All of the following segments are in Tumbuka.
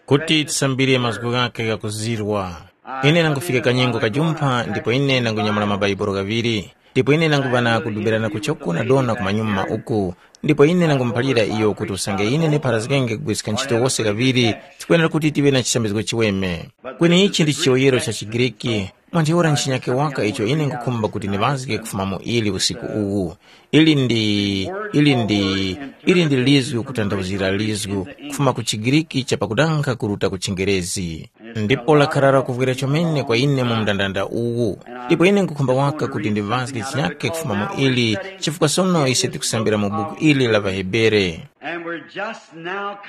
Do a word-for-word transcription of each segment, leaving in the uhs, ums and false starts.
kuti tisambire mazgu ghakhe ghakuzirwa. Ine nangufika kanyengo kajumpha ndipo ine nangunyamula mabaibulo ghaŵiri. Ndipo ine nanguŵa na kudumbirana kuchoko na dona kumanyuma uku. Ndipo ine nangumuphalira iyo kuti usange ine ndipharazgenge kugwiska ntchito wose kaŵiri, tikwenera kuti tive na chisambizgo chiweme. Kweni ichi ndi chiyoyero cha chiGriki. Mwa ntheura nchinyake waka icho ine nkukhumba kuti ndiŵazge kufuma mu ili usiku uwu. Ili ndi ili ndi ili ndi lizgu kutanthauzira lizgu, kufuma ku chiGriki cha pakudanga kuruta ku chingerezi. Ndipo lakharara kuvwira chomene kwa ine mu mndandanda uwu. Ndipo ine nkukhumba waka kuti ndiŵazge chinyake kufuma mu ili, chifukwa sono ise tikusambira mu buku ili la ŵaHebere.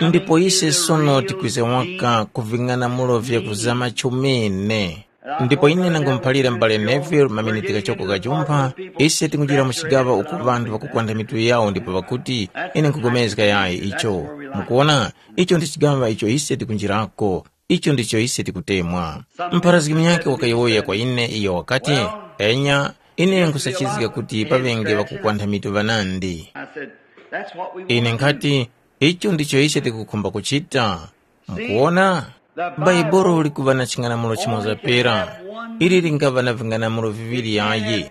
Ndipo ise sono tikwiza waka ku ving'anamulo vya kuzama chomene. Ndipo ine nangumuphalira m'bale Neville maminiti ghachoko ghajumpha, ise tinguchira mu chigaŵa uku ŵanthu ŵakukwantha mitu yawo ndipo ŵakuti, ine nkugomezga yayi icho. Mukuona, icho ndi chigaŵa icho ise tikunjirako. Icho ndicho ise tikutemwa. Mpharazgi munyakhe wakayowoya kwa ine, iyo wakati, enya, ine nkhusachizga kuti paŵenge ŵakukwantha mitu ŵanandi. Ine nkhati, icho ndicho ise tikukhumba kuchita. Mukuona, bhaibolo likuŵa na ching'anamulo chimoza pera. Ili lingaŵa na ving'anamulo viŵiri yayi.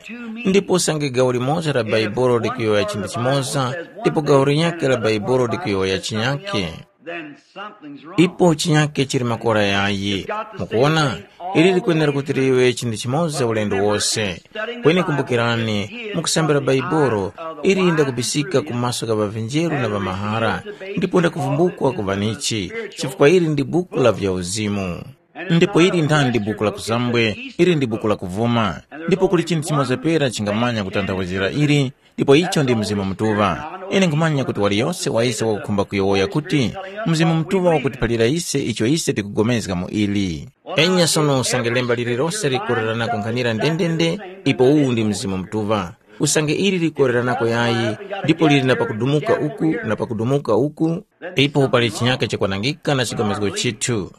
Ndipo usange gawo limoza la bhaibolo likuyowoya chinthu chimoza, ndipo gawo linyakhe la bhaibolo likuyowoya chinyakhe, ipo chinyakhe chili makora yayi. Mukuona, ili likwenera kuti liwe chinthu chimoza ulendo wose. Kweni kumbukirani, mukusambira bhaibolo, ili ndakubisika ku maso gha ŵavinjeru na ŵamahara, ndipo ndakuvumbukwa ku ŵanichi, chifukwa ili ndi buku la vyauzimu. Ndipo ili ndandi buku la kuzambwe, ili ndi buku la kuvuma. Ndipo kuli chinthu chimoza pera chingamanya kutanthauzira ili, ndipo icho ndi Mzimu Mutuŵa. Ine nkhumanya kuti waliyose wa ise wakukhumba kuyowoya kuti, Mzimu Mutuŵa wakutiphalira ise icho ise tikugomezga mu ili. Enya sono usange lemba lililose likoreranako nkhanira ndendende, ipo uwu ndi Mzimu Mutuŵa. Usange ili likoreranako yayi, ndipo lili na pakudumuka uku na pakudumuka uku, ipo pali chinyaka chakwanangika na chigomezgo chithu.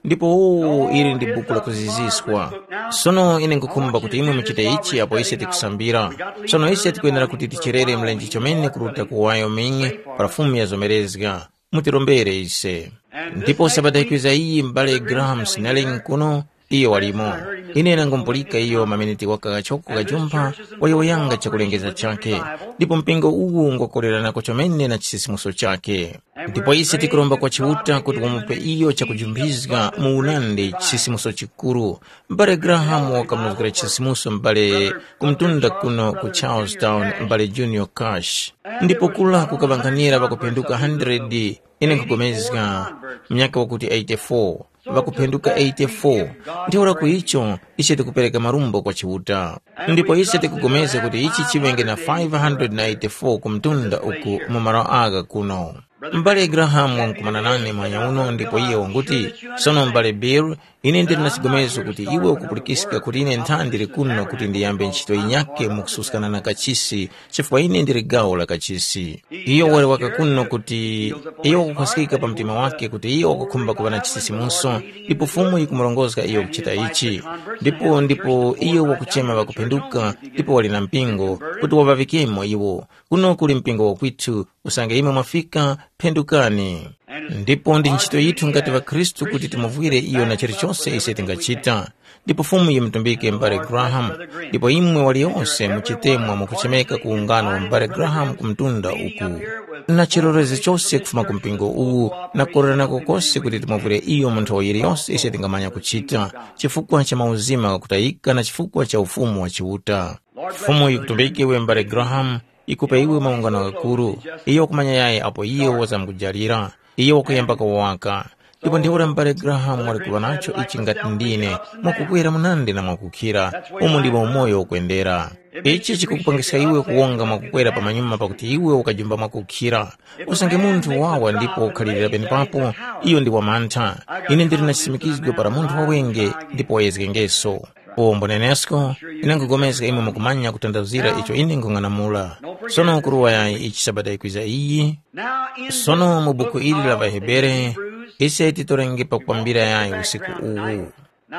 Ndipo uwu ili ndi buku la kuziziswa. Sono ine nkukhumba kuti imwe muchite ichi apo ise tikusambira. Sono ise tikwenera kuti ticherere mlenje chomene kuruta ku Wyoming pa Fumu ya zomerezga. Mutirombere ise. Ndipo sabata ikwiza iyi m'bale Graham Snelling kuno, iyo walimo. Ine nangumupulika iyo maminiti waka kachoko kajumpha wayowoyanga chakulengeza chakhe. Ndipo mpingo uwu ngwakoleranako chomene na chisisimuso chakhe. Ndipo ise tikuromba kwa Chiuta kuti wamupe iyo chakujumphiska mu unandi chisisimuso chikuru. M'bale Graham wakamunozgera chisisimuso m'bale kumtunda kuno ku Charlestown, m'bale Junior Cash. Ndipo kula kukaŵa nkhanira ŵakuphenduka hundred, ine nkhupulikana, munyaka wakuti eighty-four, ŵakuphenduka eighty-four. Ntheura ku icho, ise tikupereka marumbo kwa Chiuta. Ndipo ise tikupulikana kuti ichi chiŵenge na five hundred na eighty-four ku mtunda uku mu malo agha kuno. M'bale Grahamu wankukumana nane mwanya uno ndipo iye wanguti, sono m'bale Bill, ine ndili na chigomezo kuti iwe ukupulikiska kuti ine nthandi ndili kuno kuti ndiyambe ntchito yinyakhe mukususkana na kachisi, chifukwa ine ndili gawo la kachisi. Iyo wali waka kuno kuti iyo wakukhwaskika pa mtima wake kuti iyo wakukhumba kuŵa na chisisimuso, ndipo Fumu yikumurongozga iyo kuchita ichi. Ndipo ndipo iyo wakuchema ŵakuphenduka ndipo wali na mpingo kuti waŵaŵikemo iwo. Kuno kuli mpingo wakwithu, usange imwe mwafika, phendukani. Ndipo ndi ntchito yithu ngati ŵakhristu kuti timuvwire iyo na chilichose ise tingachita. Ndipo Fumu yimutumbike m'bale Graham, ndipo imwe waliyose muchitemwa mukuchemeka ku ungano wa m'bale Graham ku mtunda uku. Na chilolezo chose kufuma ku mpingo uwu na kukolerana kokose kuti timuvwire iyo mu nthawi yiliyose ise tingamanya kuchita, chifukwa cha mauzima ghakutayika na chifukwa cha Ufumu wa Chiuta. Fumu yikutumbike iwe m'bale Graham, yikupa iwe maungano ghakuru. Iyo wakumanya yayi apo iyo wazamkujalira. Iyo wakuyamba kuwaka. Ndipo ntheura m'bale Grahamu wali kuŵa nacho ichi ngati ndine, mwakukwera munandi na mwakukhira, umo ndimo umoyo ukwendera. Ichi chikukupangiska iwe kuwonga mwakukwera pamanyuma pakuti iwe ukajumba mwakukhira. Usange munthu wawa ndipo ukhalirira penepapo, iyo ndi wamantha. Ine ndili na chisimikizgo para munthu wawenge ndipo wayezgengeso. Uwo mbunenesko, ine nkhupulikana imwe mukumanya kutanthauzira icho ine nkhung'anamula. Sono kuruwa yayi ichi Sabata yikwiza iyi? Sono mu buku ili la ŵaHebere, ise titorenge pakwambira yayi usiku uwu.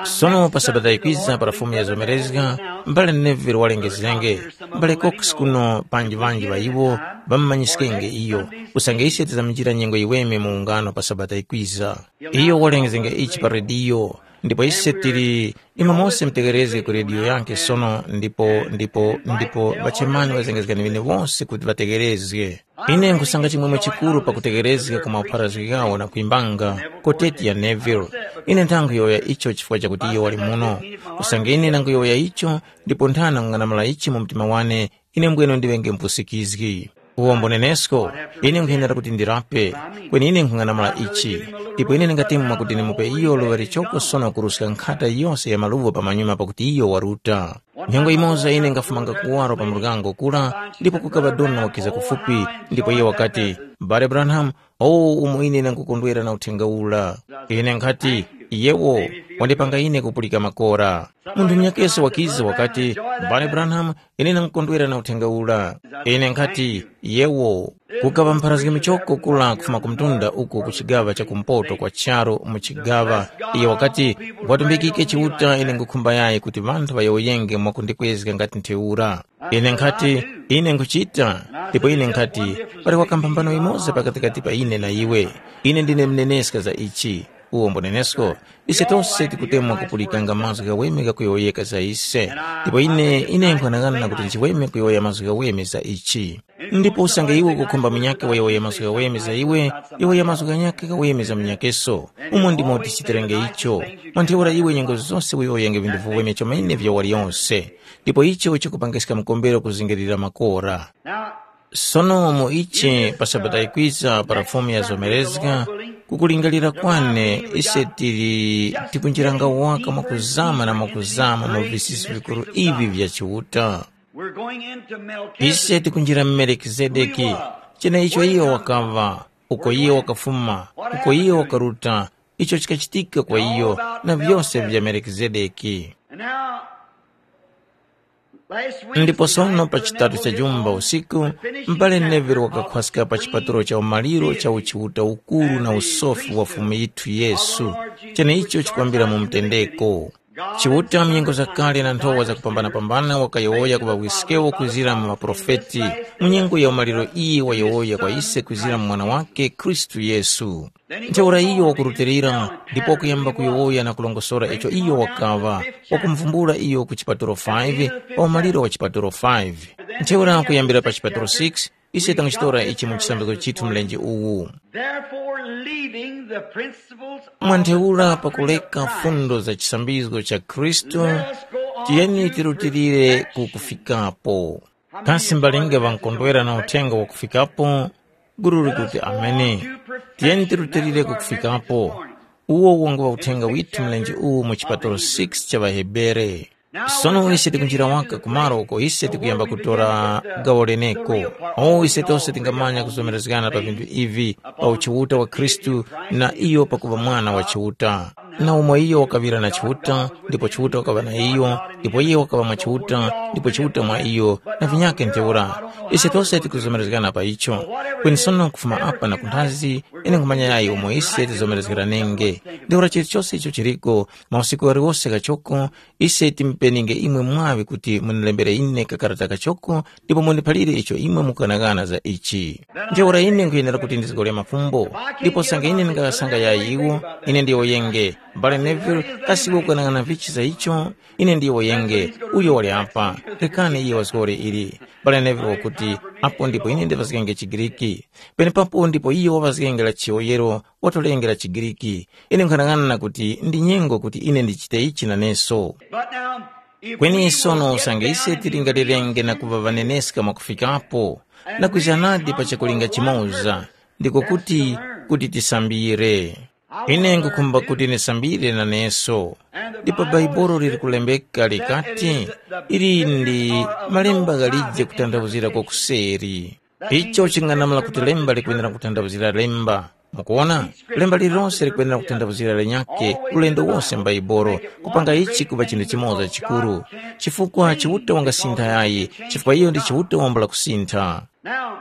Sono pa Sabata yikwiza para Fumu yazomerezga, mbale Neville walengezgenge, mbale Cox kuno panji ŵanji ŵa iwo ŵamumanyiskenge iyo, usange ise tizaminjira nyengo yiweme mu ungano pa Sabata yikwiza. Iyo walengezgenge ichi pa rediyo, ndipo ise tili imwe mose mutegerezge ku rediyo yake sono ndipo ndipo ndipo ŵachemani ŵazengezgani ŵene wose kuti ŵategerezge. Ine nkhusanga chimwemwe chikuru pakutekerezga ku mapharazgi ghawo na kuyimbanga koteti ya Neville. Ine nthankhuyowoya icho chifukwa chakuti iyo wali muno. Usange ine ndanguyowoya icho ndipo nthana kung'anamula ichi mu mtima wane, ine mbwene ndiŵenge mpusikizgi. Uwombo nenesko, ine nkhuyenera kuti ndilape, kweni ine nkhung'anamula ichi. Ndipo ine ndingatemwa kuti ndimupe iyo luŵa lichoko sono kuruska nkhata yose ya maluvo pamanyuma pakuti iyo waruta. Nyengo yimoza ine ngafumanga kuwaro pa muryango kura, ndipo kukaŵa dona wakiza kufupi, ndipo iye wakati, "M'bale Branham, owu umo ine ndangukondwera na uthenga ura." Ine nkhati, "Yewo, wandipanga ine kupulika makora." Munthu munyakeso wakiza wakati, "M'bale Branham, ine ndangukondwera na uthenga ura." Ine nkhati, "Yewo." Kukaŵa mpharazgi muchoko kura kufuma ku mtunda uko ku chigaŵa cha kumpoto kwa charu mu chigaŵa, iyo wakati, "Watumbikike Chiuta, ine nkhukhumba yayi kuti ŵanthu ŵayowoyenge mwakundikwezga ngati ntheura." Ine nkhati, "Ine nkhuchita," ndipo ine nkhati, "Pali wakamphambano yimoza pakatikati pa ine na iwe. Ine ndine mneneska za ichi, uwo mbo nenesko. Ise tose tikutemwa kupulikanga mazgu ghaweme ghakuyowoyeka za ise, ndipo ine ine nkhanang'ana kuti nchiweme kuyowoya mazgu ghaweme za ichi. Ndipo usange iwe ukukhumba munyakhe wayowoya mazgu ghaweme za iwe, yowoya mazgu ghanyakhe ghaweme za munyakeso. Umo ndimo tichitirenge icho. Mwa ntheura iwe nyengo zose uyowoyenge vinthu viweme chomene vya waliyonse, ndipo icho chikupangiska mkombero kuzingirira makora. Sono mu ichi pa Sabata yikwiza para Fumu yazomerezga, kukulingalira kwane ise tili tikunjiranga waka mwakuzama na mwakuzama mu visisi vikuru ivi vya Chiuta. We're going into Melchizedek. Ise tikunjira Melikizedeki, cheneicho iyo wakaŵa, uko iyo wakafuma, uko iyo wakaruta, icho chikachitika kwa iyo, na vyose vya Melikizedeki. And now, last week, ndipo sono pa chitatu cha jumba usiku, m'bale Neville wakakhwaska pa chipatulo cha umaliro cha uchiuta ukuru na usofi wa Fumu yithu Yesu, cheneicho chikwambira mu mtendeko. Chiuta mu nyengo zakale na nthowa zakupambana-pambana wakayowoya ku ŵawiskewo kuzira mu maprofeti. Mu nyengo ya umaliro iyi wayowoya kwa ise kuzira mu Mwana wakhe Khristu Yesu. Ntheura iyo wakurutilira ndipo wakuyamba kuyowoya na kulongosora icho iyo wakaŵa, wakumvumbula iyo ku chipatulo five, pa umaliro wa chipatulo five. Ntheura kuyambira pa chipatulo six, ise tangachitora ichi mu chisambizgo chithu mlenje uwu. Therefore, leaving the principles of mwa ntheura the pakuleka doctrine, fundo za chisambizgo cha Khristu, let us go on tiyeni to tirutilire perfection. Ku kufikapo. Kasi mbalinga ŵankondwera na uthenga wakufikapo? Guru likuti ameni. Tiyeni tirutilire ku kufikapo. Uwo wangu wa uthenga withu mlenje uwu mu chipatulo six cha ŵaHebere. Sono ise tikunjira waka kumalo uko ise tikuyamba kutora gawo leneko. O ise tose tingamanya kuzomerezgana pa vinthu ivi, pa uchiuta wa Khristu na iyo pakuŵa mwana wa Chiuta. Na umo iyo wakaŵira na Chiuta, ndipo Chiuta wakaŵa na iyo, ndipo iyo wakaŵa mwa Chiuta, ndipo Chiuta mwa iyo, na vinyakhe ntheura. Ise tose tikuzomerezgana pa icho. Kweni sono kufuma apa na kunthazi, ine nkhumanya yayi umo ise tizomerezgeranenge. Ntheura chilichose icho chiliko, mausiku ghaliwose ghachoko, ise timupeninge imwe mwaŵi kuti munilembere ine kakarata kachoko ndipo mundiphalire icho imwe mukughanaghana za ichi. Ntheura ine nkhuyenera kuti ndizgore mafumbo, ndipo sanga ine ndingaghasanga yayi iwo, ine ndiyowoyenge, M'bale Neville, kasi iwe ukughanaghana vichi za icho? Ine ndiyowoyenge, uyo wali apa, rekani iye wazgore ili. M'bale Neville wakuti, apo ndipo ine ndivazgenge chiGriki. Penepapo ndipo iyo wavazgenge la chiyowoyero, watolenge la chiGriki. Ine nkhanang'ana kuti ndi nyengo kuti ine ndichite ichi naneso. But now, if kweni we sono will get usange ise down and tilingalirenge na kuŵa ŵaneneska mwakufikapo, na kwiza nadi pa chakulinga chimoza, ndiko kuti, kuti tisambire. Ine ngukhumba kuti nisambire naneso. Ndipo Bhaibuli liri kulembeka likati, ili ndi malemba ghalije kutanthauzira kwakuseri. Icho chinganamula kuti lemba likwenera kutanthauzira lemba. Mukuona? Lemba lililonse likwenera kutanthauzira lenyakhe ulendo wose m'Bhaibuli, kupanga ichi kuŵa chinthu chimoza chikuru. Chifukwa Chiuta wangasintha yayi, chifukwa iyo ndi Chiuta wambula kusintha. Now,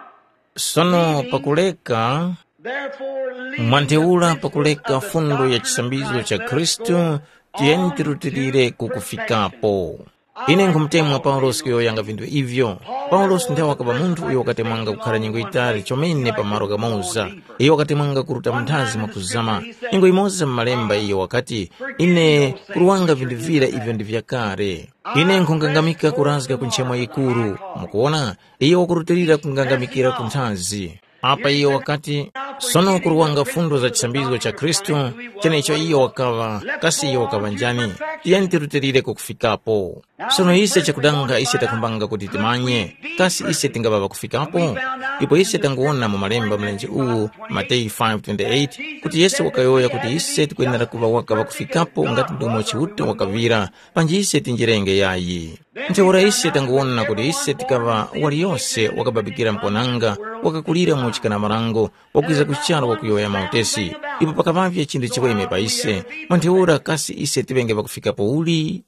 sono pakuleka, therefore, leaving mwantheura the pakuleka principles of the fundo ya doctrine of chisambizo cha Christ, Khristu, Tiyeni tirutilire kukufikapo. Ine nkhumutemwa Paulosi kuyowoyanga vinthu ivyo. Paulosi nthawe wakaŵa munthu uyo wakatemwanga kukhara nyengo yitali chomene pa malo ghamoza. Iyo wakatemwanga kuruta munthazi mwakuzama. Nyengo yimoza mu malemba iyo wakati, ine kuruwanga vinthu vira ivyo ndi vyakale. Ine nkhungangamika kurazga ku nchemo yikuru. Mukuwona, iyo wakurutilira kungangamikira ku nthazi. Apa iyo wakati, sono kuruwanga fundo za chisambizgo cha Khristu, chenecho iyo wakaŵa, kasi iyo wakaŵa njani? Tiyeni tirutilire kukufikapo. Sono ise chakudanga ise takhumbanga kuti timanye, kasi ise tingaŵa pakufikapo? Ndipo ise tanguwona mu malemba mlenje uwu, Mateyu five twenty-eight, kuti Yesu wakayowoya kuti ise tikwenera kuŵa waka pakufikapo ngati ndomo Chiuta wakaŵira, panji ise tinjirenge yayi. Ntheura ise tanguwona kuti ise tikaŵa waliyose wakababikira mponanga, wakakulira mu chikana marango, wakwiza ku charu wakuyowoya mautesi, ipo pakaŵavye chinthu chiweme pa ise, mwa ntheura kasi ise tiŵenge pakufikapo uli?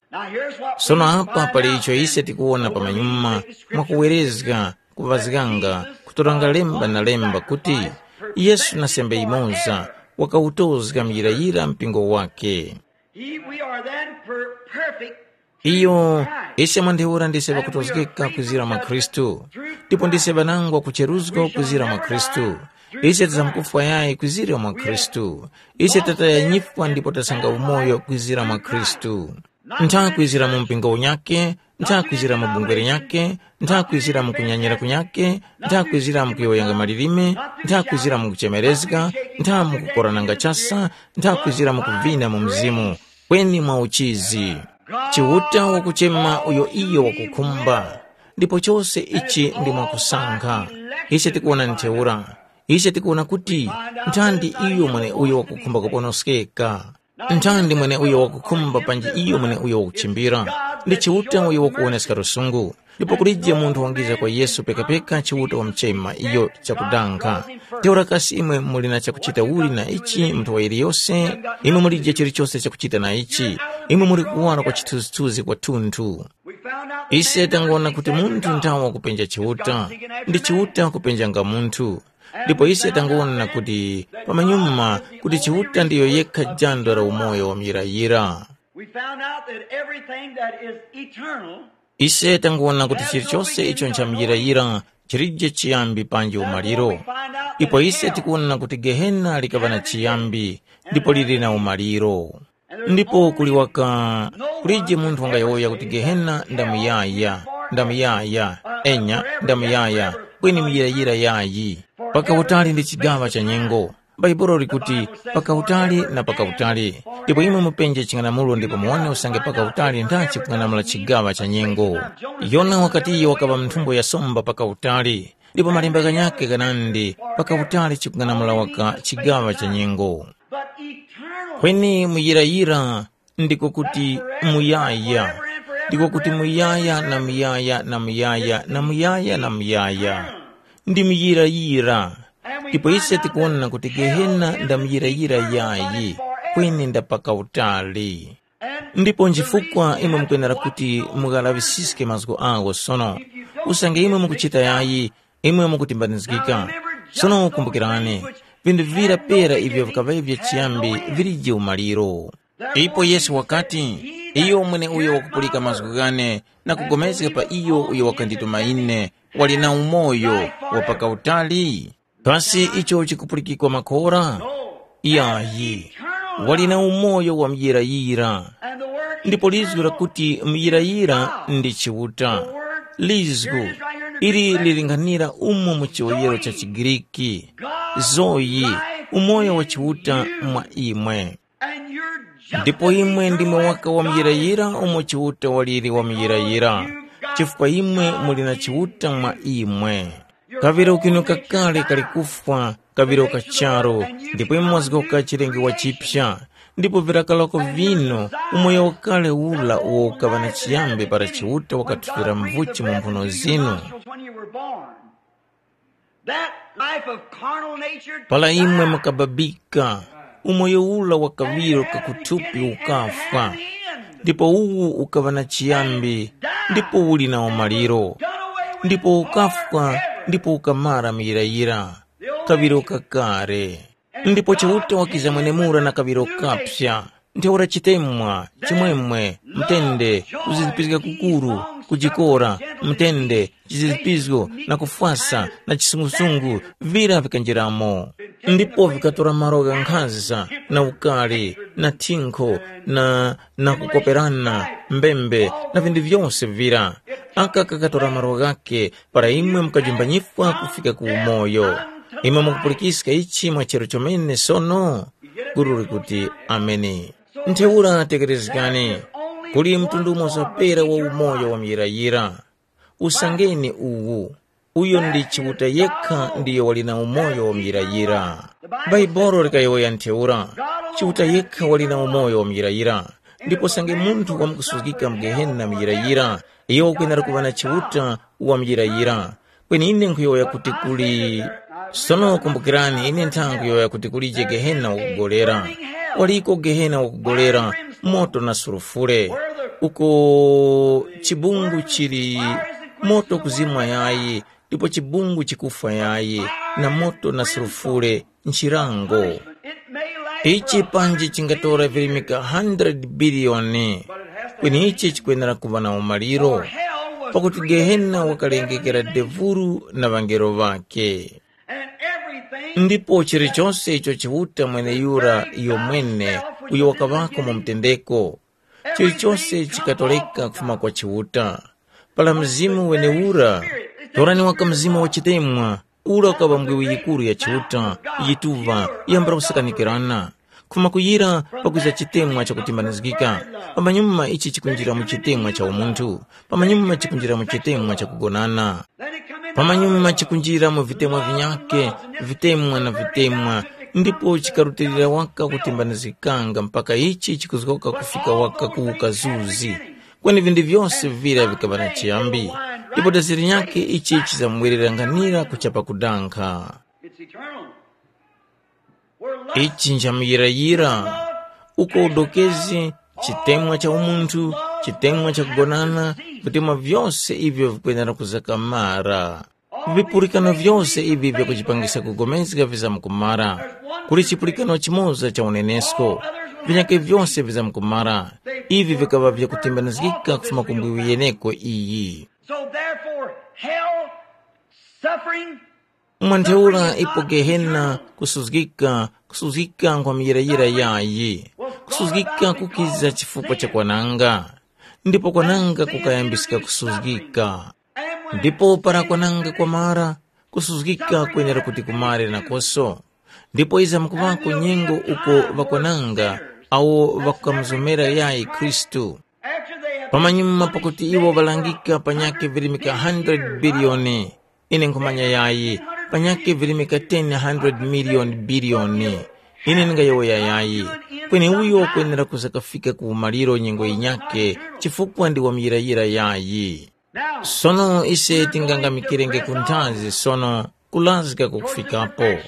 Sono apa pali icho ise tikuwona pamanyuma, mwakuwerezga, kuŵazganga, kutoranga lemba na lemba kuti Yesu na sembe yimoza wakawutozga muyirayira mpingo wake. He, we are then per, perfect. Iyo, ise mwa ntheura ndise ŵakutozgeka kwizira mwa Khristu, ndipo ndise ŵanangwa kucheruzgo kwizira mwa Khristu. Ise tizamkufwa yayi kwizira mwa Khristu. Ise tataya nyifwa ndipo tasanga umoyo kwizira mwa Khristu. Ntha kwizira mu mpingo unyake, ntha kwizira mu bungwe linyake, ntha kwizira mu kunyanyira kunyake, ntha kwizira mu kuyowoyanga malilime, ntha kwizira mu kuchemerezga, ntha mu kukorananga chasa, ntha kwizira mu kuvina mu mzimu, kweni mwa uchizi. Chiuta wakuchema uyo iyo wakukhumba, ndipo chose ichi ndi mwakusankha. Ise tikuwona ntheura. Ise tikuwona kuti nthandi iyo mweneuyo wakukhumba kuponoskeka. Nthandi mweneuyo wakukhumba panji iyo mweneuyo wakuchimbira. Ndi Chiuta uyo wakuwoneska lusungu. Ndipo kulije munthu wangiza kwa Yesu pekapeka Chiuta wamuchema iyo chakudankha. Ntheura kasi imwe muli na chakuchita uli na ichi mu nthaŵa yiliyose? Imwe mulije chilichose chakuchita na ichi. Imwe muli kuwara kwa chithunzithunzi kwathunthu. Ise tanguwona kuti munthu nthawe wakupenja Chiuta, ndi Chiuta kupenjanga munthu. Ndipo ise tanguwona kuti pamanyuma kuti Chiuta ndiyo yekha jando la umoyo wa muyirayira. We found out that everything that is eternal. Ise tanguwona kuti chilichose icho nchamuyirayira chilije chiyambi panji umaliro. Ipo ise tikuwona kuti Gehena likaŵa na chiyambi ndipo lili na umaliro. Ndipo kuli waka kulije munthu wangayowoya kuti Gehena ndamuyaya, ndamuyaya, enya ndamuyaya, kweni muyirayira yayi. Pakautali ndi chigaŵa cha nyengo. Bhaibuli likuti, pakautali na pakautali. Ndipo imwe mupenje ching'anamulo ndipo muwone usange pakautali nthachi kung'anamula chigaŵa cha nyengo. Yona wakati iyo wakaŵa mu nthumbo ya somba pakautali. Ndipo malemba ghanyakhe ghanandi, pakautali chikung'anamula waka chigaŵa cha nyengo. But eternal. Kweni muyirayira ndiko kuti muyaya, ndiko kuti muyaya na muyaya na muyaya na muyaya na muyaya. Ndi muyirayira. Ndipo ise tikuwona kuti Gehena nda muyirayira yayi, kweni nda pakautali. Ndipo nchifukwa imwe mukwenera kuti mughalaŵisiske mazgu agho sono. Usange imwe mukuchita yayi, imwe mukutimbanizgika. Sono kumbukirani, vinthu vira pera ivyo vikaŵavye chiyambi vilije umaliro. Ipo Yesu wakati, iyo mweneuyo wakupulika mazgu ghane na kugomezga pa iyo uyo wakandituma ine, wali na umoyo wa pakautali. Kasi icho chikupulikikwa makora? Yayi, wali na umoyo wa muyirayira. Ndipo lizgu lakuti muyirayira ndi Chiuta. Lizgu ili liling'anira umo mu chiwoyero cha chiGriki, zoyi, umoyo wa Chiuta mwa imwe. Ndipo imwe ndimwe waka wamuyirayira umo Chiuta waliri wamuyirayira, chifukwa imwe muli na Chiuta mwa imwe. Kaŵiro kinu kakale kali kufwa, kaŵiro ka charu, ndipo imwe mwazgoka chilengedwe chipya. Ndipo virakaloko vino, umoyo wakale ula uwo ukaŵa na chiyambi para Chiuta wakathufira mvuchi mu mphuno zinu. That life of carnal nature Para imwe mukababika, umoyo ula wa kaŵiro kakuthupi ukafwa, ndipo uwu ukaŵa na chiyambi, ndipo uli na umaliro, ndipo ukafwa, ndipo ukamara muyirayira, kaŵiro kakare. Ndipo Chiuta wakiza mwenemura na kaŵiro kapya, Ntheura chitemwa, chimwemwe, mtende, kuzizipizga kukuru, kujikora, mtende, chizizipizgo, na kufwasa, na chisungusungu, vira vikanjiramo. Ndipo vikatora malo gha nkhanza, na ukari, na thinkho, na, na kukoperana, mbembe, na vindu vyose vira. Aka kakatora malo ghake, para imwe mukajumba nyifwa kufika ku umoyo. Imwe mukupulikiska ichi mwa chero chomene sono? Guru likuti, Ameni. Ntheura tekerezgani, kuli mtundu umoza pera wa umoyo wa muyirayira. Usangeni uwu, uyo ndi Chiuta yekha ndiyo wali na umoyo wa muyirayira. Bhaibuli likayowoya ntheura, Chiuta yekha wali na umoyo wa muyirayira, ndipo sange munthu wamkusuzgika mu Gehena muyirayira, iyo ukwenera kuŵa na Chiuta wa muyirayira. Kweni ine nkhuyowoya kuti kuli, sono kumbukirani, ine nthanga nkhuyowoya kuti kulije Gehena wakugolera. Waliko Gehena wakugolera, moto na sulufure, uko chibungu chili, moto kuzimwa yayi, ndipo chibungu chikufwa yayi, na moto na sulufure, nchirango. Ichi panji chingatora virimika hundred biliyoni, kweni ichi chikwenera kuŵa na umaliro, pakuti Gehena wakalengekera devuru na ŵangelo ŵakhe. Ndipo chilichonse icho Chiuta mweneyura iyo mwene uyo wakaŵako mu mtendeko, chilichonse chikatoleka kufuma kwa Chiuta. Para Mzimu wenewura, torani waka mzimu wa chitemwa, ura ukaŵa mbwiwi yikuru ya Chiuta, yituŵa, yambula kusakanikirana. Kufuma kuyira pakwiza chitemwa chakutimbanizgika, pamanyuma ichi chikunjira mu chitemwa cha umunthu, pamanyuma chikunjira mu chitemwa chakugonana, pamanyuma chikunjira mu vitemwa vinyakhe, vitemwa na vitemwa, ndipo chikarutilira waka kutimbanizgikanga mpaka ichi chikuzgoka kufika waka ku ukazuzi. Kweni vindu vyose vira vikaŵa na chiyambi, ndipo dazi linyakhe ichi chizamwerera nkhanira kuchapa kudankha. It's eternal. Ichi nchamuyirayira, uko udokezi, chitemwa cha umunthu, chitemwa cha kugonana, vitemwa vyose ivyo vikwenera kuzakamara. Vipulikano vyose ivi vyakuchipangisa kugomezga vizamkumara. Kuli chipulikano chimoza cha unenesko, vinyakhe vyose vizamkumara. Ivi vikaŵa vyakutimbanizgika kufuma ku mbwiwi yeneko iyi. So therefore, hell, suffering, Mwantheura ipo Gehena kusuzgika, kusuzgika nkwa muyirayira yayi. Kusuzgika kukiza chifukwa cha kwananga. Ndipo kwananga kukayambisika kusuzgika. Ndipo para kwananga kwamara, kusuzgika kwenera kuti kumare nakoso. Ndipo iza mkuŵako nyengo uko ŵakwananga awo ŵakamuzomera yayi Khristu. Pamanyuma pakuti iwo ŵalangika panyakhe virimika hundred biliyoni, ine nkhumanya yayi, panyakhe virimika ten hundred million biliyoni. Ine ndingayowoya yayi, kweni uyo wakwenera kuza kafika ku umaliro nyengo yinyakhe, chifukwa ndi wamuyirayira yayi. Sono ise tingangamikirenge ku nthazi sono kulazga kukufikapo.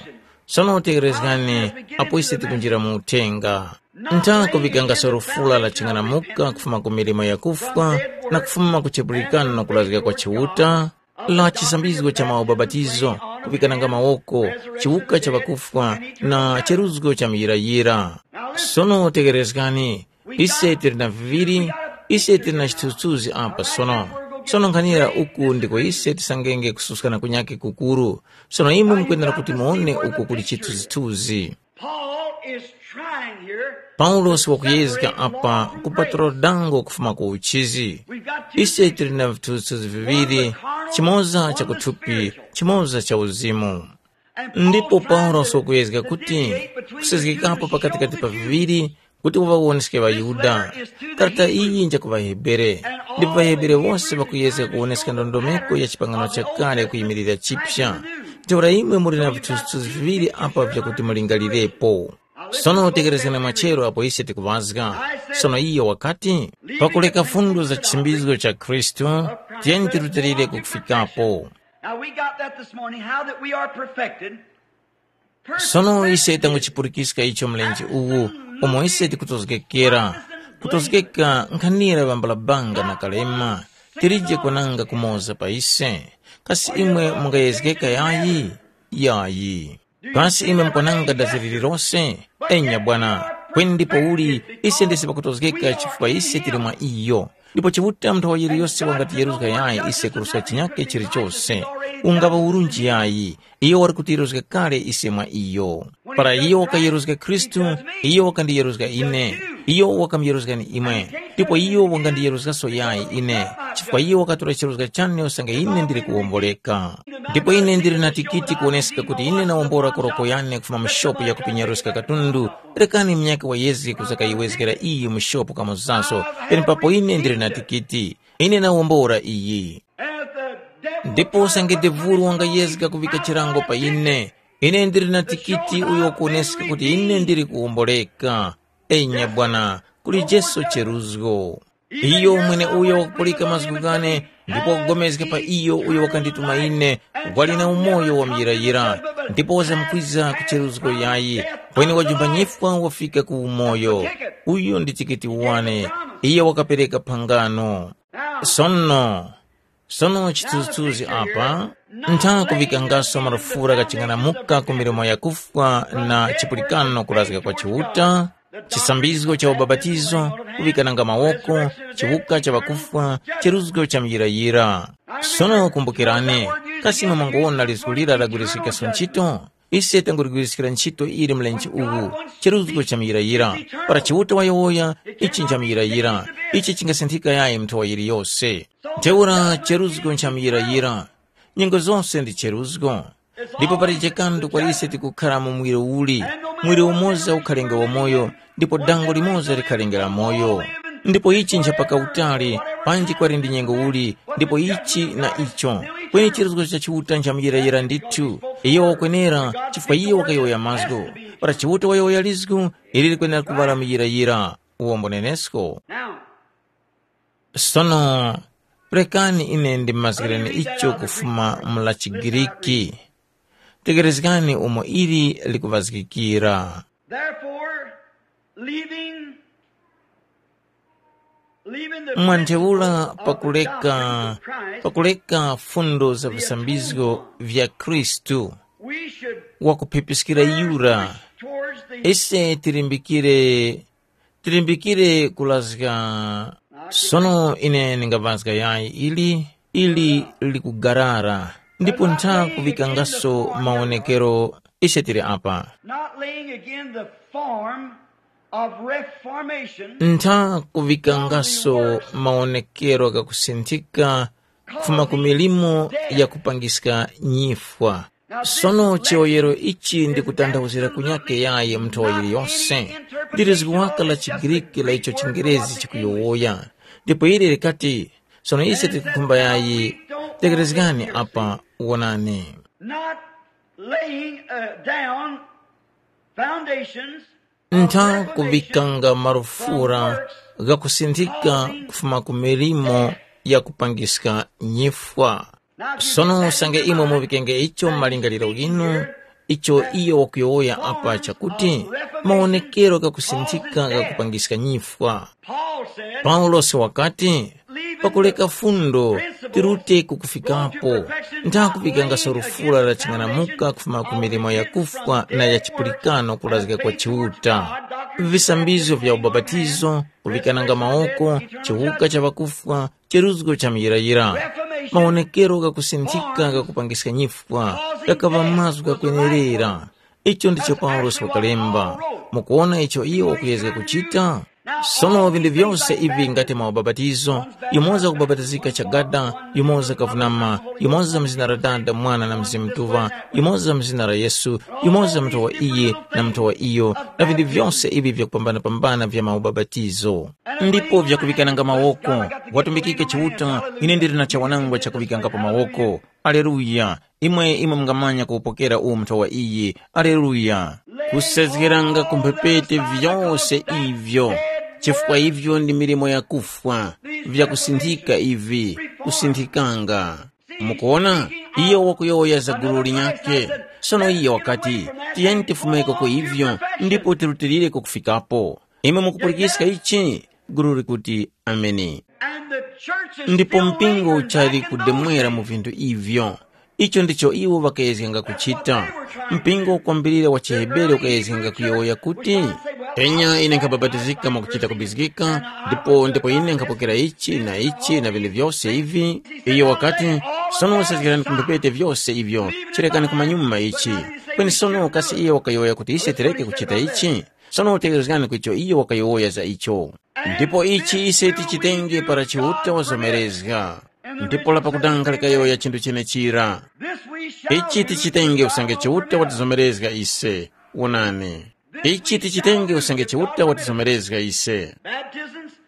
Sono tekerezgani, apo ise tikunjira mu uthenga. Ntha kuŵikangaso lufula la ching'anamuka kufuma ku milimo yakufwa, na kufuma ku chipulikano na kulazgika kwa Chiuta, la chisambizgo cha maubapatizo, kuŵikananga mawoko, chiwuka cha ŵakufwa, na cheruzgo cha muyirayira. Sono tekerezgani, ise tili na viŵiri, ise tili na chithunzithunzi apa sono. Sono nkhanira uku ndiko ise tisangenge kususkana kunyakhe kukuru. Sono imwe mukwenera kuti muwone uko kuli chithunzithunzi. Paul is trying here. Paulosi wakuyezga apa kupatula dango kufuma ku uchizi. Ise tili na vithunzithunzi viŵiri, chimoza cha kuthupi, chimoza cha uzimu. Ndipo Paulosi wakuyezga kuti kusezgekapo pakatikati pa viŵiri kuti waŵawoneske ŵaYuda. Karata iyi nja ku ŵaHebere, ndipo ŵaHebere wose ŵakuyezga kuwoneska ndondomeko ya chipangano chakale kuyimilira chipya. Ntheura imwe muli na vithunzithunzi viŵiri apa vyakuti mulingalirepo. Sono tekerezgani mwachero apo ise tikuŵazga. Sono iyo wakati, pakuleka fundo za chisimbizo cha Khristu, tiyeni tirutilire kukufikapo. Now we got that this morning, how that we are perfected. Sono ise tanguchipulikiska icho mlenje uwu, umo ise tikutozgekera. Kutozgeka nkhanira ŵambalabanga na kalema, tilije kwananga kumoza pa ise. Kasi imwe mungayezgeka yayi? Yayi. Kasi imwe mukwananga dazi lililose? Enya bwana. Kweni ndipouli, ise ndise pakutozgeka chifukwa ise tili mwa iyo. Ndipo Chiuta munthu wa yiliyose wangatiyeruzga yayi ise kuruska chinyakhe chilichose. Ungaŵa urunji yayi, iyo wali kutiyeruzga kale ise mwa iyo. Para iyo wakayeruzga Khristu, iyo wakandiyeruzga ine. Iyo wakamuyeruzgani imwe. Ndipo iyo wangandiyeruzgaso yayi ine, chifukwa iyo wakatora chiruzga chane usange ine ndili kuwomboleka. Ndipo ine ndili na tikiti kuwoneska kuti ine nawombora koroko yane kufuma mu shopu ya kupinyaruska katundu. Rekani munyakhe wayezge kuzakayiwezgera iyi mu shopu kamozaso, penepapo ine ndili na tikiti. Ine nawombora iyi. Ndipo usange devulu wangayezga kuvika chilango pa ine, ine ndili na tikiti uyo wakuwoneska kuti ine ndili kuwomboleka. Enya bwana, kuli Jesu cheruzgo. Iyo mwene uyo wakupulika mazgu ghane, ndipo wakugomezga pa iyo uyo wakandituma ine, wali na umoyo wa muyirayira, ndipo wazamkwiza ku cheruzgo yayi, kweni wajumba nyifwa wafika ku umoyo. Uyu ndi tikiti wane, iye wakapereka phangano. Sono, sono chithunzithunzi apa, ntha kuŵikangaso marufura ghaching'anamuka ku milimo yakufwa na chipulikano kurazga kwa Chiuta, chisambizgo cha ubapatizo, kuŵikananga mawoko, chiwuka cha ŵakufwa, cheruzgo cha muyirayira. Sono kumbukirani, kasi imwe mwangowona lizgu lira lagwiriskikaso ntchito? Ise tanguligwiriskira ntchito ili mlenje uwu, cheruzgo cha muyirayira. Para Chiuta wayowoya, ichi nchamuyirayira, ichi chingasinthika yayi mnthowa yiliyose. Ntheura cheruzgo nchamuyirayira. Nyengo zose ndi cheruzgo. Ndipo palije kanthu kwa ise tikukhara mu muwiri uli, muwiri umoza ukhalenge wamoyo, ndipo dango limoza likhalenge la moyo. Ndipo ichi nchapaka utali, panji kwali ndi nyengo uli, ndipo ichi na icho. Kweni chiruzgo cha Chiuta nchamuyirayira ndithu. Iyo wakwenera, chifukwa iyo wakayowoya mazgu. Para Chiuta wayowoya lizgu, ili likwenera kuŵala muyirayira. Uwombo nenesko. Now, Sono, rekani ine ndimazgireni icho kufuma mu la Chigiriki. Tegerezgani umo ili likuvazgikira. Therefore, leaving, leaving the Mwantheura principles of pakuleka, doctrine of Christ, pakuleka fundo za visambizgo vya Khristu, we should wakuphipiskira yura, towards the ise tilimbikire, tilimbikire kulazga. Sono ine ndingamazga yayi ili, ili likugarara, ndipo ntha kuvikangaso mawonekero ise tili apa. Not laying again the form of reformation. Ntha kuvikangaso mawonekero ghakusinthika kufuma ku milimo ya kupangiska nyifwa. Sono chiyoyero ichi ndikutanthauzira kunyake yayi mnthowa yiliyose. Ndilizgu waka la chiGriki la icho chiNgerezi chikuyowoya. Ndipo ili likati, sono ise tikukhumba yayi, tekerezgani apa, wonani. Not laying uh, down foundations. Ntha kuŵikanga marufura ghakusinthika kufuma ku milimo ya kupangiska nyifwa. Sono usange imwe muŵikenge icho mu malingaliro ghinu, icho iyo wakuyowoya apa chakuti, mawonekero ghakusinthika ghakupangiska nyifwa. Paulosi wakati, pakuleka fundo, tirute kukufikapo, ntha kuŵikangaso lufula la ching'anamuka kufuma ku milimo yakufwa na ya chipulikano kulazga kwa Chiuta. Visambizgo vya ubapatizo, kuŵikananga mawoko, chiwuka cha ŵakufwa, cheruzgo cha muyirayira. Mawonekero ghakusinthika ghakupangiska nyifwa, ghakaŵa mazgu ghakwenerera. Icho ndicho Paulosi wakalemba. Mukuwona icho iyo wakuyezga kuchita? Sono vinthu vyose ivi ngati mwa ubapatizo, yumoza kubabatizika chagada, yumoza kavunama, yumoza mu zina la Dada, Mwana na Mzimu Mutuŵa, yumoza mu zina la Yesu, yumoza muthowa iyi na muthowa iyo, na vinthu vyose ivi vyakupambana-pambana vya maubapatizo. Ndipo vyakuŵikananga mawoko, watumbikike Chiuta, ine ndili na chawanangwa chakuŵikangapo mawoko. Aleluya! Imwe imwe mungamanya kuwupokera uwu muthowa iyi. Aleluya! Kusezgeranga ku mphepete vyose ivyo, chifukwa ivyo ndi milimo yakufwa, vyakusinthika ivi, kusinthikanga. Mukuona, iyo wakuyowoya za gulu linyakhe. Sono iyo wakati, tiyeni tifumeko ku ivyo, ndipo tirutilireko kufikapo. Imwe mukupulikiska ichi? Gulu likuti, ameni. Ndipo mpingo uchali kudemwera mu vinthu ivyo. Icho ndicho iwo ŵakayezganga kuchita. Mpingo ukwambirira wa chiHebere ukayezganga kuyowoya kuti, Enya ine nkhabapatizika mwakuchita kubizgika, ndipo ndipo ine nkhapokera ichi na ichi na vinthu vyose ivi. Iyo wakati, sono sezgerani ku mphepete vyose ivyo, chirekani kumanyuma ichi. Kweni sono kasi iye wakayowoya kuti ise tireke kuchita ichi? Sono utegherezgani kwicho iyo wakayowoya za icho. Ndipo ichi ise tichitenge para Chiuta wazomerezga. Ndipo lapakutanga likayowoya chinthu chenechira. Ichi tichitenge usange Chiuta watizomerezga ise. Wonani. Ichi tichitenge usange Chiuta watizomerezga ise.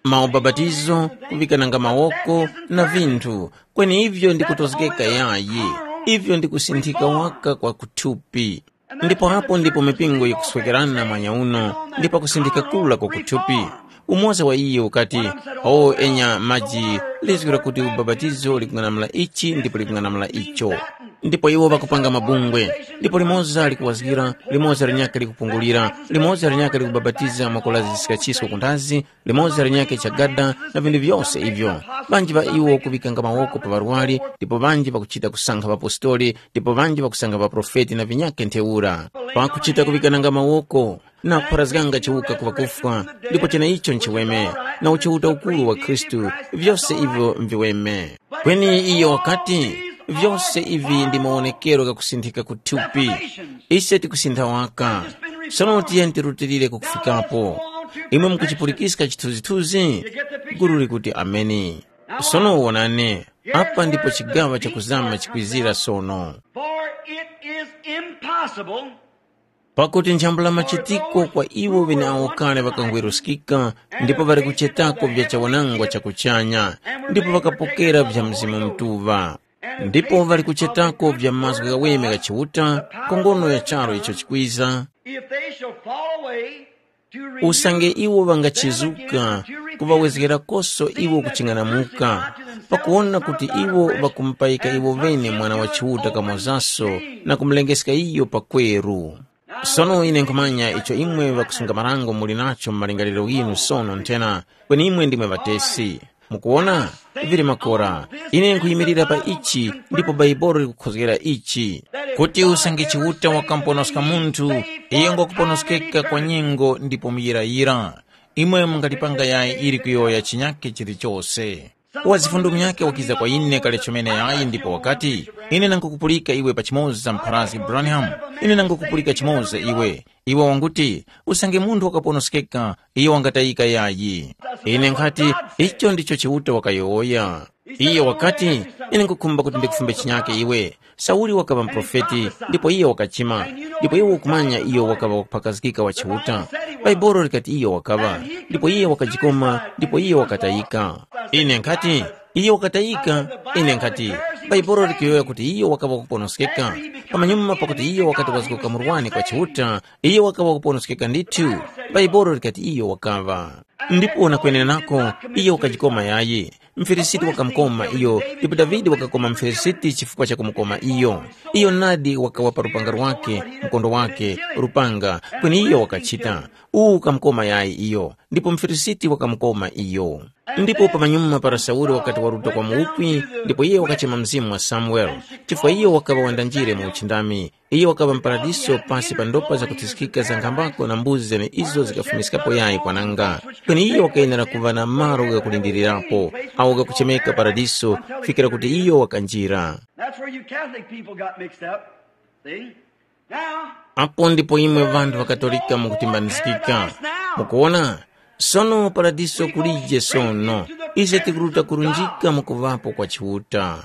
Maubapatizo, kuŵikananga mawoko, na vinthu, kweni ivyo ndikutozgeka yayi. Ivyo ndikusinthika waka kwa kuthupi. Ndipo apo ndipo mipingo yikuswekerana mwanya uno, ndipo kusindika kula kwa kuthupi. Umoza wa iyo ukati, o enya maji, lizgwira kuti ubapatizo likung'anamula ichi ndipo likung'anamula icho. Ndipo iwo ŵakupanga mabungwe, ndipo limoza likuwazgira, limoza linyakhe likupungulira, limoza linyakhe likubapatiza mwakulazisika chisko kundazi, limoza linyakhe chagada, na vinthu vyose ivyo. Ŵanji ŵa iwo kuŵikanga mawoko pa ŵarwari, ndipo ŵanji ŵakuchita kusankha ŵapostoli, ndipo ŵanji ŵakusankha ŵaprofeti na vinyakhe ntheura. Pakuchita kuŵikananga mawoko, na kupharazganga chiwuka ku ŵakufwa, ndipo cheneicho nchiweme, na uchiuta ukuru wa Khristu, vyose ivyo mviweme. Kweni iyo wakati, vyose ivi ndi mawonekero ghakusinthika ku thupi. Ise tikusintha waka. Sono tiyeni tirutilire kukufikapo. Imwe mukuchipulikiska chithunzithunzi? Gulu likuti, ameni. Sono wonani, apa ndipo chigaŵa chakuzama chikwizira sono. For it is impossible. Pakuti nchambula machitiko kwa iwo ŵeneawo kale ŵakangweruskika, ndipo ŵali kuchetako vya chawanangwa cha kuchanya, ndipo ŵakapokera vya Mzimu Mutuŵa. Ndipo ŵali kuchetako vya mazgu ghaweme gha Chiuta, ku ngono ya charu icho chikwiza. If they shall fall away to renew Usange iwo ŵangachizuka, kuŵawezgerakoso iwo kuching'anamuka, pakuwona kuti iwo ŵakumupayika iwo ŵene Mwana wa Chiuta kamozaso na kumulengeska iyo pakweru. Sono ine nkhumanya icho imwe ŵakusunga marango muli nacho mu malingaliro ghinu sono nthena, kweni imwe ndimwe ŵatesi. Mukuwona? Vili makora. Ine nkhuyimirira pa ichi, ndipo Baibolo likukhozgera ichi, kuti usange Chiuta wakamuponoska munthu, iyo ngwakuponoskeka kwa nyengo ndipo muyirayira. Imwe mungalipanga yayi ili kuyowoya chinyakhe chilichose. Wa zifundo munyakhe wakiza kwa ine kale chomene yayi ndipo wakati, ine nangukupulika iwe pachimoza mpharazgi Branham, ine nangukupulika chimoza iwe. Iwe wanguti, usange munthu wakaponoskeka, iyo wangatayika yayi. Ine nkhati, icho ndicho Chiuta wakayowoya. Iye wakati, ine nkukhumba kuti ndikufumbe chinyake iwe. Sauli wakaŵa muprofeti, ndipo iye wakachima, ndipo iwe ukumanya iyo wakaŵa wakuphakazgika wa Chiuta. Baibolo likati iyo wakaŵa, ndipo iye wakajikoma, ndipo iye wakatayika. Ine nkhati, iyo wakatayika. Ine nkhati, Baibolo likuyowoya kuti iyo wakaŵa wakuponoskeka. Pamanyuma pakuti iyo wakati wazgoka murwani kwa Chiuta, iyo wakaŵa wakuponoskeka ndithu. Baibolo likati iyo wakaŵa. Ndipo na kwenerenako, iyo wakajikoma yayi. Mfilisiti wakamukoma iyo, ndipo Davide wakakoma Mfilisiti chifukwa cha kumukoma iyo. Iyo nadi wakawa pa lupanga lwake, mkondo wake, lupanga, kweni iyo wakachita. Uwu ukamukoma yayi iyo, ndipo Mfilisiti wakamukoma iyo. Ndipo pamanyuma para Sauli wakati waruta kwa muwukwi, ndipo iye wakachema mzimu wa Samuele, chifukwa iyo wakaŵa wandanjire mu uchindami. Iyo wakaŵa mparadiso pasi pa ndopa zakuthiskika za nkhambako na mbuzi zeneyizo zikafumiskapo yayi kwananga. Kweni iyo wakayenera kuŵa na malo ghakulindirirapo, awo ghakuchemeka paradiso, kufikira kuti iyo wakanjira. That's where you Catholic people got mixed up. See? Now, Apo ndipo imwe ŵanthu ŵakatolika mukutimbanizgika. Mukuwona? Sono paradiso kulije sono. Ise tikuruta kurunjika mukuŵapo kwa Chiuta.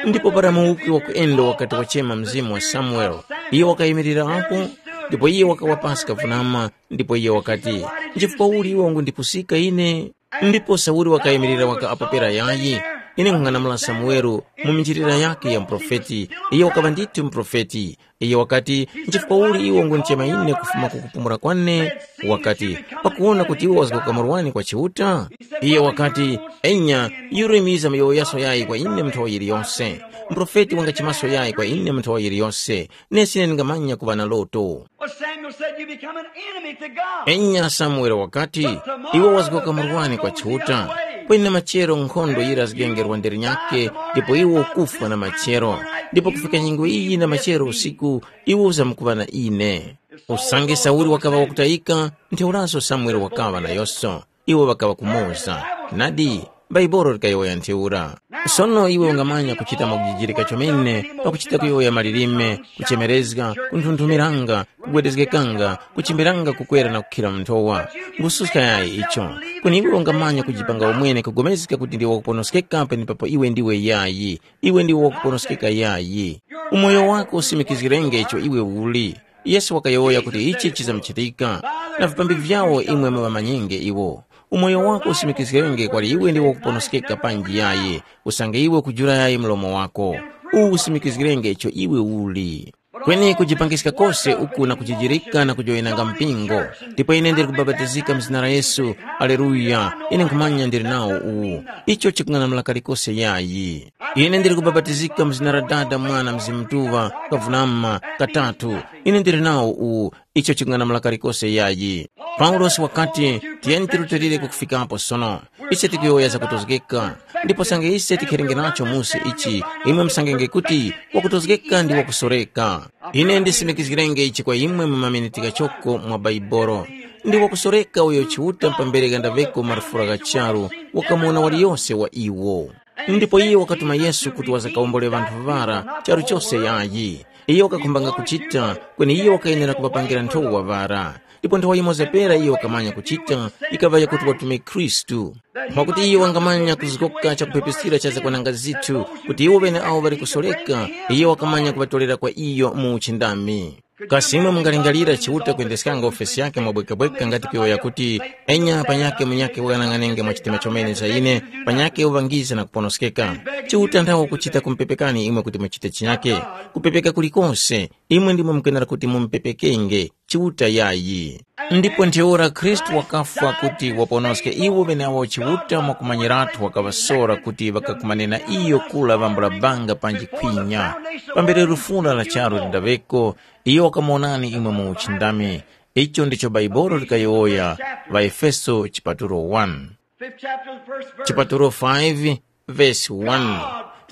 Ndipo para muwuki wakuyenda wakati wachema mzimu wa Samuele, iye wakayimirira apo, ndipo iye wakawa pasi kavunama, ndipo iye wakati, nchifukwa uli iwe wangundipusika ine? Ndipo Sauli wakayimirira waka apo pera yayi, ine nkhung'anamula Samuele mu minjilira yake ya muprofeti, iye wakaŵa ndithu muprofeti. Iye wakati, nchifukwa uli iwe ungundichema ine kufuma ku kupumula kwane? Wakati, pakuwona kuti iwe wazgoka murwani kwa Chiuta? Iye wakati, enya, yurimiza muyowoyaso yayi kwa ine mu nthowa yiliyose. Muprofeti wangachimaso yayi kwa ine mu nthowa yiliyose. Nesi ine ndingamanya kuŵa na loto. Well, Samuel said, you become an enemy to God. Enya Samuele wakati, iwe wazgoka murwani kwa Chiuta. Kweni na machero nkhondo yira zigengerwa nderi nyake, ndipo iwe ukufwa na machero. Ndipo kufika nyengo iyi na machero usiku, iwe uzamukuŵa na ine. Usange Sauli wakaŵa wakutayika, ntheuraso Samuele wakaŵa nayose. Iwo ŵakaŵa kumoza. Nadi, Baibolo likayowoya ntheura. Sono iwe ungamanya kuchita mwakujijirika chomene pakuchita kuyowoya malilime, kuchemerezga, kunthunthumilanga, kugwedezgekanga, kuchimbiranga kukwera na kukhira mu nthowa. Ngususka yayi icho. Kweni iwe ungamanya kujipanga umwene kugomezga kuti ndiwe wakuponoskeka penepapo iwe ndiwe yayi. Iwe ndiwe wakuponoskeka yayi. Umoyo wako usimikizgirenge icho iwe uli. Yesu wakayowoya kuti ichi chizamuchitika. Na vipambi vyawo imwe muŵamanyenge iwo. Umoyo wako usimikizgenge kwali iwe ndiwe wakuponoskeka panji yayi, usange iwe ukujula yayi mlomo wako. Uwu usimikizgirenge icho iwe uli. Kweni kujipangiska kose uku na kujijirika na kujowenanga mpingo. Ndipo ine ndili kubapatizika mu zina la Yesu. Aleluya. Ine nkhumanya ndili nawo uwu. Icho chikung'anamula kalikose yayi. Ine ndili kubapatizika mu zina la Dada, Mwana, Mzimu Mutuŵa, kavunama katatu. Ine ndili nawo uwu. Icho chikung'anamula kalikose yayi. Paulosi wakati, tiyeni tirutilire kukufikapo sono. Ise tikuyowoya zakutozgeka. Ndipo sange ise tikherenge nacho musi ichi, imwe musangenge kuti wakutozgeka ndi wakusoreka. Ine ndisimikizgirenge ichi kwa imwe mu maminiti ghachoko mwa Baibolo. Ndi wakusoreka uyo Chiuta mpambere ghandaveko marufura gha charu, wakamuwona waliyose wa iwo. Ndipo iye wakatuma Yesu kuti wazakawombole ŵanthu ŵara charu chose yayi. Iye wakakhumbanga kuchita, kweni iye wakayenera kuŵapangira nthowa ŵara. Ndipo nthowa yimoza pera iye wakamanya kuchita, ikaŵa yakuti watume Khristu. Mwakuti iye wangamanya kuzgoka chakuphepesikira cha zakwananga zithu, kuti iwo ŵeneawo ŵali kusoreka, iye wakamanya kuŵatorera kwa iyo mu uchindami. Kasi imwe mungalingalira Chiuta kuyendeskanga ofesi yakhe mwabwekabweka ngati kuyowoya kuti, enya panyakhe munyakhe wanang'anenge mwa chitima chomene cha ine, panyakhe uŵangize na kuponoskeka? Chiuta nthawe ukuchita kumupepekani imwe kuti muchite chinyakhe. Kupepeka kulikose, imwe ndimwe mukenera kuti mumupepekenge, Chiuta yayi. Ndipo ntheura Khristu wakafwa kuti waponoske iwo ŵeneawo Chiuta mwakumanyirathu wakaŵasora kuti ŵakakumane na iyo kula ŵambula banga panji khwinya. Pambere lufuna la charu lindaŵeko, iyo wakamuwonani imwe mu uchindami. Icho ndicho Baibolo likayowoya, ŵaEfeso chipatulo one. Fifth chapter, the first verse. Chipatulo five, verse one.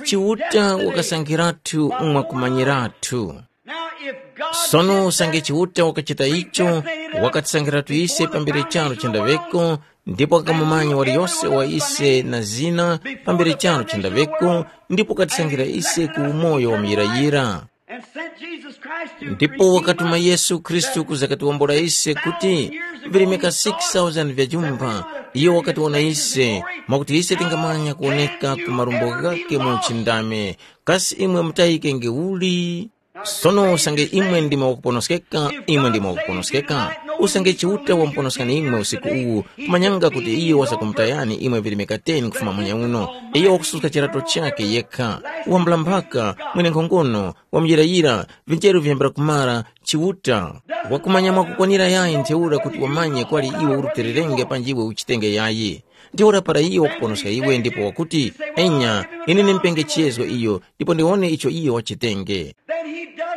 Chiuta wakasankhiratu mwakumanyirathu. Now, if God Sono usange Chiuta wakachita icho, wakatisankhiratu ise pambere charo chendaŵeko, ndipo wakamumanya waliyose wa ise na zina pambere charo chendaŵeko, ndipo wakatisankhira ise ku umoyo wa muyirayira. And sent Jesus Christ to Ndipo wakatuma Yesu Khristu kuza katiwombola ise kuti virimika six thousand vya jumba, iyo wakatiwona ise, mwakuti ise tingamanya kuwoneka ku marumbo ghakhe mu uchindami. Kasi imwe mutayikenge uli? Sono usange imwe ndimwe wakuponoskeka, imwe ndimwe wakuponoskeka. Usange Chiuta wamuponoskani imwe usiku uwu, kumanyanga kuti iyo wasakumutayani imwe virimika ten kufuma munya uno. Iyo wakususka chirato chakhe yekha, wambula mphaka, mwene nkhongono, wamuyirayira, vinjeru viyambira kumara, Chiuta. Wakumanya mwakukwanira yayi ntheura kuti wamanye kwali iwe urutererenge panji iwe uchitenge yayi. Ntheura para iyo wakuponoska iwe ndipo wakuti, enya, ine ndimupenge chizgo iyo, ndipo ndiwone icho iyo wachitenge.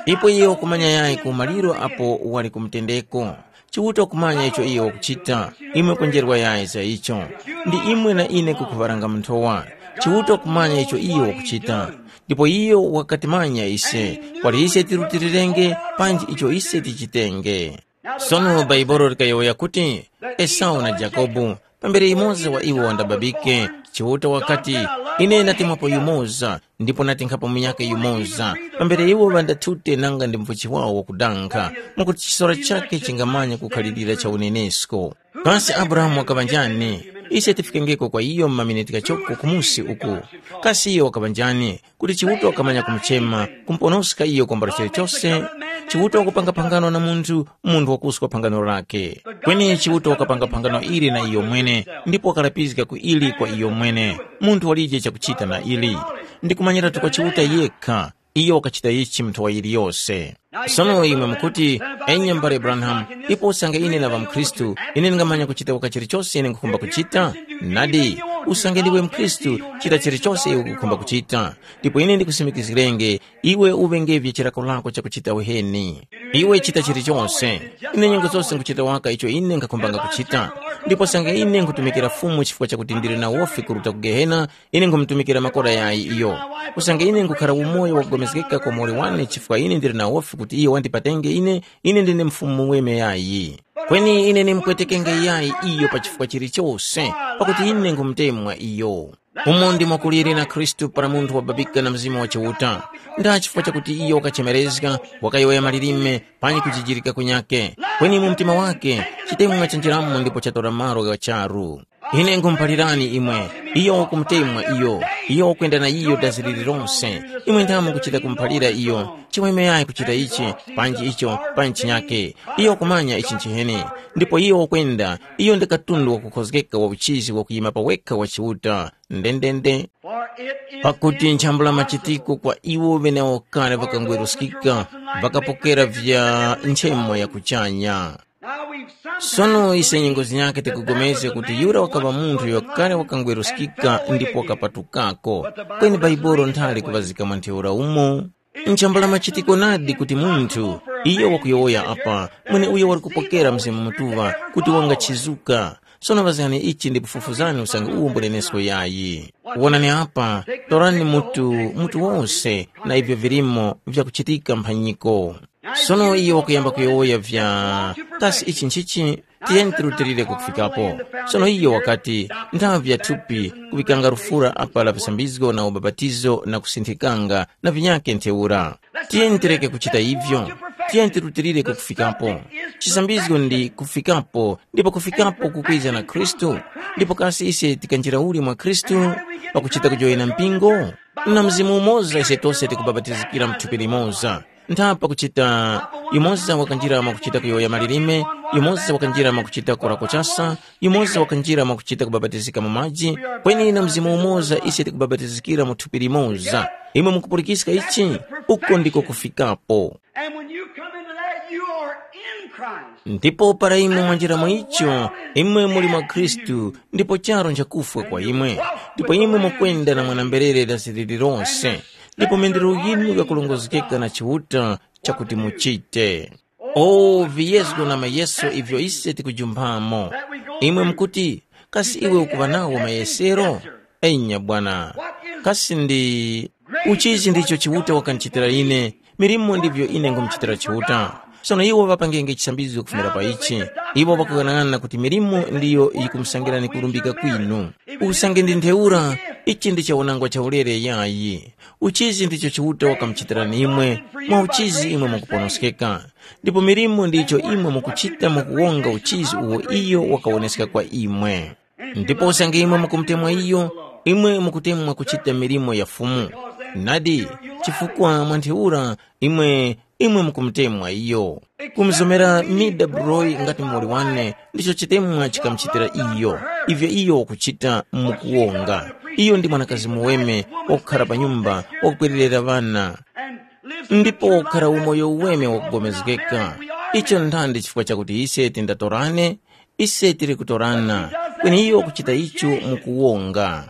Ipo iyo wakumanya yayi ku maliro apo wali kumutendeko. Chiuta wakumanya icho iyo wakuchita, imwe kunjerwa yayi za icho. Ndi imwe na ine kukhuŵaranga mu nthowa. Chiuta wakumanya icho iyo wakuchita. Ndipo iyo wakatimanya ise, kwali ise tirutilirenge panji icho ise tichitenge. Sono Baibolo likayowoya kuti, Esau na Jakobu, pambere yumoza wa iwo wandababike, Chiuta wakati, ine natemwapo yumoza, ndipo natinkhapo munyakhe yumoza, pambere iwo ŵandathute nanga ndi mvuchi wawo wakudankha, mwakuti chisora chakhe chingamanya kukhalirira cha unenesko. Kasi Abrahamu wakaŵa njani? Ise tifikengeko kwa iyo mu maminiti ghachoko kumusi uku. Kasi iyo wakaŵa njani? Kuti Chiuta wakamanya kumuchema, kumuponoska iyo kwambula chilichose. Chiuta wakupanga phangano na munthu, munthu wakuswa phangano lakhe. Kweni Chiuta wakapanga phangano ili na iyo mwene, ndipo wakalapizga ku ili kwa iyo mwene. Munthu walije chakuchita na ili. Ndikumanyiratu kwa Chiuta yekha. Iyo wakachita ichi mu nthowa yiliyose. Sono imwe mukuti, enya mbale Branham, ipo usange ine naŵa mukhristu, ine ndingamanya kuchita waka chilichose ine nkhukhumba kuchita? Nadi, usange ndiwe mukhristu, chita chilichose iwe ukukhumba kuchita. Ndipo ine ndikusimikizgirenge, iwe uŵengevye chilako lako chakuchita uheni. Iwe chita chilichose. Ine nyengo zose nkuchita waka icho ine nkhakhumbanga kuchita. Ndipo usange ine nkhutumikira Fumu chifukwa chakuti ndili na wofi kuruta ku Gehena, ine nkhumutumikira makora yayi iyo. Usange ine nkhukhara umoyo wakupulikana kwa muwoli wane chifukwa ine ndili na wofi kuti iyo wandipatenge ine, ine ndine Mfumu weme yayi. Kweni ine ndimupwetekenge yayi iyo pa chifukwa chilichose, pakuti ine nkhumutemwa iyo. Umo ndimo kuliri na Khristu para munthu wababika na Mzimu wa Chiuta. Nda chifukwa chakuti iyo wakachemerezga, wakayowoya malilime, panyi kujijirika kunyakhe. Kweni mu mtima wakhe, chitemwa chanjiramo ndipo chatora malo gha charu. Ine nkhumuphalirani imwe, iyo wakumutemwa iyo, iyo wakwenda na iyo dazi lililonse. Imwe ndamo kuchita kumuphalira iyo, chimwemwe yayi kuchita ichi, panji icho, panji chinyakhe. Iyo wakumanya ichi nchiheni. Ndipo iyo wakwenda, iyo ndi katundu wakukhozgeka wa uchizi wakuyima pa wekha wa Chiuta. Ndendende. For it is Pakuti nchambula machitiko kwa iwo ŵenewo kale ŵakangweruskika, ŵakapokera vya nchemo ya kuchanya. Now we've sometime Sono ise nyengo zinyakhe tikugomezga kuti yura wakaŵa munthu yokale wakangweruskika ndipo wakapatukako. Kweni Baibolo nthali kuŵazika mwa ntheura umo. Nchambula machitiko nadi kuti munthu, iyo wakuyowoya apa, mweneuyo wali kupokera Mzimu Mutuŵa kuti wangachizuka. Sono ŵazgani ichi ndipo fufuzgani usange uwo mbunenesko yayi. Wonani apa, torani mutu, mutu wose na ivyo vilimo vyakuchitika mphanyiko. Sono iyo wakuyamba kuyowoya vya, kasi ichi nchichi? Tiyeni tirutilire kufikapo. Sono iyo wakati, nthavi ya thupi kuŵikanga lufura apa la visambizgo na ubapatizo na kusinthikanga na vinyakhe ntheura. Tiyeni tireke kuchita ivyo. Tiyeni tirutilire kufikapo. Chisambizgo ndi kufikapo, ndipo kufikapo kukwiza na Khristu. Ndipo kasi ise tikanjira uli mwa Khristu pakuchita kujoyena mpingo? Na Mzimu umoza ise tose tikubabatizikira mu thupi limoza. Ntha pakuchita, yumoza wakanjira mwakuchita kuyowoya malilime, yumoza wakanjira mwakuchita kurako chasa, yumoza wakanjira mwakuchita kubapatizika mu maji, kweni na Mzimu umoza ise tikubabatizikira mu thupi limoza. Imwe mukupulikiska ichi? Uko ndiko kufikapo. And when you come into that, you are in Christ. Ndipo para imwe mwanjira mu icho, imwe muli mwa Khristu, ndipo charo nchakufwa kwa imwe. Ndipo imwe mukwenda na mwanamberere dazi lililonse, ndipo mendero yinu yakulongozgeka na Chiuta chakuti muchite. O viyezgo na mayeso ivyo ise tikujumphamo. Imwe mukuti, kasi iwe ukuŵa nawo mayesero? Enya bwana. Kasi ndi uchizi ndicho Chiuta wakandichitira ine, milimo ndivyo ine ngumuchitira Chiuta. Sono iwo ŵapangenge chisambizgo kufumira pa ichi. Iwo ŵakughanag'ana kuti milimo ndiyo yikumusangirani kulumbika kwinu. Usange ndi ntheura, ichi ndi chawonangwa chaulere yayi. Uchizi ndicho Chiuta wakamuchitirani imwe, mwa uchizi imwe mukuponoskeka. Ndipo milimo ndicho imwe mukuchita mukuwonga uchizi uwo iyo wakawoneska kwa imwe. Ndipo usange imwe mukumutemwa iyo, imwe mukutemwa kuchita milimo ya Fumu. Nadi, chifukwa mwa ntheura imwe, imwe mukumutemwa iyo. Kumuzomera Mida Broy ngati muwoli wane ndicho chitemwa chikamuchitira iyo, ivyo iyo wakuchita mukuwonga. Iyo ndi mwanakazi muweme wakukhara pa nyumba, wakukwererera ŵana. Ndipo wakukhara umoyo uweme wakugomezgeka. Icho nthandi chifukwa chakuti ise tindatorane, ise tili kutorana, kweni iyo wakuchita icho mukuwonga.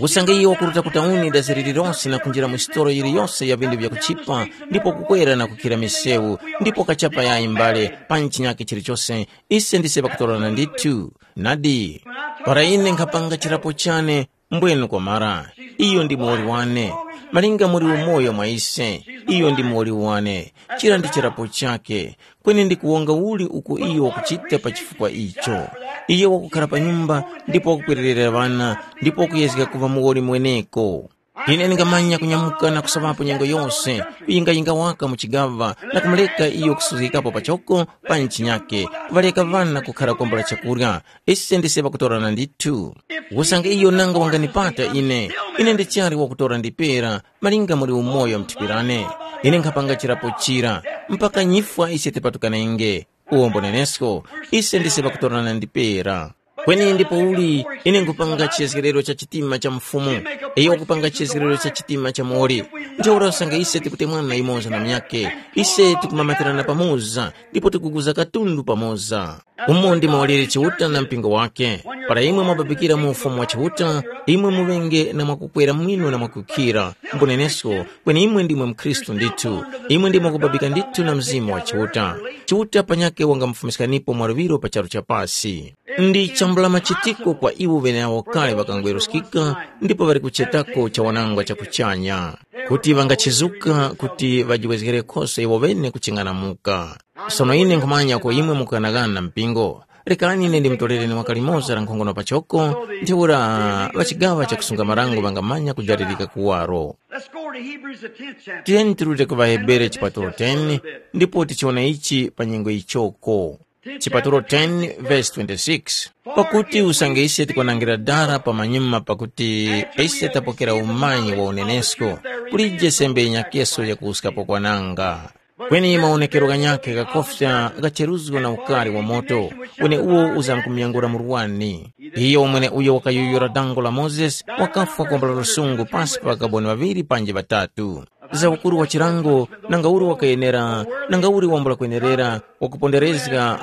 Usange iyo wakuruta ku tauni daziri lililonse na kunjira mu sitolo yiliyose ya vindu vyakuchipa, ndipo kukwera na kukhira misewu, ndipo kachapa yayi mbale pa chinyakhe chilichose, ise ndise pakutorana ndithu. Nadi, para ine nkhapanga chirapo chane, mbwenu kwamara. Iyo ndi muwoli wane. Malinga muli umoyo mwa ise, iyo ndi muwoli wane. Chira ndi chirapo chakhe. Kweni ndi kuwonga uli uko iyo wakuchita pa chifukwa icho? Iyo wakukhala pa nyumba, ndipo wakukwererera ŵana, ndipo wakuyezga kuŵa muwoli mweneko. Ine ndingamanya kunyamuka na kusoŵapo nyengo yose, kuyingayinga waka mu chigaŵa, na kumureka iyo kusuzgikapo pachoko pa ntchinyakhe, kuŵareka ŵana kukhara kwambula chakurya. Ise ndise pakutorana ndithu. Usange iyo nanga wanganipata ine, ine ndichali wakutora ndipera, malinga muli umoyo mthipirane. Ine nkhapanga chirapo chira, mpaka nyifwa ise tipatukanenge. Uwombo nenesko, ise ndise pakutorana ndipera. Kweni ndipouli ine nkupanga chiyezgerero cha chitima cha mfumu, iyo wakupanga chiyezgerero cha chitima cha moli. Ntheura usange ise tikutemwana yumoza na munyakhe, ise tikumamatirana pamoza, ndipo tikuguza katundu pamoza. Umo ndimo waliri Chiuta na mpingo wake. Para imwe mwababikira mu Ufumu wa Chiuta, imwe muŵenge na mwakukwera mwino na mwakukhira. Mbunenesko, kweni imwe ndimwe mkhristu ndithu. Imwe ndimwe kubabika ndithu na Mzimu wa Chiuta. Chiuta panyakhe wangamufumiskanipo mwaluŵiro pa charu cha pasi. Ndi chambula machitiko kwa iwo ŵeneawo kale ŵakangweruskika ndipo ŵali kuchetako cha wanangwa cha kuchanya, kuti ŵangachizuka kuti ŵajiwezgerekhoso iwo ŵene kuching'anamuka. Sono ine nkhumanya uko imwe mukughanaghana mpingo. Rekani ine ndimutolere ni waka limoza la nkhongono pachoko, ntheura ŵachigaŵa chakusunga marango ŵangamanya kujalirika kuwaro. Let's go over to Hebrews, the tenth chapter. Tiyeni tirute ku Vahebere chipatulo ten, ndipo tichiwona ichi pa nyengo yichoko. Chipatulo ten verse twenty-six. Pakuti usange ise tikwanangira dara pamanyuma pakuti ise tapokera umanyi wa unenesko, kulije sembe yinyakeso yakuwuskapo kwananga. Kweni mawonekero ghanyakhe ghakofya ghacheruzgo na ukari wa moto, weneuwo uzamkumuyangula murwani. Iyo mweneuyo wakayuyura dango la Mozesi, wakafwa kwambula lusungu pasi pa ŵakaboni ŵaŵiri panji ŵatatu. Za ukuru wa chilango, nanga uli wakayenera, nanga uli wambula kwenerera, wakuponderezga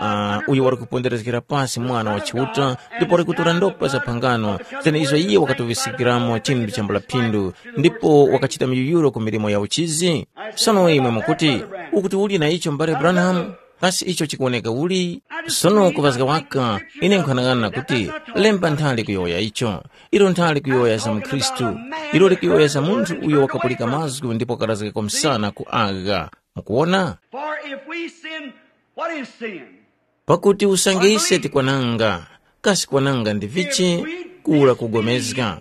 uh, uyo wali kuponderezgera pasi Mwana wa Chiuta, ndipo wali kutora ndopa za phangano, zeneizo iye wakatuŵiskiramo chinthu chambula phindu, ndipo wakachita miyuyuro ku milimo ya uchizi? Sono imwe mukuti, ukuti uli na icho mbale Branham? Kasi icho chikuwoneka uli? Sono kuŵazga waka, ine nkhanang'ana kuti, lemba nthali kuyowoya icho. Ilo nthali kuyowoya za mukhristu. Ilo likuyowoya za munthu uyo wakapulika mazgu ndipo wakarazgako msana ku agha. Mukuwona? For if we sin, what is sin? Pakuti usange ise tikwananga, kasi kwananga ndi vichi? Kura kugomezga.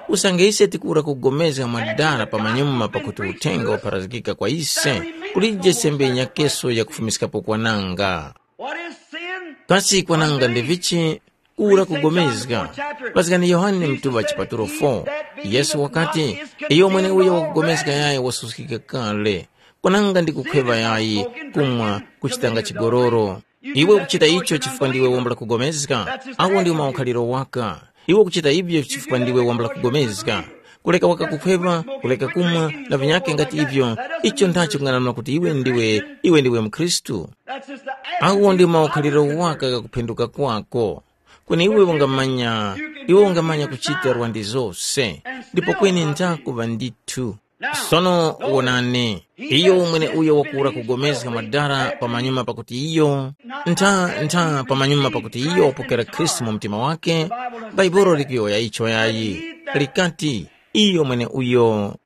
Usange ise tikura kugomezga mwadala pamanyuma pakuti uthenga wapharazgika kwa ise, kulije sembe yinyakeso yakufumiskapo kwananga. What is sin? Kasi kwananga ndi vichi? Kura kugomezga. Paskani Yohane mtuŵa chipatulo four, Yesu wakati, iyo mwene uyo wakugomezga yayi wasuskika kale. Kwananga ndi kukhweŵa yayi, kumwa, kuchitanga chigololo. Iwe ukuchita icho chifukwa ndiwe wambula kugomezga, awo ndiwo maukhaliro waka. Iwe ukuchita ivyo chifukwa ndiwe wambula kugomezga. Kuleka waka kukhweŵa, kuleka kumwa, na vinyakhe ngati ivyo, icho ndacho kung'anamula kuti iwe ndiwe, iwe ndiwe mkhristu. Awo ndi maukhaliro waka ghakuphinduka kwako. Kweni iwe ungamanya, iwe ungamanya kuchita lwandi zose, ndipo kweni njakuŵa ndithu. Sono wonani, iyo umwene uyo wakuwura kugomezga madara pamanyuma pakuti iyo, ntha ntha pamanyuma pakuti iyo wapokera Khristu mu mtima wake, Bhaibuli likuyowoya icho yayi. Likati, iyo mwene uyo.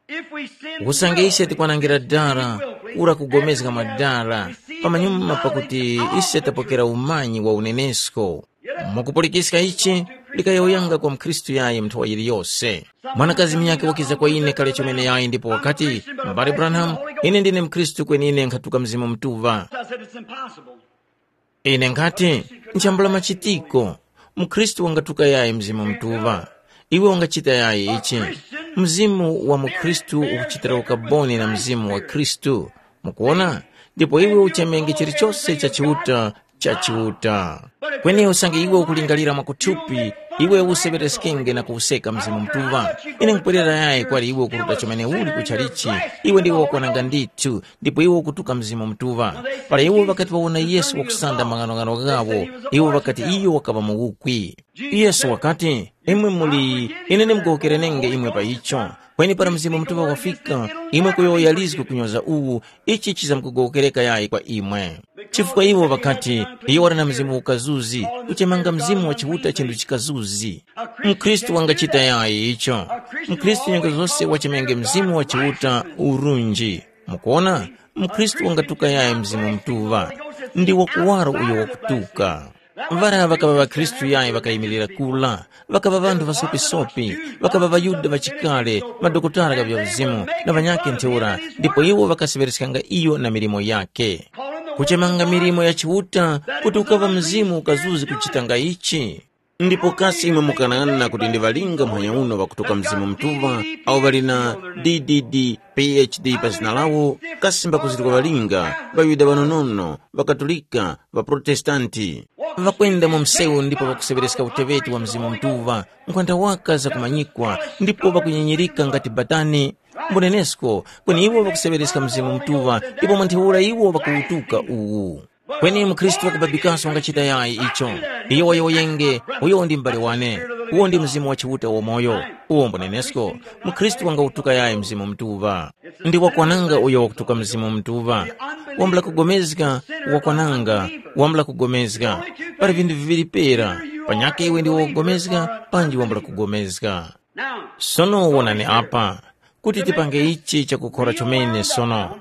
Usange ise tikwanangira dara, kura kugomezga madara, pamanyuma pakuti ise tapokera umanyi wa unenesko. Mukupulikiska ichi, likayowoyanga kwa mkhristu yayi mnthowa yiliyose. Mwanakazi munyakhe wakiza kwa ine kale chomene yayi ndipo wakati, mbale Branham, ine ndine mkhristu kweni ine nkhatuka Mzimu Mutuŵa. I said, it's impossible. Ine nkhati, nchambula machitiko. Mukhristu wangatuka yayi Mzimu Mutuŵa. Iwe ungachita yayi ichi. Mzimu wa mukhristu ukuchitira ukaboni na mzimu wa Khristu. Mukuona? Ndipo iwe uchemenge chilichose cha Chiuta, cha Chiuta. Kweni usange iwe ukulingalira mwakuthupi, iwe useŵereskenge na kuwuseka Mzimu Mutuŵa. Ine nkupwerera yayi kwali iwe ukuruta chomene uli kuchalichi, iwe ndiwe wakwananga ndithu, ndipo iwe ukutuka Mzimu Mutuŵa. Para iwo ŵakati ŵawona Yesu wakusanda maghanoghano ghawo, iwo ŵakati iyo wakaŵa muwukwi. Yesu wakati, imwe muli, ine ndimkuwokerenenge imwe pa icho. Kweni para Mzimu Mutuŵa wafika, imwe kuyowoya lizgu kunyoza uwu, ichi chizamkugowokereka yayi kwa imwe. Chifukwa iwo ŵakati, iyo wali na mzimu ukazuzi, kuchemanga Mzimu wa Chiuta chinthu chikazuzi. Mkhristu wangachita yayi icho. Mkhristu nyengo zose wachemenge Mzimu wa Chiuta urunji. Mukuona? Mkhristu wangatuka yayi Mzimu Mutuŵa. Ndi wakuwaro uyo wakutuka. Ŵara ŵakaŵa ŵakhristu yayi ŵakayimirira kula, ŵakaŵa ŵanthu ŵasopisopi, ŵakaŵa ŵaYuda ŵachikale, madokotala gha vyavizimu na ŵanyakhe ntheura, ndipo iwo ŵakaseŵereskanga iyo na milimo yakhe. Kuchemanga milimo ya Chiuta kuti ukaŵa mzimu ukazuzi kuchitanga ichi. Ndipo kasi imwe mukanang'ana kuti ndi ŵalinga muhanya uno ŵakutuka Mzimu Mutuŵa, awo ŵali na D D D, P H D pa zina lawo, kasi mbakuzirika ŵalinga, ŵaYuda ŵanonono, ŵaKatolika, ŵaProtestanti. Ŵakwenda mu msewu ndipo ŵakuseŵereska uteŵeti wa Mzimu Mutuŵa, nkhwanda waka zakumanyikwa, ndipo ŵakunyinyirika ngati batani. Mbunenesko, kweni iwo ŵakuseŵereska Mzimu Mutuŵa, ndipo mwa ntheura iwo ŵakuwutuka uwu. Kweni mukhristu wakubabikaso wangachita yayi icho. Iyo wayowoyenge, uyo ndi m'bale wane. Uwo ndi Mzimu wa Chiuta wamoyo. Uwo mbunenesko, mukhristu wangawutuka yayi Mzimu Mutuŵa. Ndi wakwananga uyo wakutuka Mzimu Mutuŵa. Wambula kugomezga, wakwananga, wambula kugomezga. Pali vinthu viŵiri pera, panyakhe iwe ndi wakugomezga, panji wambula kugomezga. Sono wonani apa, kuti tipange ichi chakukhora chomene sono.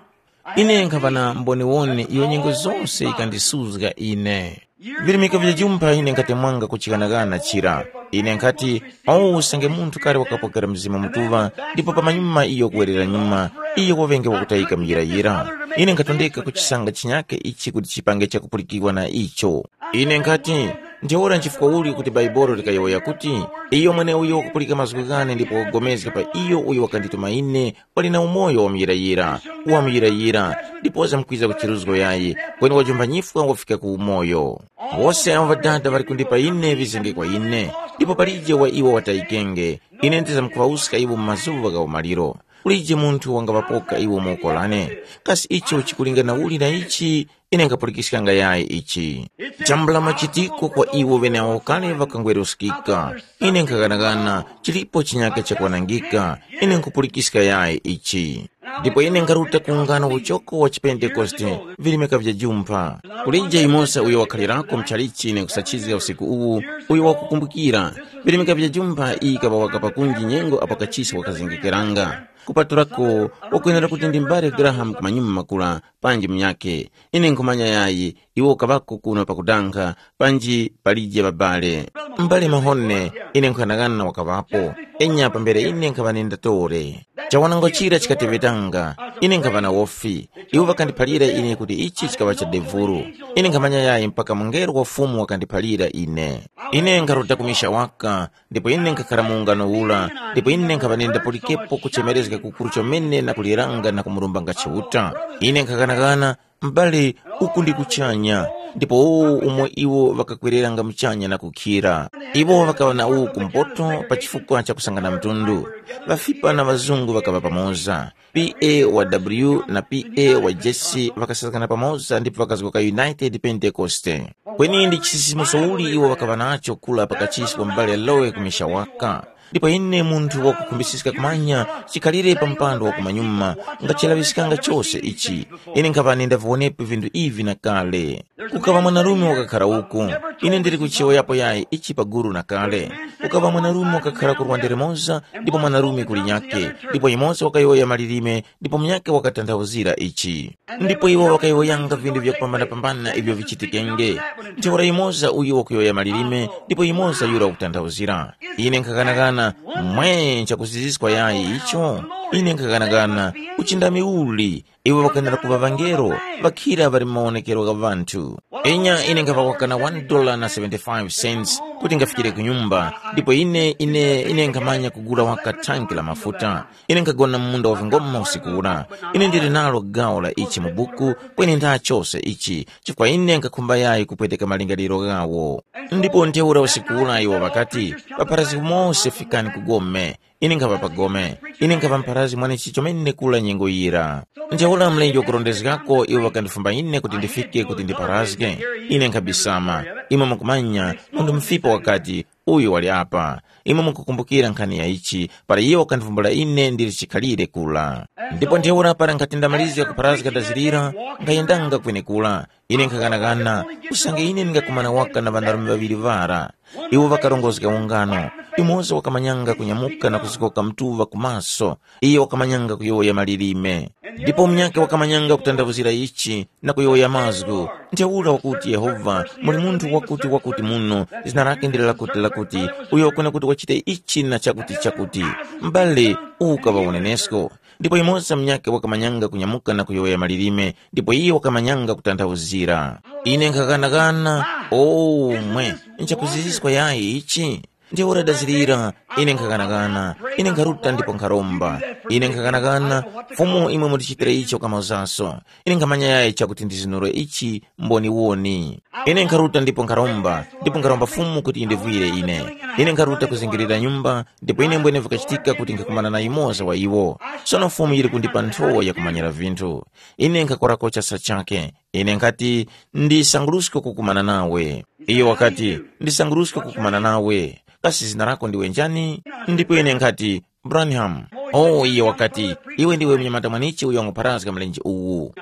Ine nkhaŵa na mboniwoni iyo nyengo zose yikandisuzga ine. Virimika vya jumpha ine nkhati mwanga kuchighanaghana chira. Ine nkhati, awu usange munthu kale wakapokera Mzimu Mutuŵa, ndipo pamanyuma iyo kuwerera nyuma, iyo waŵenge wakutayika muyirayira. Ine nkhatondeka kuchisanga chinyake ichi kuti chipange chakupulikirwa na icho. Ine nkhati, ntheura nchifukwa uli kuti Baibolo likayowoya kuti, iyo mweneuyo wakupulika mazgu ghane ndipo wakupulikana pa iyo uyo wakandituma ine, wali na umoyo wamuyirayira, wamuyirayira, ndipo wazamkwiza ku chiruzgo yayi, kweni wajombanyifwa wafika ku umoyo. Wose awo Ŵadada ŵali kundipa ine ŵizenge kwa ine, ndipo palije wa iwo watayikenge. Ine ndizamkuŵawuska iwo mu mazuŵa gha umaliro. Kulije munthu wangaŵapoka iwo mu woko lane. Kasi icho chikulingana uli na ichi? Ine nkhapulikiskanga yayi ichi. Chambula machitiko kwa iwo ŵeneawo kale ŵakangweruskika. Ine nkhaghanaghana, chilipo chinyaka chakwanangika. Ine nkhupulikiska yayi ichi. Ndipo ine nkharuta ku ungano uchoko wa chipentekoste, virimika vya jumpha. Kulije yumoza uyo wakhalirako mchalichi ine kusachizga usiku uwu, uyo wakukumbukira. Virimika vya jumpha iyi kaŵa wakapa kunji nyengo apo kachisi wakazengekeranga. Kupatulako, wakwenera kuti ndi mbale Graham kumanyuma makula, panji munyakhe. Ine nkhumanya yayi, iwo kaŵako kuno pakudankha, panji palije ŵabale. Mbale Mahone, ine nkhanang'ana wakaŵapo. Enya pambere ine nkhaŵa nenda tore. Chawanango chira chikateŵetanga, ine nkhaŵa na wofi. Iwo ŵakandiphalira ine kuti ichi chikaŵa cha devuru. Ine nkhamanya yayi mpaka mungelo wa Fumu wakandiphalira ine. Ine nkharuta kumisha waka, ndipo ine nkhakhara mu ungano ura, ndipo ine nkhaŵa nenda pulikepo kuchemerezga kukuru chomene na kuliranga na kumurumbanga Chiuta. Ine nkhaghanaghana, m'bale, uku ndi kuchanya, ndipo umo iwo ŵakakwereranga muchanya na kukhira. Iwo ŵakaŵa na uwu kumpoto pa chifukwa cha kusangana mtundu. Ŵafipa na ŵazungu ŵakaŵa pamoza. P A wa W na P A wa Jesse ŵakasakana pamoza ndipo ŵakazgoka United Pentecoste. Kweni ndi chisisimuso uli iwo ŵakaŵa nacho kula pakachisi kwa m'bale Lowe kumisha waka. Ndipo ine munthu wakukhumbisiska kumanya chikhalire pa mpando wa kumanyuma, ngachalaŵiskanga chose ichi. Ine nkhaŵa nindaviwonepo vinthu ivi na kale. Kukaŵa mwanarume wakakhara uku. Ine ndili kuchiyowoyapo yayi ichi pa guru na kale. Kukaŵa mwanarume wakakhara ku rwande limoza, ndipo mwanarume kuli nyakhe, ndipo yumoza wakayowoya malilime, ndipo munyakhe wakatanthauzira ichi. Ndipo iwo ŵakayowoyanga vinthu vyakupambanapambana ivyo vichitikenge. Ntheura yumoza uyu wakuyowoya malilime, ndipo yumoza yura wakutanthauzira. Ine nkhaghanaghana, mwe nchakuziziskwa yayi icho? Ine nkhaghanaghana, uchindami uli? Iwo ŵakwenera kuŵa ŵangelo, ŵakhira ŵali mu mawonekero gha ŵanthu. Enya ine nkhaŵawaka na one dollar na seventy-five cents kuti ngafikire ku nyumba, ndipo ine ine ine nkhamanya kugula waka thanki la mafuta. Ine nkhagona mu munda wa vingoma usiku ura. Ine ndili nalo gawo la ichi mu buku, kweni ndachose ichi, chifukwa ine nkhakhumba yayi kupweteka malingaliro ghawo. Ndipo ntheura usiku ura iwo ŵakati, papharazgi mose fikani ku gome. Ine nkhaŵa pa gome. Ine nkhaŵa mpharazgi mwanechi chomene kula nyengo yira. Ntheura mlenje wakurondezgako iwo ŵakandifumba ine kuti ndifike kuti ndipharazge. Ine nkhabisama. Imwe mukumanya, munthu mufipa wakati, uyu wali apa. Imwe mukukumbukira nkhani ya ichi, para iye wakandivumbula ine ndili chikhalire kula. Ndipo ntheura para nkhati ndamalizga kupharazga ndazirira, nkhayendanga kwenekura. Ine nkhaghanaghana, usange ine ndingakumana waka na ŵanarume ŵaŵiri ŵara. Iwo ŵakarongozga ungano. Yumoza wakamanyanga kunyamuka na kuzgoka mtuŵa ku maso. Iyo wakamanyanga kuyowoya malilime. Ndipo munyakhe wakamanyanga kutanthauzira ichi na kuyowoya mazgu. Ntheura wakuti Yehova, muli munthu wakuti wakuti muno, zina lake ndilo lakuti lakuti, uyo wakona kuti wachite ichi na chakuti chakuti. M'bale, uwu ukaŵa unenesko. Ndipo yumoza munyakhe wakamanyanga kunyamuka na kuyowoya malilime, ndipo iyo wakamanyanga kutanthauzira. Ine nkhaghanaghana, o mwe, nchakuziziskwa yayi ichi? Ntheura dazirira, ine nkhakanakana, ine nkharuta ndipo nkharomba. Ine nkhakanakana, Fumu imwe mutichitire icho kamauzaso. Ine nkhamanya yayi chakuti ndizinure ichi mboniwoni. Ine nkharuta ndipo nkharomba, ndipo nkharomba Fumu kuti yindivwire ine. Ine nkharuta kuzingirira nyumba, ndipo ine mbwene vikachitika kuti nkhakumana na yumoza wa iwo. Sono Fumu yili kundipa nthowa yakumanyira vinthu. Ine nkhakorako chasa chakhe. Ine nkhati, ndisanguruske kukumana nawe. Iyo wakati, ndisanguruske kukumana nawe. Kasi zina lako ndiwe njani? Ndipo ine nkhati, Branham. Oh, iye wakati, iwe ndiwe mnyamata mwanichi uyo wangupharazga mlenje uwu.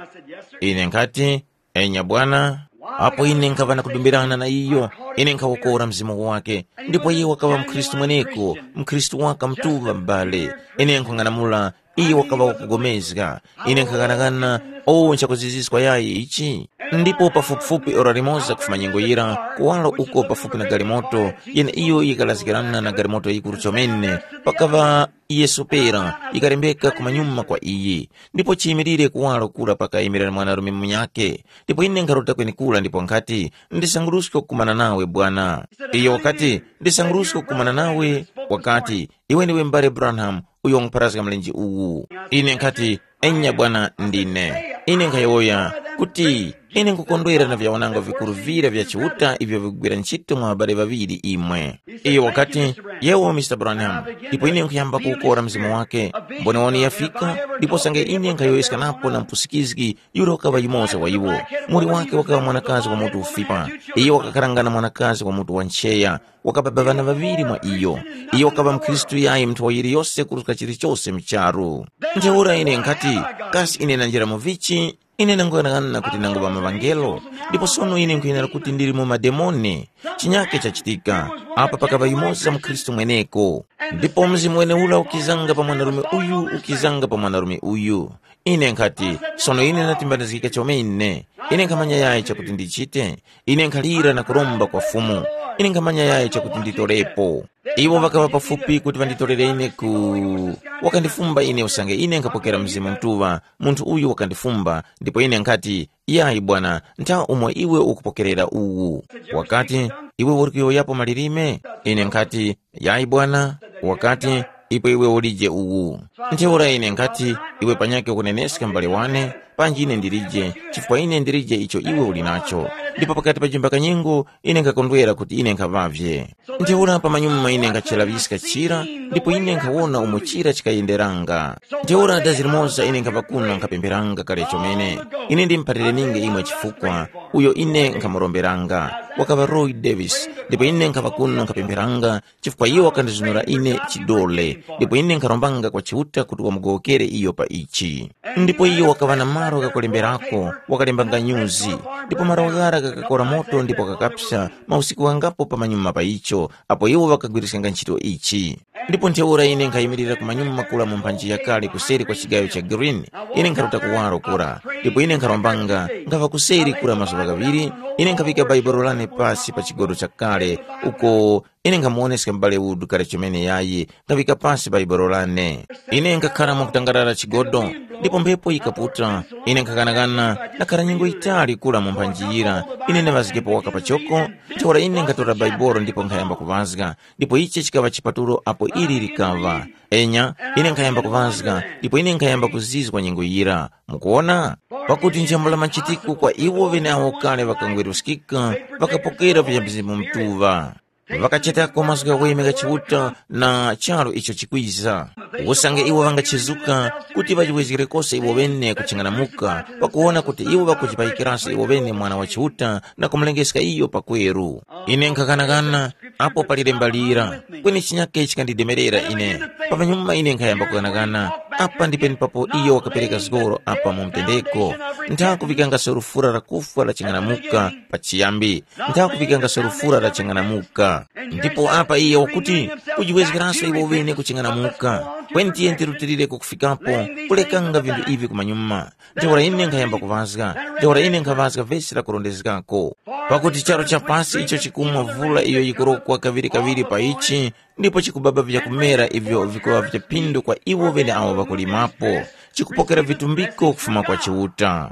Ine nkhati, enya bwana. Apo ine nkhaŵa na kudumbirana na iyo, ine nkhawokora mzimu wake. Ndipo iye wakaŵa mkhristu mweneko, mkhristu waka mtuŵa m'bale. Ine nkhung'anamula, iye wakaŵa wakugomezga. Ine nkhaghanaghana, o nchakuziziska yayi ichi. Ndipo pafupifupi ora limoza kufuma nyengo yira, kuwaro uko pafupi na galimoto, yene iyo yikalazgikirana na galimoto yikuru chomene, pakaŵa Yesu pera, yikalembeka kumanyuma kwa iyi. Ndipo chiyimirire kuwaro kura pakayimirira mwanarume munyakhe. Ndipo ine nkharuta kwenekura ndipo nkhati, ndisanguruske kukumana nawe bwana. Iyo wakati, ndisanguruske kukumana nawe. Wakati, iwe ndiwe m'bale Branham, uyo wangupharazga mlenje uwu. Ine nkhati, enya bwana ndine. Ine nkhayowoya kuti, ine nkukondwera na vyawananga vikuru vira vya Chiuta ivyo vikugwira ntchito mwa ŵabale ŵaŵiri imwe. Iyo wakati, yewo Mr Branham. Ndipo ine nkuyamba kuwukora mzimu wake. Mboniwani yafika, ndipo sange ine nkhayowoyeskanapo na mpusikizgi, yura wakaŵa yumoza wa iwo. Muli wake wakaŵa mwanakazi wa mutu ufipa. Iyo wakakaranga na mwanakazi wa mutu wa ncheya. Wakababa ŵana ŵaŵiri mwa iyo. Iyo wakaŵa mkhristu yayi mnthowa yiliyose kuruska chilichose mu charu. Ntheura ine nkhati, kasi ine nanjira mu vichi? Ine nanguyang'ana kuti nanguŵa maŵangelo, ndipo sono ine nkhuyenera kuti ndili mu mademoni. Chinyake chachitika. Apa pakaŵa yumoza mkhristu mweneko. Ndipo mzimu weneura ukizanga pa mwanarume uyu, ukizanga pa mwanarume uyu. Ine nkhati, sono ine ndatimbanizgika chomene. Ine nkhamanya yayi chakuti ndichite. Ine nkhalira na kuromba kwa Fumu. Ine nkhamanya yayi chakuti nditorepo. Iwo ŵakaŵa pafupi kuti ŵanditorere ine ku, wakandifumba ine usange ine nkhapokera Mzimu Mutuŵa. Munthu uyu wakandifumba, ndipo ine nkhati, yayi bwana, ntha umo iwe ukupokerera uwu. Wakati, iwe uri kuyowoyapo malilime? Ine nkhati, yayi bwana. Wakati, ipo iwe ulije uwu. Ntheura ine nkhati, iwe panyakhe ukuneneska m'bale wane, panji ine ndilije, chifukwa ine ndilije icho iwe uli nacho. Ndipo pakati pa chimbakanyengo, ine nkhakondwera kuti ine nkhaŵavye. Ntheura pamanyuma ine nkhachiraŵiska chira, ndipo ine nkhawona umo chira chikayenderanga. Ntheura dazi limoza ine nkhava kuno nkhapempheranga kale chomene. Ine ndimuphalire ninge imwe chifukwa, uyo ine nkhamuromberanga, wakaŵa Roy Davis, ndipo ine nkhava kuno nkhapempheranga, chifukwa iyo wakandizunura ine chidole, ndipo ine nkharombanga kwa Chiuta kuti wamugowokere iyo pa ichi. Ndipo iyo wakaŵa na malo ghakulemberako, wakalembanga nyuzi, ndipo malo ghara ghakakora moto ndipo ghakapsa mausiku ghangapo pamanyuma pa icho, apo iwo ŵakagwiriskanga ntchito ichi. Ndipo ntheura ine nkhayimirira kumanyuma kura mu mphanji yakale kuseri kwa chigayo cha Green, ine nkharuta kuwaro kura, ndipo ine nkharombanga, nkhava kuseri kura mazuŵa ghaŵiri, ine nkhaŵika Bhaibuli lane pasi pa chigodo chakale, uko ine nkhamuwoneska m'bale Wood kale chomene yayi, nkhaŵika pasi Bhaibuli lane. Ine nkhakhara mwakutangarara chigodo, ndipo mphepo yikaputa. Ine nkhakanakana, ndakhara nyengo yitali kura mu mphanji yira, ine ndaŵazgepo waka pachoko. Ntheura ine nkhatora Bhaibuli ndipo nkhayamba kuŵazga, ndipo ichi chikaŵa chipatulo apo ili likaŵa. Enya, ine nkhayamba kuŵazga, ndipo ine nkhayamba kuzizwa nyengo yira. Mukuwona? Pakuti nchambula machitiko kwa iwo ŵeneawo kale ŵakangweruskika, ŵakapokera vya Mzimu Mutuŵa. Ŵakachetako mazgu ghaweme gha Chiuta na charu icho chikwiza. Usange iwo ŵangachezuka kuti ŵajiwezgere kose iwo ŵene kuching'anamuka, pakuwona kuti iwo ŵakujipayikiraso iwo ŵene Mwana wa Chiuta na kumulengeska iyo pakweru. Ine nkhakanakana, apo pali lemba lira, kweni chinyake chikandidemerera ine. Pamanyuma ine nkhayamba kukanakana, apa ndi penepapo iyo wakapereka zgoro apa mu mtendeko. Ntha kuŵikangaso lufura la kufwa la ching'anamuka pa chiyambi, ntha kuŵikangaso lufura la ching'anamuka. Ndipo apa iye wakuti, kujiwezgeranso iwo wene ku ching'anamuka. Kweni tiye tirutilireko kufikapo, kulekanga vinthu ivi kumanyuma. Ntheura ine nkhayamba kuŵazga, ntheura ine nkhaŵazga vesi lakurondezgako. Pakuti charu cha pasi icho chikumwa vula iyo yikurokwa kaŵirikaŵiri pa ichi, ndipo chikubaba vyakumera ivyo vikuŵa vya phindu kwa iwo ŵeneawo ŵakulimapo, chikupokera vitumbiko kufuma kwa Chiuta.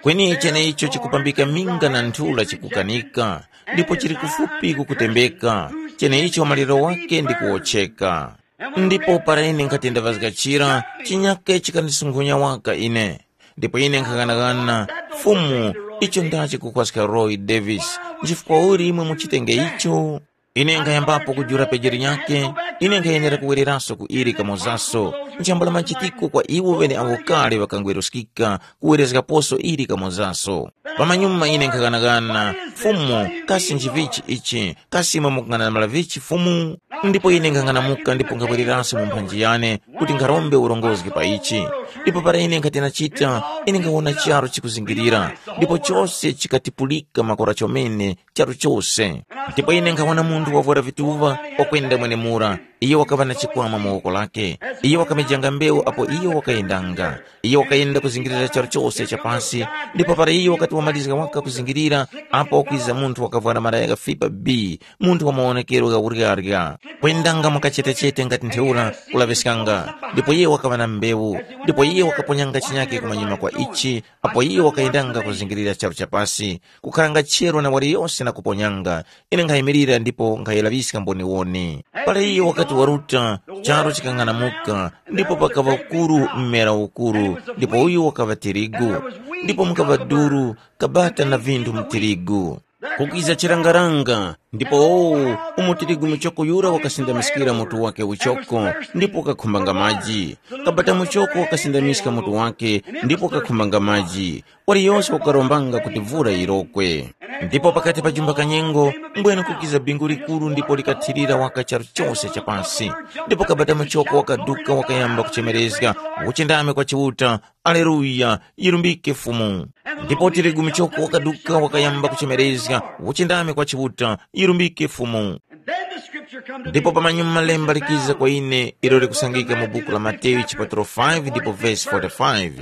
Kweni cheneicho chikupambika minga na nthula chikukanika, ndipo chili kufupi kukutembeka, Cheneicho maliro wake ndi kuwotcheka. Ndipo para ine nkhati ndavazga chira, chinyake chikandisunkhunya waka ine. Ndipo ine nkhaghanagana, Fumu, icho ndachi kukhwaska Roy Davis, nchifukwa uli imwe muchitenge icho? Ine nkhayambapo kujula pejeri nyake, ine nkhayenera kuwereranso ku ili kamozaso. Nchambula machitiko kwa iwo ŵeneawo kale ŵakangweruskika kuwerezgaposo ili kamozaso. Pamanyuma ine nkhaghanaghana, Fumu, kasi nchivichi ichi? Kasi imwe mukung'anamula vichi Fumu? Ndipo ine nkhang'anamuka ndipo nkhabwereranso mu mphanji yane kuti nkharombe urongozgi pa ichi. Ndipo para ine nkhati nachita, ine nkhawona charu chikuzingirira, ndipo chose chikatipulika makora chomene charu chose. Ndipo ine nkhawona munthu wavwara vituva wakwenda mwenemura. Iye wakaŵa na chikwama mu woko lake. Iye wakamejanga mbewu apo iye wakayendanga. Iye wakayenda kuzingirira charu chose cha pasi, ndipo para iye wakati wamalizga waka kuzingirira, apo wakwiza munthu wakavwara malaya ghafipa bi, munthu wa mawonekero gha uryarya, kwendanga mu kachetechete ngati ntheura, kulaŵiskanga. Ndipo iye wakaŵa na mbewu, ndipo iye wakaponyanga chinyake kumanyuma kwa ichi, apo iye wakayendanga kuzingirira charu cha pasi, kukharanga chero na waliyose na kuponyanga. Ine nkhayimirira ndipo nkhayiraŵiska mboniwoni. Para iye wakati waruta, charu chikang'anamuka, ndipo pakaŵa ukuru mmera ukuru, ndipo uyu wakaŵa tirigu. Ndipo mukaŵa duru, kabata na vinthu mu tirigu. Kukiza chirangaranga, ndipo owu, umo tirigu muchoko yura wakasindamiskira mutu wake uchoko, ndipo wakakhumbanga maji. Kabata muchoko wakasindamiska mutu wake, ndipo wakakhumbanga maji. Waliyose wakarombanga kuti vura yirokwe. Ndipo pakati pa jumba kanyengo, mbwene kukiza bingu likuru ndipo likathirira waka charu chose cha pasi. Ndipo kabata muchoko wakaduka wakayamba kuchemerezga, uchindame kwa Chiuta, Aleluya, yirumbike Fumu. Ndipo tirigu muchoko wakaduka wakayamba kuchemerezga, uchindame kwa Chiuta, yirumbike Fumu. And then the scripture come to Ndipo me. Pamanyuma lemba likiza kwa ine ilo likusangika mu buku la Mateyu chipaturo five ndipo vesi forty-five.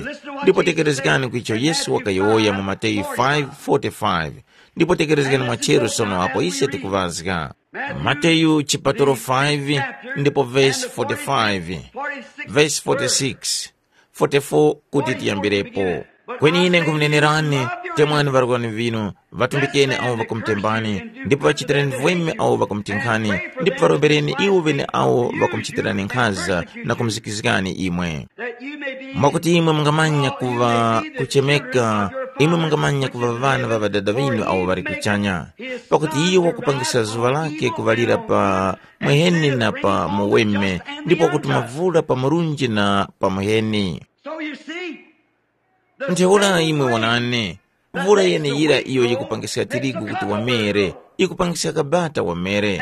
Ndipo tekerezgani ku icho Yesu wakayowoya mu Mateyu five forty-five. Ndipo tekerezgani mwachero sono apo ise tikuvazga. Mateyu chipaturo five ndipo vesi forty-five, vesi forty-six, forty-four kuti tiyambirepo. Kweni ine nkhumunenerani, temwani ŵarwani vinu, ŵatumbikeni awo ŵakumutembani, ndipo ŵachitireni vweme awo ŵakumutinkani, ndipo ŵarombereni iwo ŵene awo ŵakumuchitirani nkhaza na kumuzikizgani imwe. Mwakuti imwe mungamanya kuŵa kuchemeka, imwe mungamanya kuŵa ŵana ŵa Ŵadada ŵinu awo ŵali kuchanya. Pakuti iyo wakupangisa zuŵa lake kuŵalira pa mweheni na pa muweme, ndipo wakutuma vula pa murunji na pa muheni. So you see, the Ntheura imwe wonani, vula yeneyira iyo yikupangiska tirigu kuti wamere, yikupangiska kabata wamere.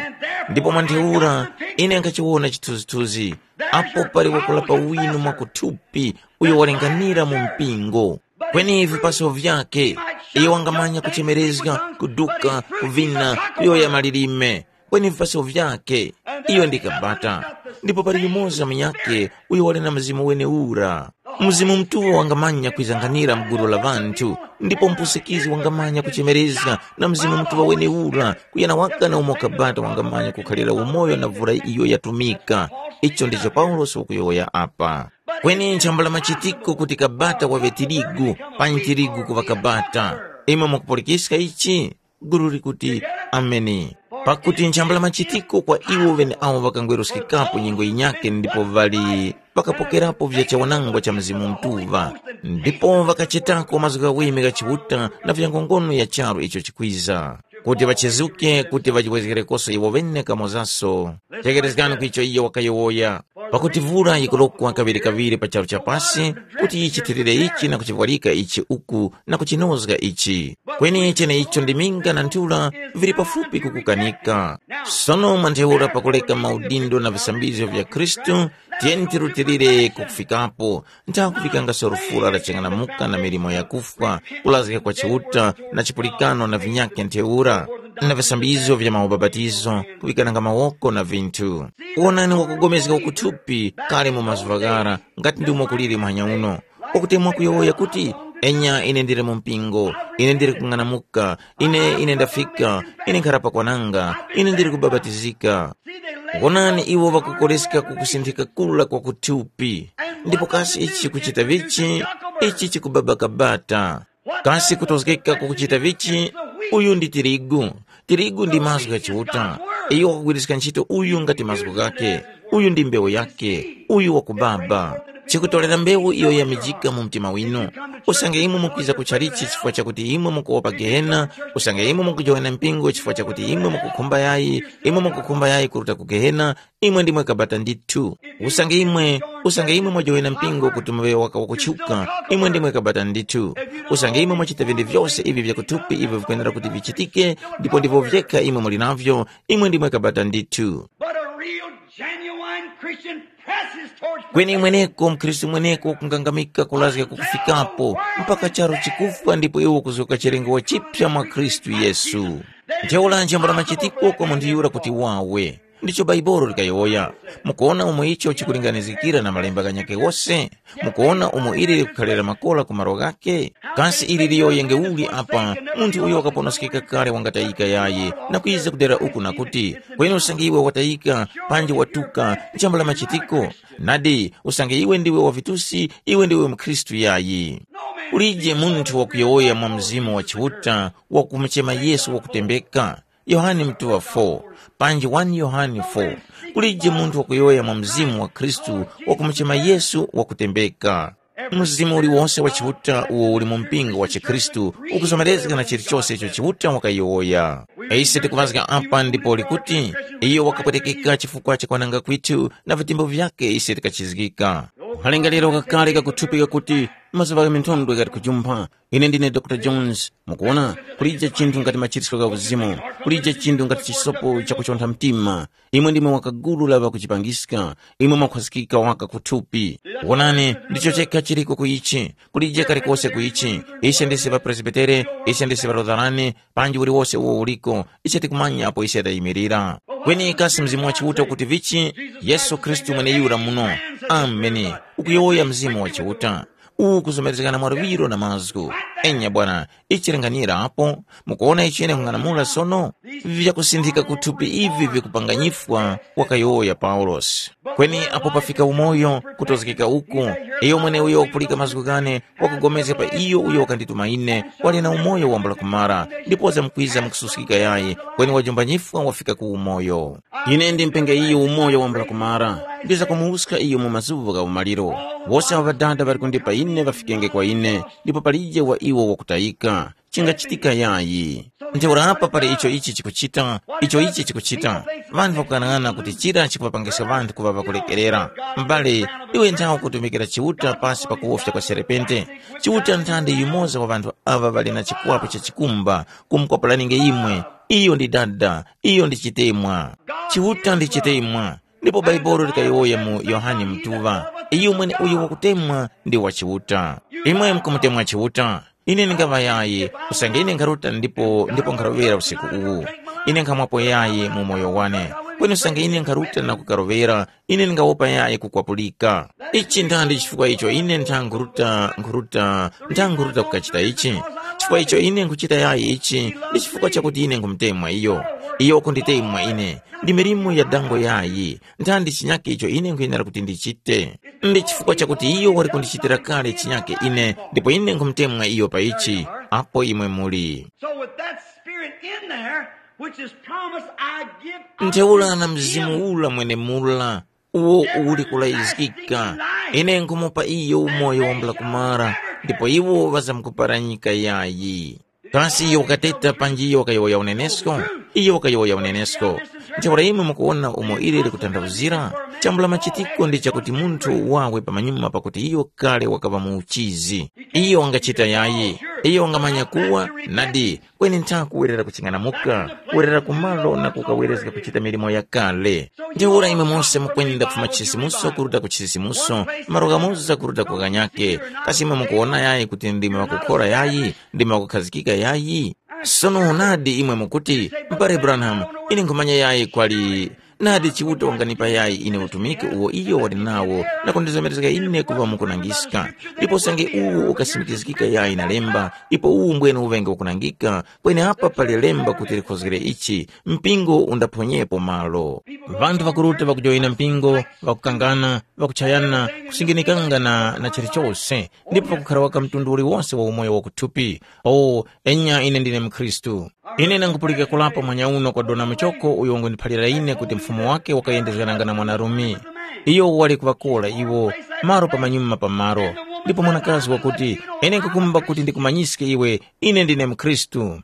Ndipo mwa ntheura, ine nkachiwona chithunzithunzi, apo pali wakulapa winu mwakuthupi, uyo walinganira mu mpingo. Kweni vipaso vyake, iyo wangamanya kuchemerezga, kuduka, kuvina, kuyoya malilime. Kweni vipaso vyake, iyo ndi kabata. Ndipo pali yumoza munyakhe uyo wali na mzimu weneura. Mzimu Mutuŵa wangamanya kwizanganira mgulu la ŵanthu, ndipo mpusikizi wangamanya kuchemerezga na Mzimu Mutuŵa weneura, kuyana waka na umo kabata wangamanya kukhalira umoyo na vura iyo yatumika. Icho ndicho Paulosi wakuyowoya apa. Kweni nchambula machitiko kuti kabata waŵe tirigu, panyi tirigu kuŵa kabata. Imwe mukupulikiska ichi? Gulu likuti, Ameni. Pakuti nchambula machitiko kwa iwo ŵeneawo ŵakangweruskikapo nyengo yinyakhe ndipo ŵali ŵakapokerapo vya chawanangwa cha Mzimu Mutuŵa, ndipo ŵakachetako mazgu ghaweme gha Chiuta na vyangongono ya charu icho chikwiza, kuti ŵachezuke kuti ŵajiwezgerekoso iwo ŵene kamozaso. Tegherezgani ku icho iyo wakayowoya. Pakuti vura yikurokwa kaŵirikaŵiri pa charu cha pasi, kuti yichithirire ichi na kuchivwarika ichi uku na kuchinozga ichi. Kweni cheneicho ndi minga na nthura vili pafupi kukukanika. Sono mwa ntheura pakureka maudindo na visambizgo vya Khristu, tiyeni tirutilire kukufikapo, ntha kuŵikangaso lufura la ching'anamuka na milimo yakufwa, kulazga kwa Chiuta na chipulikano na vinyakhe ntheura, na visambizgo vya maubapatizo, kuŵikananga mawoko na vinthu. Wonani wakugomezga wakuthupi kale mu mazuŵa ghara, ngati ndi umo kuliri muhanya uno. Pakuti mwakuyowoya kuti, enya ine ndili mu mpingo, ine ndili kung'anamuka, ine ine ndafika, ine nkhara pakwananga, ine ndili kubabatizika. Wonani iwo ŵakukoleska ku kusinthika kura kwa kuthupi, ndipo kasi ichi chikuchita vichi? Ichi chikubaba kabata. Kasi kutozgeka kukuchita vichi? Uyu ndi tirigu. Tirigu ndi mazgu gha Chiuta. Iyo wakugwiriska ntchito uyu ngati mazgu ghakhe. Uyu ndi mbewu yakhe. Uyu wakubaba. Chikutolera mbewu iyo yamijika mu mtima winu. Usange imwe mukwiza ku chalichi chifukwa chakuti imwe mukuwopa gehena, usange imwe mukujowana mpingo chifukwa chakuti imwe mukukhumba yayi, imwe mukukhumba yayi kuruta ku gehena, imwe ndimwe kabata ndithu. Usange imwe, usange imwe mwajowana mpingo kuti muŵe waka wakutchuka, imwe ndimwe kabata ndithu. Usange imwe mwachita vinthu vyose ivi vyakuthupi ivyo vikwenera kuti vichitike, ndipo ndivyo vyekha imwe muli navyo, imwe ndimwe kabata ndithu. But a real, genuine Christian presses towards kweni imweneko mkhristu mweneko kungangamika kulazga kukufikapo mpaka charo chikufwa ndipo iwo kuzgoka chilengo chipya mwa khristu yesu. Ntheura njambo la machitiko kwa munthu yura kuti wawe. Ndicho Baibolo likayowoya. Mukuona umo icho chikulinganizikira na malemba ghanyakhe wose? Mukuona umo ili likukhalira makola ku malo ghakhe? Kasi ili liyoyenge uli apa, munthu uyo wakaponoskeka kale wangatayika yayi, na kwiza kudera uku na kuti, kweni usange iwe watayika, panji watuka, njambo la machitiko? Nadi, usange iwe ndiwe wa vitusi, iwe ndiwe mkhristu yayi. Kulije munthu wakuyowoya mwa Mzimu wa Chiuta, wakumuchema Yesu wakutembeka. Yohane mutuŵa four, panji one Yohane four. Kulije munthu wakuyowoya mwa Mzimu wa Khristu wakumuchema Yesu wakutembeka. Mzimu uliwose wa Chiuta uwo uli mu mpingo wa chikhristu ukuzomerezga na chilichose icho Chiuta wakayowoya. Ise tikuŵazga apa ndipo likuti, iyo wakapwetekeka chifukwa cha kwananga kwithu na vitembo vyakhe ise tikachizgika. Malingaliro kakale kakuthupika kuti mazuŵa gha minthondwe ghati kujumpha. Ine ndine Dr Jones. Mukuona, kulije chinthu ngati machiritso gha uzimu, kulije chinthu ngati chisopo chakuchontha mtima. Imwe ndimwe wakagulu la ŵakuchipangiska, imwe mwakhwazikika waka kuthupi. Wonani, ndicho chekha chiriko ku ichi, kulije kalikose ku ichi. Ise ndise ŵapresbitere, ise ndise ŵalutharani, panji uliwose uwo uliko, ise tikumanya apo ise tayimirira. Kweni kasi Mzimu wa Chiuta ukuti vichi? Yesu Khristu mweneyura muno. Ameni. Ukuyowoya Mzimu wa Chiuta. Uwu kuzomerezgana mwa luŵiro na mazgu. Enya bwana, ichi linganyira apo. Mukuona ichi ine nkung'anamula sono? Vyakusinthika kuthupi ivi vikupanganyifwa, wakayowoya Paulosi. Kweni apo pafika umoyo, kutozgeka uku, iyo mweneuyo wakupulika mazgu ghane, wakugomezga pa iyo uyo wakandituma ine, wali na umoyo wambula kumara, ndipo zamkwiza mukususkika yayi, kweni wajumbanyifwa wafika ku umoyo. Ine ndimpenge iyo umoyo wambula kumara, ndizakumuwuska iyo mu mazuŵa gha umaliro. Wose awo Ŵadada ŵali kundipa ine ŵafikenge kwa ine, ndipo palije wa iwo wakutayika. Chingachitika yayi. Ntheura apa pali icho ichi chikuchita, icho ichi chikuchita. Ŵanthu ŵakukang'ana kuti chira chikuŵapangiska ŵanthu kuŵa ŵakulekerera. M'bale, iwe nthawe kutumikira Chiuta pasi pa kuwofya kwa serepente. Chiuta nthandi yumoza wa ŵanthu aŵa ŵali na chikwapu cha chikumba, kumukwapulaninge imwe. Iyo ndi dada, iyo ndi chitemwa. Chiuta ndi chitemwa. Ndipo Bhaibuli likayowoya mu Yohane Mutuŵa, iyo mweneuyo wakutemwa ndi wa Chiuta. Imwe mukumutemwa Chiuta. Ine ndingaŵa yayi, usange ine nkharuta ndipo ndipo nkharoŵera usiku uwu. Ine nkhamwapo yayi mu moyo wane. Kweni usange ine nkharuta na kukaroŵera, ine ndingawopa yayi kukwapulika. Ichi ndandi chifukwa icho ine nthanghuruta nkhuruta nthanghuruta kukachita ichi. Chifukwa icho ine nkhuchita yayi ichi, ndi chifukwa chakuti ine nkhumutemwa iyo. Iyo wakunditemwa ine. Ndi milimo ya dango yayi. Nthandi chinyake icho ine nkhuyenera kuti ndichite? Ndi chifukwa chakuti iyo wali kundichitira kale chinyake ine, ndipo ine nkhumutemwa iyo pa ichi. Apo imwe muli. So with that spirit in there, which is promised, I give unto ntheura na mzimu them ula mwenemula, uwo uli kulayizgika, ine nkhumupa iyo umoyo wambula kumara, ndipo iwo ŵazamkuparanyika yayi. Kasi iyo wakateta panji iyo wakayowoya unenesko? Iyo wakayowoya unenesko. Ntheura imwe mukuwona umo ili likutanthauzira? Chambula machitiko ndi chakuti munthu wawe pamanyuma pakuti iyo kale wakaŵa mu uchizi. Iyo wangachita yayi. Iyo wangamanya kuwa, nadi, kweni ntha kuwerera kuching'anamuka, kuwerera kumalo na kukawerezga kuchita milimo yakale. Ntheura imwe mose mukwenda kufuma chisisimuso kuruta ku chisisimuso, malo ghamoza kuruta ku ghanyake. Kasi imwe mukuwona yayi kuti ndimwe ŵakukhora yayi? Ndimwe ŵakukhazikika yayi? Sono nadi imwe mukuti, M'bale Branham, ine nkhumanya yayi kwali. Nadi Chiuta wanganipa yayi ine utumiki uwo iyo wali nawo na kundizomerezga ine kuŵa mukunangiska. Ndipo usange uwu ukasimikizgika yayi na lemba, ipo uwu mbwene uŵenge ukunangika, kweni apa pali lemba kuti likhozgere ichi, mpingo undaphonyepo malo. Ŵanthu ŵakuruta ŵakujoyina mpingo, ŵakukangana, ŵakuchayana, kusinginikanga na, na chilichose, ndipo pakukhara waka mtundu uliwose wa umoyo wakuthupi. O, enya ine ndine mkhristu. Ine nangupulika kulapo mwanyauno kwa dona muchoko uyo wangundiphalira ine kuti mfumu wake wakayendezgananga na mwanarume. Iyo wali kuŵakola iwo, malo pamanyuma pa malo. Ndipo mwanakazi wakuti, ine nkukumba kuti ndikumanyiske iwe, ine ndine mkhristu.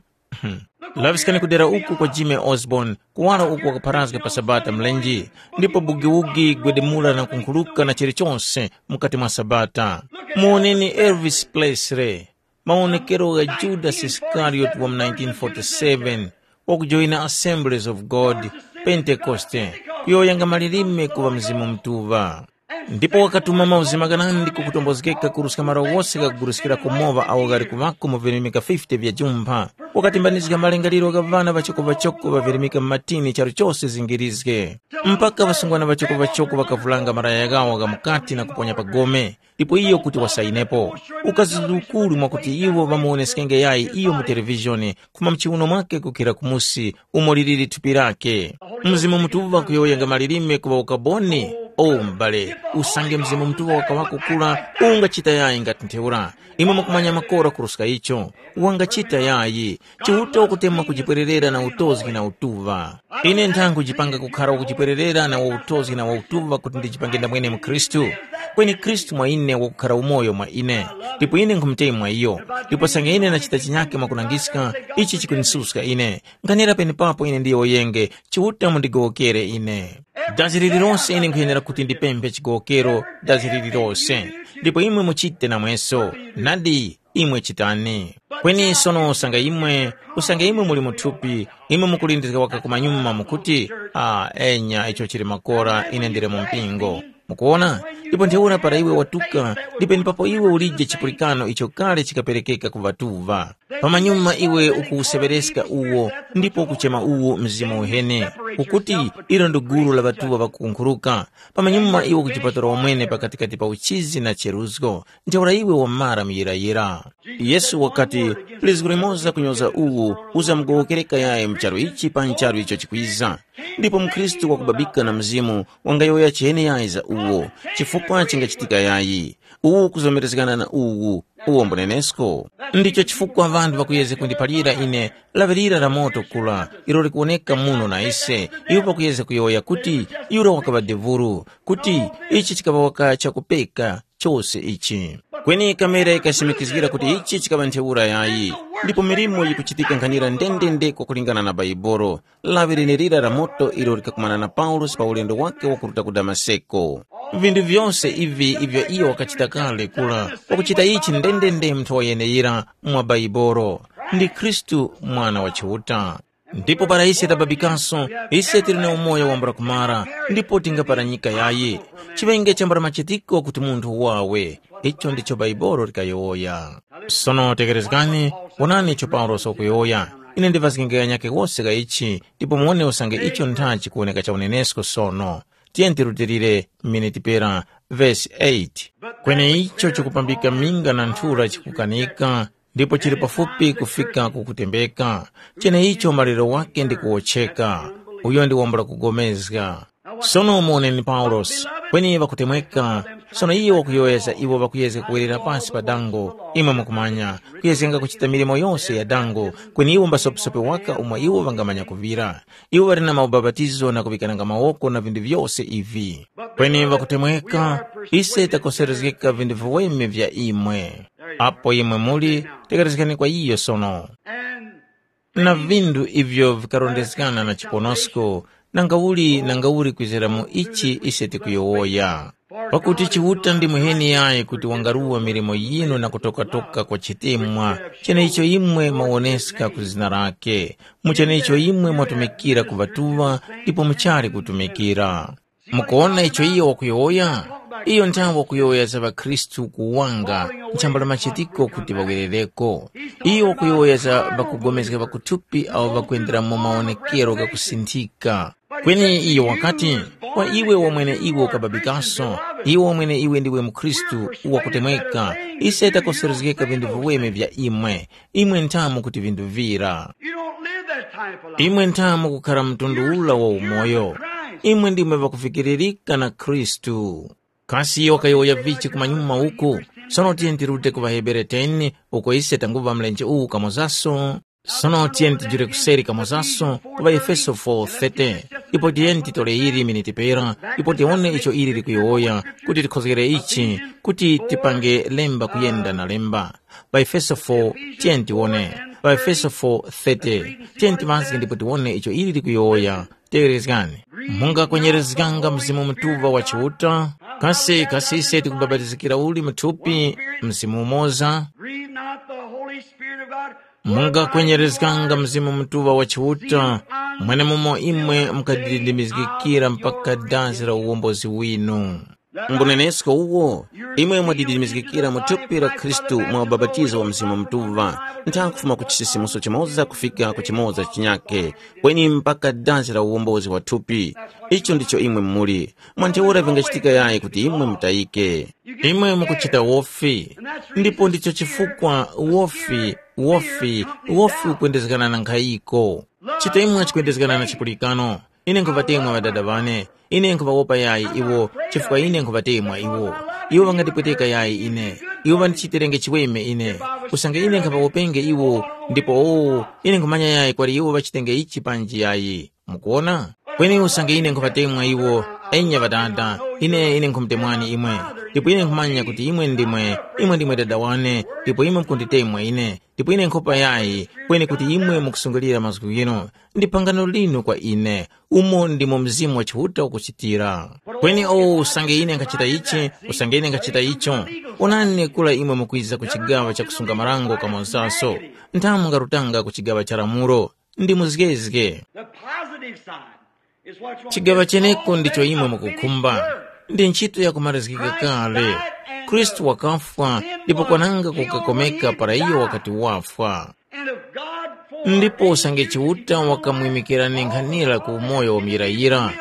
Laŵiskani kudera uku kwa Jimmy Osborne, kuwala uku wakapharazga pa Sabata mlenje, ndipo bugiwugi gwedemula na kunkhuluka na chilichonse mukati mwa Sabata. Muwoneni Elvis Presley, mawonekero gha Judas Iskarioti wa mu nineteen forty-seven, wakujoyina Assemblies of God, Pentekoste, kuyowoyanga malilime kuŵa Mzimu Mutuŵa. Ndipo wakatuma mauzima ghanandi kukutombozgeka kuruska malo ghose ghakuguruskira kumoŵa agho ghali kuŵako mu virimika fifty vya jumpha. Wakatimbanizga malingaliro gha ŵana ŵachoko-ŵachoko ŵavirimika mu matini charu chose zingirizge. Mpaka ŵasungwana ŵachoko-ŵachoko ŵakavulanga malaya ghawo gha mukati na kuponya pa gome, ndipo iyo kuti wasayinepo. Ukazizukuru mwakuti iwo ŵamuwoneskenge yayi iyo mu televishoni, kuma mchiuno mwake kukhira kumusi, umo liliri thupi lake. Mzimu Mutuŵa kuyowoyanga malilime kuŵa ukaboni. O m'bale, usange Mzimu Mutuŵa wakaŵako kura, ungachita yayi ngati ntheura. Imwe mukumanya makora kuruska icho. Wangachita yayi. Chiuta wakutemwa kujipwererera na utozgi na utuŵa. Ine nthangujipanga kukhara wakujipwererera na wautozgi na wautuŵa kuti ndijipange ndamwene mu Khristu. Kweni Khristu mwa ine wakukhara umoyo mwa ine, ndipo ine nkhumutemwa iyo. Ndipo sange ine ndachita chinyake mwakunangiska, ichi chikundisuska ine. Nkhanira penepapo ine ndiyowoyenge, Chiuta mundigowokere ine. Dazi lililose ine nkhuyenera kuti ndipemphe chigowokero dazi lililose, ndipo imwe muchite namweso. Nadi, imwe chitani. Kweni sono usange imwe, usange imwe muli mu thupi, imwe mukulindizga waka kumanyuma mukuti, ah, enya icho chili makora, ine ndili mu mpingo. Mukuwona? Ndipo ntheura para iwe watuka, ndipo ndipapo iwe ulije chipulikano icho kale chikaperekeka ku ŵatuŵa. Pamanyuma iwe ukuwuseŵereska uwo, ndipo ukuchema uwo mzimu uheni, ukuti, ilo ndi gulu la ŵatuŵa ŵakukunkhuruka. Pamanyuma iwe ukujipatula wamwene pakatikati pa uchizi na cheruzgo. Ntheura iwe wamara muyirayira. Yesu wakati, lizgu limoza kunyoza uwu uzamugowokereka yayi mu charu ichi pa ncharu icho chikwiza. Ndipo mukhristu wakubabika na mzimu wangayowoya chene yayi za uwo, chifukwa chingachitika yayi. Uwu kuzomerezgana na uwu, uwo mbunenesko. Ndicho chifukwa ŵanthu ŵakuyezga kundiphalira ine, laŵirira la moto kula, ilo likuwoneka muno na ise, iwo pakuyezga kuyowoya kuti, yura wakaŵa devuru, kuti, ichi chikaŵa waka chakupeka, chose ichi. Kweni kamera yikasimikizgira kuti ichi chikaŵa ntheura yayi, ndipo milimo yikuchitika nkhanira ndendende kwakulingana na Baibolo. Lawi lenelira la moto ilo likakumana na Paulosi pa ulendo wake wakuruta ku Damaseko. Vinthu vyose ivi ivyo iyo wakachita kale kula, wakuchita ichi ndendende munthu wayeneyira mwa Baibolo, ndi Khristu Mwana wa Chiuta. Ndipo para ise tababikaso, ise tili na umoyo wambula kumara, ndipo tingapara nyika yayi. Chiŵenge chambula machitiko kuti munthu wawe. Icho ndicho Baibolo likayowoya. Sono tekerezgani, wonani icho Paulosi wakuyowoya. Ine ndivazgenge kanyake wose ka ichi, ndipo muwone usange icho ntha chikuwoneka cha unenesko sono. Tiyeni tirutilire miniti pera vesi eight. Kweni icho chikupambika minga na nthura chikukanika, ndipo chili pafupi kufika ku kutembeka. Cheneicho maliro wake ndi kuwotcheka. Uyo ndi wambula kugomezga. Sono muwoneni Paulosi, kweni ŵakutemweka, sono iyo wakuyowoyeza iwo ŵakuyezga kuwerera pasi pa dango, imwe mukumanya, kuyezganga kuchita milimo yose ya dango, kweni iwo mbasopesope waka umo iwo ŵangamanya kuŵira. Iwo ŵali na maubapatizo na kuŵikananga mawoko na vinthu vyose ivi. Kweni ŵakutemweka, ise takoserezgeka vinthu viweme vya imwe. Apo imwe muli, tekerezgani kwa iyo sono. Na vinthu ivyo vikarondezgana na chiponosko, nangauli nangauli kwizira mu ichi ise tikuyowoya. Pakuti Chiuta ndi muheni yayi kuti wangaruwa milimo yinu na kutokatoka kwa chitemwa, cheneicho imwe mwawoneska ku zina lake, mu cheneicho imwe mwatumikira ku ŵatuŵa ndipo muchali kutumikira. Mukuwona icho iyo wakuyowoya? Iyo nthawe wakuyowoya za ŵakhristu kuwanga nchambala machitiko kuti ŵawerereko. Iyo wakuyowoya za ŵakugomezga ŵakuthupi awo ŵakwendera mu mawonekero ghakusinthika. Kweni iyo wakati, kwa iwe wamwene iwe ukababikaso, iwe wamwene iwe ndiwe mukhristu wakutemweka, ise takoserezgeka vinthu viweme vya imwe. Imwe nthamu kuti vinthu vira. You don't live that type of life. Imwe nthamu kukhara mtundu ula wa umoyo. Imwe ndimwe ŵakufikiririka na Khristu. Kasi iyo wakayowoya vichi kumanyuma uku? Sono tiyeni tirute ku ŵaHebere ten, uko ise tanguva mlenje uwu kamozaso. Sono tiyeni tijule kuseri kamozaso ku ŵaEfeso four thirty, ipo tiyeni titole ili miniti pera, ipo tiwone icho ili likuyowoya, kuti tikhozgere ichi, kuti tipange lemba kuyenda na lemba. །Pa Efeso four, tiyeni tiwone. Pa Efeso four thirty, tiyeni tiŵazge ndipo tiwone icho ili likuyowoya. Tegherezgani. Mungakwenyerezganga Mzimu Mutuŵa wa Chiuta? Kasi kasi ise tikubapatizikira uli mu thupi, Mzimu umoza? Grieve not the Holy Spirit of God. Mungakwenyerezganga Mzimu Mutuŵa wa Chiuta, mwenemumo imwe mukadidimizgikira mpaka dazi la uwombozi winu. Mbunenesko uwo, imwe mwadidimizgikira mu thupi la Khristu mwa ubapatizo wa Mzimu Mutuŵa, ntha kufuma ku chisisimuso chimoza kufika ku chimoza chinyakhe, kweni mpaka dazi la uwombozi wa thupi. Icho ndicho imwe muli. Mwa ntheura vingachitika yayi kuti imwe mutayike? Imwe mukuchita wofi, ndipo ndicho chifukwa wofi, wofi, wofi ukwendezgana na nkhayiko. Chitemwa chikwendezgana na chipulikano. Ine nkhuŵatemwa ŵadada ŵane. Ine nkhuŵawopa yayi iwo, chifukwa ine nkhuŵatemwa iwo. Iwo ŵangatipweteka yayi ine. Iwo ŵandichitirenge chiweme ine. Usange ine nkhaŵawopenge iwo, ndipo o, ine nkhumanya yayi kwali iwo ŵachitenge ichi panji yayi. Mukuwona? Kweni usange ine nkhuŵatemwa iwo, enya ŵadada, ine ine nkhumutemwani imwe. Ndipo ine nkhumanya kuti imwe ndimwe, imwe ndimwe dada wane, ndipo imwe mukunditemwa ine. Ndipo ine nkhopa yayi, kweni kuti imwe mukusungulira mazgu ghinu, ndi phangano linu kwa ine, umo ndimo Mzimu wa Chiuta ukuchitira. Kweni o usange ine nkhachita ichi, usange ine nkhachita icho, onani kura imwe mukwiza ku chigaŵa cha kusunga marango kamonzaso, nthamu mungarutanga ku chigaŵa cha lamulo, ndi muzgezge. The positive side is what you want. Chigaŵa cheneko ndicho imwe mukukhumba, ndi ntchito yakumalizgika kale. Khristu wakafwa, ndipo kwananga kukakomeka para iyo wakati wafwa. And if God for ndipo usange Chiuta wakamwimikirani nkhanira ku umoyo wa muyirayira,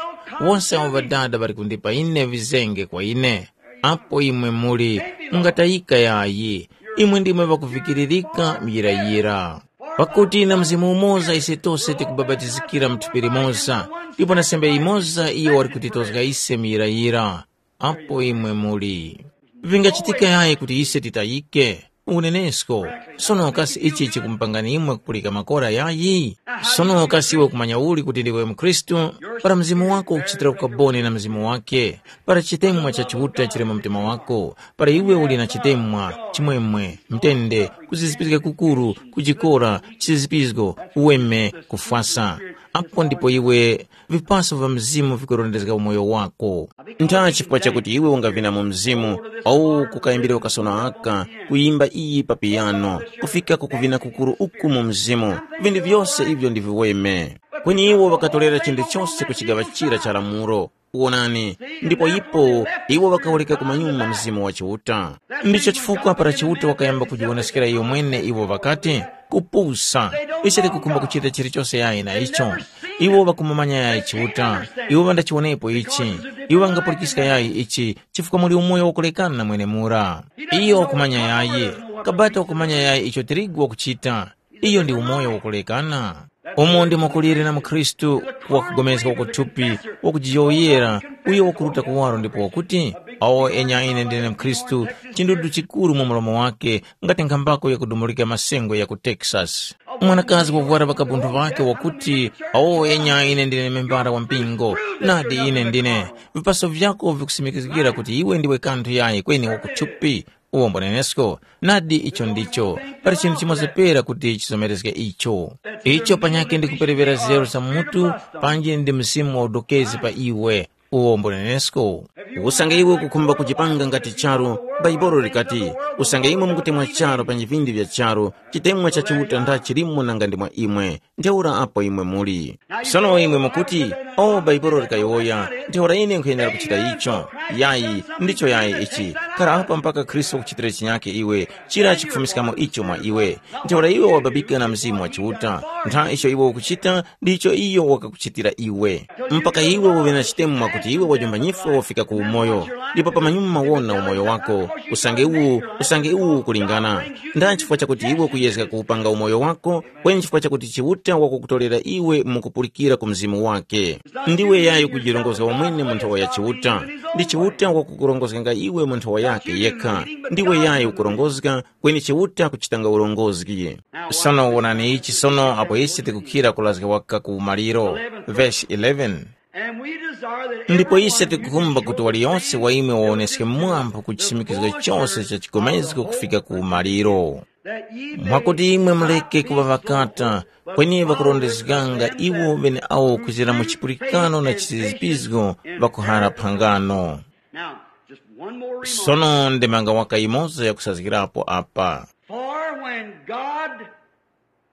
wonse awo ŵadada ŵali kundipa ine vizenge kwa ine. Apo imwe muli, mungatayika yayi, imwe ndimwe ŵakuvikiririka muyirayira. Pakuti na Mzimu umoza ise tose tikubapatizikira mu thupi limoza, ndipo na sembe imoza iyo wali kutitozga ise muyirayira. Apo imwe muli. Vingachitika yayi kuti ise titayike? Unenesko. Sono kasi ichi chikumupangani imwe kupulika makora yayi? Sono kasi iwe kumanya uli kuti ndiwe mkhristu? Para mzimu wako ukuchitira ukaboni na mzimu wake, para chitemwa cha Chiuta chili mu mtima wako, para iwe uli na chitemwa, chimwemwe, mtende, kuzizipizga kukuru, kujikora, chisizipizgo, uweme, kufwasa. Apo ndipo iwe vipaso vya mzimu vikurondezga umoyo wako. Ntha chifukwa chakuti iwe ungavina mu mzimu, au kukayambira ukasono aka, kuyimba iyi pa piyano, kufika ku kuvina kukuru uku mu mzimu, vinthu vyose ivyo ndi viweme. Kweni iwo ŵakatorera chinthu chose ku chigaŵa chira cha lamulo. Wonani, ndipo ipo iwo ŵakawureka kumanyuma Mzimu wa Chiuta. Ndicho chifukwa para Chiuta wakayamba kujiwoneskera iyo mwene iwo ŵakati, kupusa, ise tikukhumba kuchita chilichose yayi na icho. Iwo ŵakumumanya yayi Chiuta, iwo ŵandachiwonepo ichi, iwo ŵangapulikiska yayi ichi, chifukwa muli umoyo wakulekana mwenemura. Iyo wakumanya yayi, kabata wakumanya yayi icho tirigu wakuchita. Iyo ndi umoyo wakulekana. Umo ndimo kuliri na mukhristu, wakugomezga wakuthupi, wakujiyowoyera, uyo wakuruta kuwaro ndipo wakuti, awo enya ine ndine mkhristu, chindudu chikuru mu mlomo wake, ngati nkhambako yakudumulika masengwe ya ku Texas. Mwanakazi wavwara ŵakabunthu ŵake wakuti, awo enya ine ndine membara wa mpingo, nadi ine ndine. Vipaso vyako vikusimikizgira kuti iwe ndiwe kanthu yayi kweni wakuthupi. Uwombo nenesko, nadi icho ndicho, pali chinthu chimoza pera kuti chizomerezge icho. Icho panyakhe ndi kuperewera zero za mutu, panji ndi mzimu wa udokezi pa iwe. Uwombo nenesko. Usange iwe ukukhumba kujipanga ngati charu, Baibolo likati, usange imwe mukutemwa charu pa vindi vya charu, chitemwa cha Chiuta nda chilimo nanga ndi mwa imwe. Ntheura apo imwe muli. Sono imwe mukuti, o Baibulo likayowoya, ntheura ine nkhuyenera kuchita icho. Yayi, ndicho yayi ichi. Khara apa mpaka Khristu wakuchitira chinyakhe iwe, chira chikufumiskamo icho mwa iwe. Ntheura iwe wababika na Mzimu wa Chiuta. Ntha icho iwe ukuchita, ndicho iyo wakakuchitira iwe. Mpaka iwe uve na chitemwa kuti iwe wajomba nyifwa wafika ku umoyo, ndipo pamanyuma wona umoyo wako, usange uwu, usange uwu ukulingana. Nda chifukwa chakuti iwe ukuyezga kuwupanga umoyo wako, kweni chifukwa chakuti Chiuta wakukutorera iwe mukupulikira ku Mzimu wake. Ndiwe yayo kujirongozga wamwene mu nthowa ya Chiuta, ndi Chiuta wakukurongozganga iwe mu nthowa yake yekha. Ndiwe yayi ukurongozga, kweni Chiuta kuchitanga urongozgi. Sono wonani ichi sono apo ise tikukhira kulazga waka ku maliro. Verse eleven. And we desire that Ndipo every ise one of you tikukhumba show kuti waliyonse wa imwe wawoneske mwambo ku chisimikizgo chose cha chigomezgo kufika ku maliro, that ye may mwakuti imwe muleke kuŵa ŵakata, kweni ŵakurondezganga iwo ŵeneawo kuzira mu chipulikano na chizizipizgo ŵakuhara phangano. Now, just one more remark. Sono ndemanga waka yimoza yakusazgirapo apa. For when God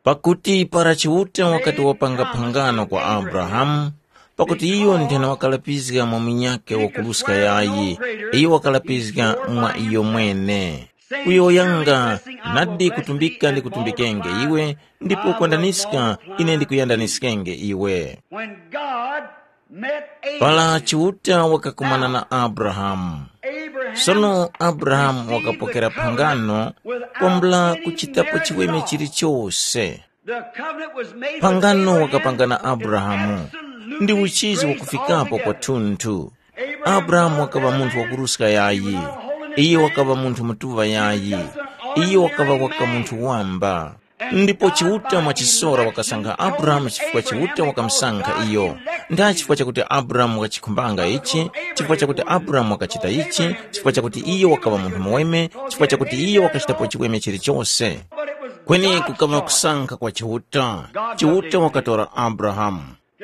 Pakuti para Chiuta wakati wapanga phangano kwa Abrahamu, pakuti iyo nthena wakalapizga mwa munyakhe wakuruska yayi, iyo wakalapizga mwa iyo mwene. Kuyowoyanga, nadi kutumbika ndikutumbikenge iwe, ndipo kwandaniska ine ndikuyandaniskenge iwe. When God met Abraham, Para Chiuta wakakumana na Abrahamu. Abraham Sono Abrahamu received wakapokera the covenant phangano without kwambula any kuchitapo chiweme marriage at all. Chilichose. The covenant was made with Phangano Abraham wakapanga na is Abrahamu absolutely ndi uchizi free wakufikapo altogether. Kwathunthu. Abraham Abrahamu was wakaŵa munthu man, wakuruska yayi. He was not a holiness Iye man. Wakaŵa munthu mutuŵa yayi. Iye wakaŵa waka munthu wamba. Ndipo Chiuta mwachisora wakasankha Abrahamu chifukwa Chiuta wakamusankha iyo. Nda chifukwa chakuti Abrahamu wakachikhumbanga ichi, chifukwa chakuti Abrahamu wakachita ichi, chifukwa chakuti iyo wakaŵa munthu muweme, chifukwa chakuti iyo wakachitapo chiweme chilichose. Kweni kukaŵa kusankha kwa Chiuta. Chiuta wakatora Abrahamu.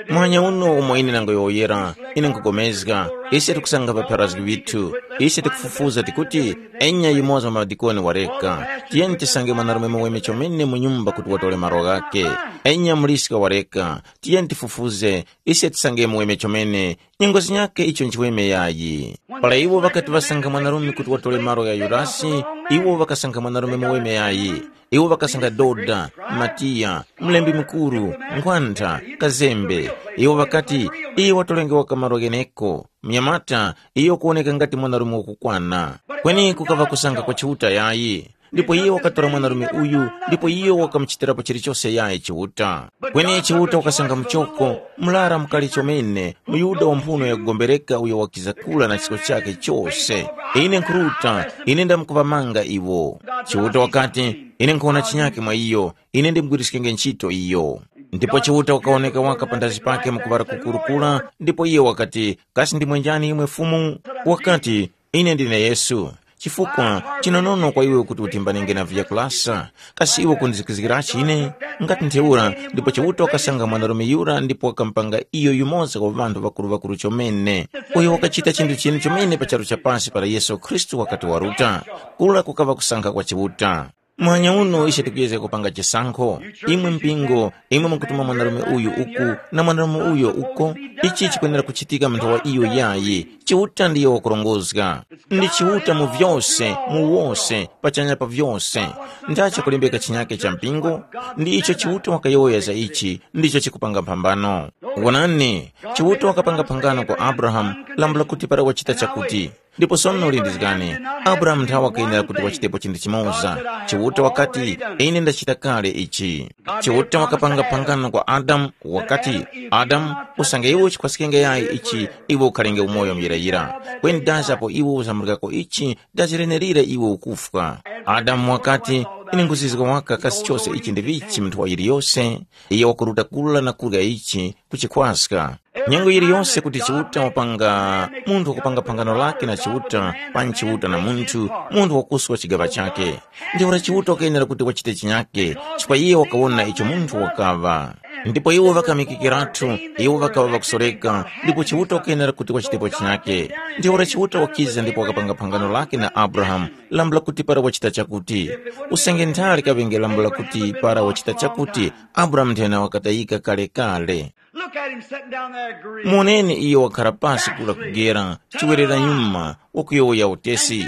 Mwanya uno umo ine nangoyowoyera, ine nkugomezga, ise tikusanga ŵapharazgi ŵithu, ise tikufufuza tikuti, enya yumoza mwa ŵadikoni wareka, tiyeni tisange mwanarume muweme chomene mu nyumba kuti watole malo ghakhe. Enya muliska wareka, tiyeni tifufuze, ise tisange muweme chomene, nyengo zinyakhe icho nchiweme yayi. Para iwo ŵakati ŵasanga mwanarume kuti watole malo gha Yudasi, iwo ŵakasanga mwanarume muweme yayi. Iwo ŵakasanga Doda, Matiya, mlembi mukuru, nkhwantha, kazembe. Iwo ŵakati, “Iyo watolenge waka malo gheneko.” Mnyamata, iyo kuwoneka ngati mwanarume wakukwana. Kweni kukaŵa kusanga kwa Chiuta yayi. Ndipo iyo wakatora mwanarume uyu, ndipo iyo wakamuchitirapo chilichose yayi Chiuta. Kweni Chiuta wakasanga muchoko, murara mukali chomene, muYuda wa mphuno yakugombereka uyo wakiza kula na chisko chakhe chose. Ine nkhuruta, ine ndamkuŵamanga iwo. Chiuta wakati, ine nkhona chinyakhe mwa iyo, ine ndimugwiriskenge ntchito iyo. Ndipo Chiuta wakawoneka waka panthazi pakhe mu kuŵala kukurukura, ndipo iyo wakati, “Kasi ndimwe njani imwe Fumu?” Wakati, “Ine ndine Yesu. Chifukwa chinonono kwa iwe kuti utimbanenge na vyakulasa, kasi iwe kundizikizgirachi ine?” Ngati ntheura, ndipo Chiuta wakasanga mwanarume yura ndipo wakamupanga iyo yumoza wa ŵanthu ŵakuru-ŵakuru chomene, uyo wakachita chinthu chinu chomene pa charu cha pasi para Yesu Khristu wakati waruta. Kura kukaŵa kusankha kwa Chiuta. Muhanya uno ise tikuyezga kupanga chisankho. Imwe mpingo, imwe mukutuma mwanarume uyu uku na mwanarume uyo uko, ichi chikwenera kuchitika mu nthawa iyo yayi. Chiuta ndiye wakurongozga. Ndi Chiuta mu vyose, mu wose, pachanya pa vyose. Ndachi kulembeka chinyake cha mpingo? Ndi icho Chiuta wakayowoya za ichi, ndicho chikupanga mphambano. Wonani, Chiuta wakapanga phangano kwa Abrahamu, lambula kuti para wachita chakuti. Ndipo sono lindizgani, Abrahamu nthawe wakayenera kuti wachitepo chinthu chimoza. Chiuta wakati, “Ine ndachita kale ichi.” Chiuta wakapanga phangano kwa Adamu, wakati, “Adamu, usange iwe uchikhwaskenge yayi ichi, iwe ukhalenge umoyo muyirayira. Kweni dazi apo iwe uzambulikako ichi, dazi lenerira iwe ukufwa.” Adamu wakati, “Ine nkhuzizga waka kasi chose ichi ndi vichi mu nthawi yiliyose?” Iyo wakuruta kula na kurya ichi, kuchikhwaska. Nyengo yiliyose kuti Chiuta wapanga, munthu wakupanga phangano lake na Chiuta, panyi Chiuta na munthu, munthu wakuswa chigaŵa chakhe. Ntheura Chiuta wakayenera kuti wachite chinyake, chifukwa iye wakawona icho munthu wakaŵa. Ndipo iwo ŵakamikikiratu, iwo ŵakaŵa ŵakusoreka, ndipo Chiuta wakayenera kuti wachitepo chinyake. Ntheura Chiuta wakiza ndipo wakapanga phangano lake na Abrahamu, lambula kuti para wachita chakuti. Usange nthali kaŵenge lambula kuti para wachita chakuti, Abrahamu nthena wakatayika kale-kale. Look at him sitting down there agreeing. Muoneni iyo wakhala pasi kula kugera, chiwerera nyuma, wakuyowoya utesi,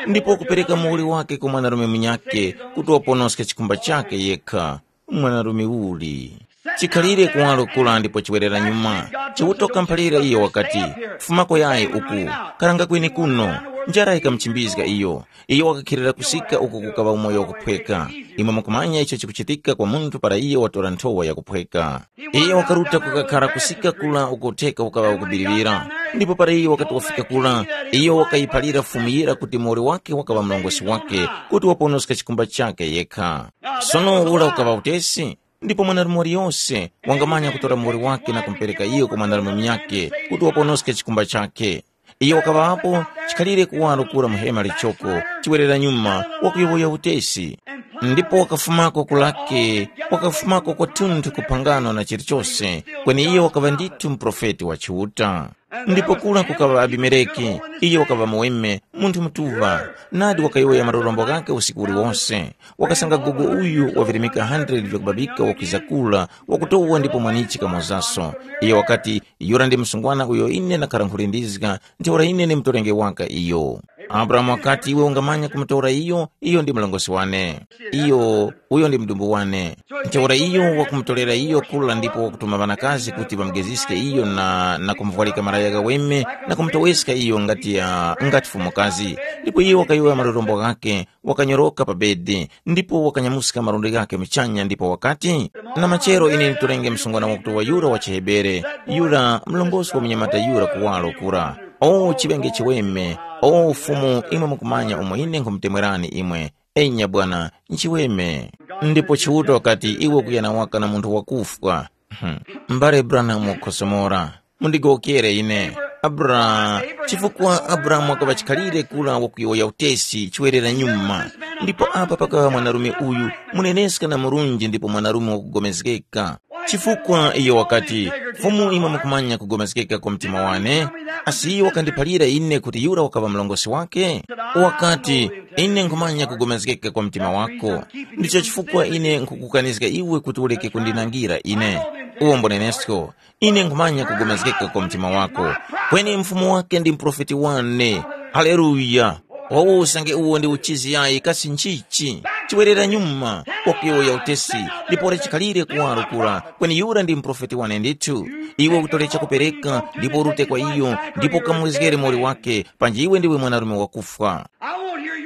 ndipo kupereka muwuli wake kwa mwanarume munyake kuti waponoske chikumba chake yekha. Mwanarume uli. Chikhalire kuwalo kula ndipo chiwerera nyuma. Chiuta wakamphalira iyo wakati, “Fumako yayi uku, karanga kweni kuno.” Njara yikamuchimbizga iyo. Iyo wakakhilira kusika uko kukaŵa umoyo wakuphweka. Imwe mukumanya icho chikuchitika kwa munthu para iyo watora nthowa yakuphweka. Iyo wakaruta kukakhara kusika kula uko theka ukaŵa ukubiriwira. Ndipo para iyo wakati wafika kura, iyo wakayiphalira fumu yira kuti muwoli wake wakaŵa mlongosi wake, kuti waponoska chikumba chake yekha. Sono ura ukaŵa utesi, ndipo mwanarume waliyose wangamanya kutora muwoli wake na kumupereka iyo kwa mwanarume munyakhe, kuti waponoske chikumba chakhe. Iyo wakaŵapo chikhalire kuwaro kura mu hema lichoko, chiwerera nyuma, wakuyowoya utesi. Ndipo wakafumako kulake, wakafumako kwathunthu kuphangano na chilichose, kweni iyo wakaŵa ndithu muprofeti wa Chiuta. Ndipo kura kukaŵa Abimeleki, iyo wakaŵa muweme, munthu mutuŵa, nadi wakayowoya malorombo ghakhe usiku uliwose. Wakasanga gogo uyu wavirimika hundred vyakubabika wakwiza kula, wakutowa ndipo mwanichi kamozaso. Iyo wakati, yura ndi msungwana uyo ine nakhara nkhulindizga, ntheura ine ni mutolenge waka iyo. Abrahamu wakati, iwe ungamanya kumutora iyo, iyo ndi mlongosi wane. Iyo, uyo ndi mdumbu wane. Ntheura iyo wakumutorera iyo kula ndipo wakutuma ŵanakazi kuti ŵamugeziske iyo na, na kumuvwarika malaya ghaweme na kumutoweska iyo ngati ya, ngati fumukazi. Ndipo iyo wakayowoya malorombo ghakhe, wakanyoroka pa bedi, ndipo wakanyamuska malundi ghakhe muchanya ndipo wakati, na machero ine nditorenge msungwana wakuti wa yura wa chiHebere, yura mlongosi wa munyamata yura kuwaro kura. O chiŵenge chiweme, o Fumu, imwe mukumanya umo ine nkhumutemwerani imwe. Enya bwana, nchiweme. Ndipo Chiuta wakati, iwe kuyana waka na munthu wakufwa. Hmm. Mbale Branham wakhosomora. Mundigowokere ine. Abra, chifukwa Abrahamu wakaŵa chikhalire kula wakuyowoya utesi chiwerera nyuma. Ndipo apa pakaŵa mwanarume uyu, muneneska na murunji ndipo mwanarume wakugomezgeka. Chifukwa iyo wakati, Fumu imwe mukumanya kugomezgeka kwa mtima wane, asi iyo wakandiphalira ine kuti yura wakaŵa mlongosi wake? Wakati, ine nkhumanya kugomezgeka kwa mtima wako. Ndicho chifukwa ine nkhukukanizga iwe kuti ureke kundinangira ine. Uwo mbonenesko, ine nkhumanya kugomezgeka kwa mtima wako. Kweni mfumu wake ndi muprofeti wane. Haleluya. Wawo usange uwo ndi uchizi yayi kasi nchichi? Chiwerera nyuma, wakuyowoya utesi, ndipo chikhalire kuwaro kura, kweni yura ndi muprofeti wane ndithu. Iwe utole chakupereka, ndipo urute kwa iyo, ndipo ukamwezgere moli wake, panji iwe ndiwe mwanarume wakufwa.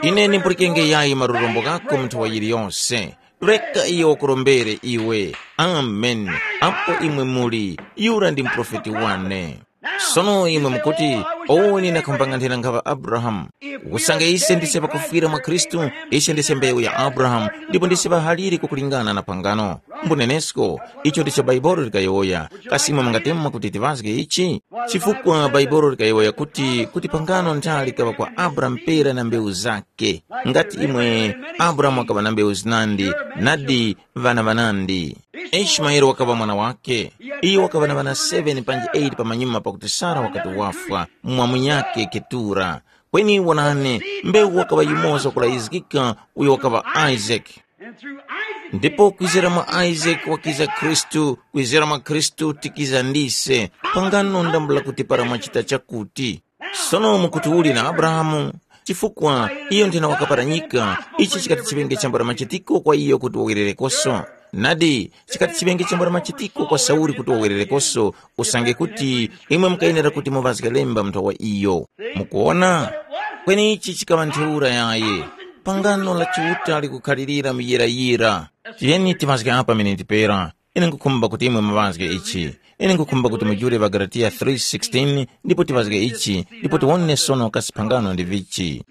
Ine nimpulikenge yayi marurombo ghako mu nthawi yiliyose. Reka iyo wakurombere iwe. Amen. Apo imwe muli, yura ndi muprofeti wane. Sono imwe mukuti, oweni nakhumbang'anthira nkhaŵa Abrahamu. Usange ise ndise pakufwira mwa Khristu, ise ndise mbewu ya Abrahamu, ndipo ndise ŵahaliri kukulingana na pangano. Mbunenesko, icho ndicho Baibolo likayowoya. Kasi imwe mungatemwa kuti tiŵazge ichi? Chifukwa Baibolo likayowoya kuti, kuti pangano ntha likaŵa kwa Abrahamu pera na mbewu zakhe. Ngati imwe Abrahamu wakaŵa na mbewu zinandi, nadi ŵana ŵanandi. Ishimaele wakaŵa mwana wake. Iyo wakaŵa na ŵana seven panji eight pamanyuma pakuti Sara wakati wafwa, mwa munyakhe Ketura. Kweni wonani, mbewu wakaŵa yumoza kulayizgika uyo wakaŵa Isaac. Ndipo kwizira mwa Isaac wakiza Khristu, kwizira mwa Khristu tikiza ndise, pangano ndambula kuti para mwachita chakuti. Sono mukuti uli na Abrahamu, chifukwa iyo nthena wakaparanyika, ichi chikati chiŵenge chambula machitiko kwa iyo kuti wawererekoso. Nadi, chikati chiŵenge chambula machitiko kwa Sauli kuti wawererekoso, usange kuti imwe mukayenera kuti muŵazge lemba mu nthawa iyo. Mukuona? Kweni ichi chikaŵa ntheura yayi. Pangano la Chiuta likukhalirira muyirayira. Tiyeni timazge apa miniti pera. Ine nkhukhumba kuti imwe muŵazge ichi. Ine nkhukhumba kuti mujule ŵaGalatiya three sixteen ndipo tiŵazge ichi, ndipo tiwone sono kasi phangano ndi vichi.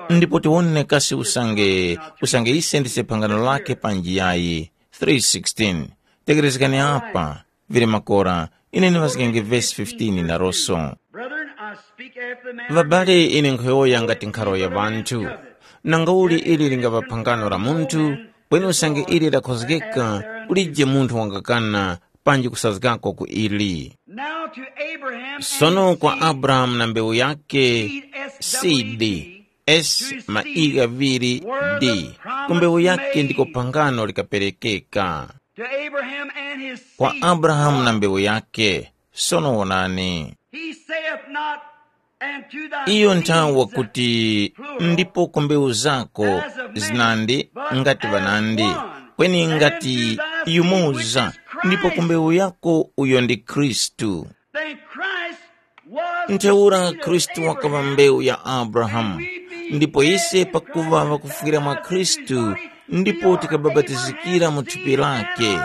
Ndipo tiwone kasi usange, usange ise ndise phangano lake panji yayi. Three sixteen. Tekerezgani apa, vili makora, ine ndiŵazgenge vesi fifteen na roso. Brethren, I speak after the manner of Ŵabale, ine nkhuyowoya ngati nkharo ya ŵanthu. Nanga uli ili lingaŵa phangano la munthu, kweni usange ili lakhozgeka, kulije munthu wangakana panji kusazgako ku ili. Now to Abraham and Sono his kwa seed, Abrahamu na mbewu yake, seed, S W E D, seed, S ma i ghaŵiri D, ku mbewu yake ndiko phangano likaperekeka. To Abraham and his Kwa seed, Abrahamu na mbewu yake, sono wonani. He saith not, and to thy Iyo seed nthawi saith, wakuti, plural, ndipo ku mbewu zako as of many, zinandi but ngati as ŵanandi, one, kweni and ngati to thy seed, which yumoza, is Christ. Ndipo ku mbewu yako uyo ndi Khristu. Then Christ was the Ntheura seed of Khristu wakaŵa Abraham. Mbewu ya Abrahamu. And we be Ndipo ise heirs of pakuva God, ŵakufwira mwa baptized Khristu, into His ndipo body, tikababatizikira mu thupi lake,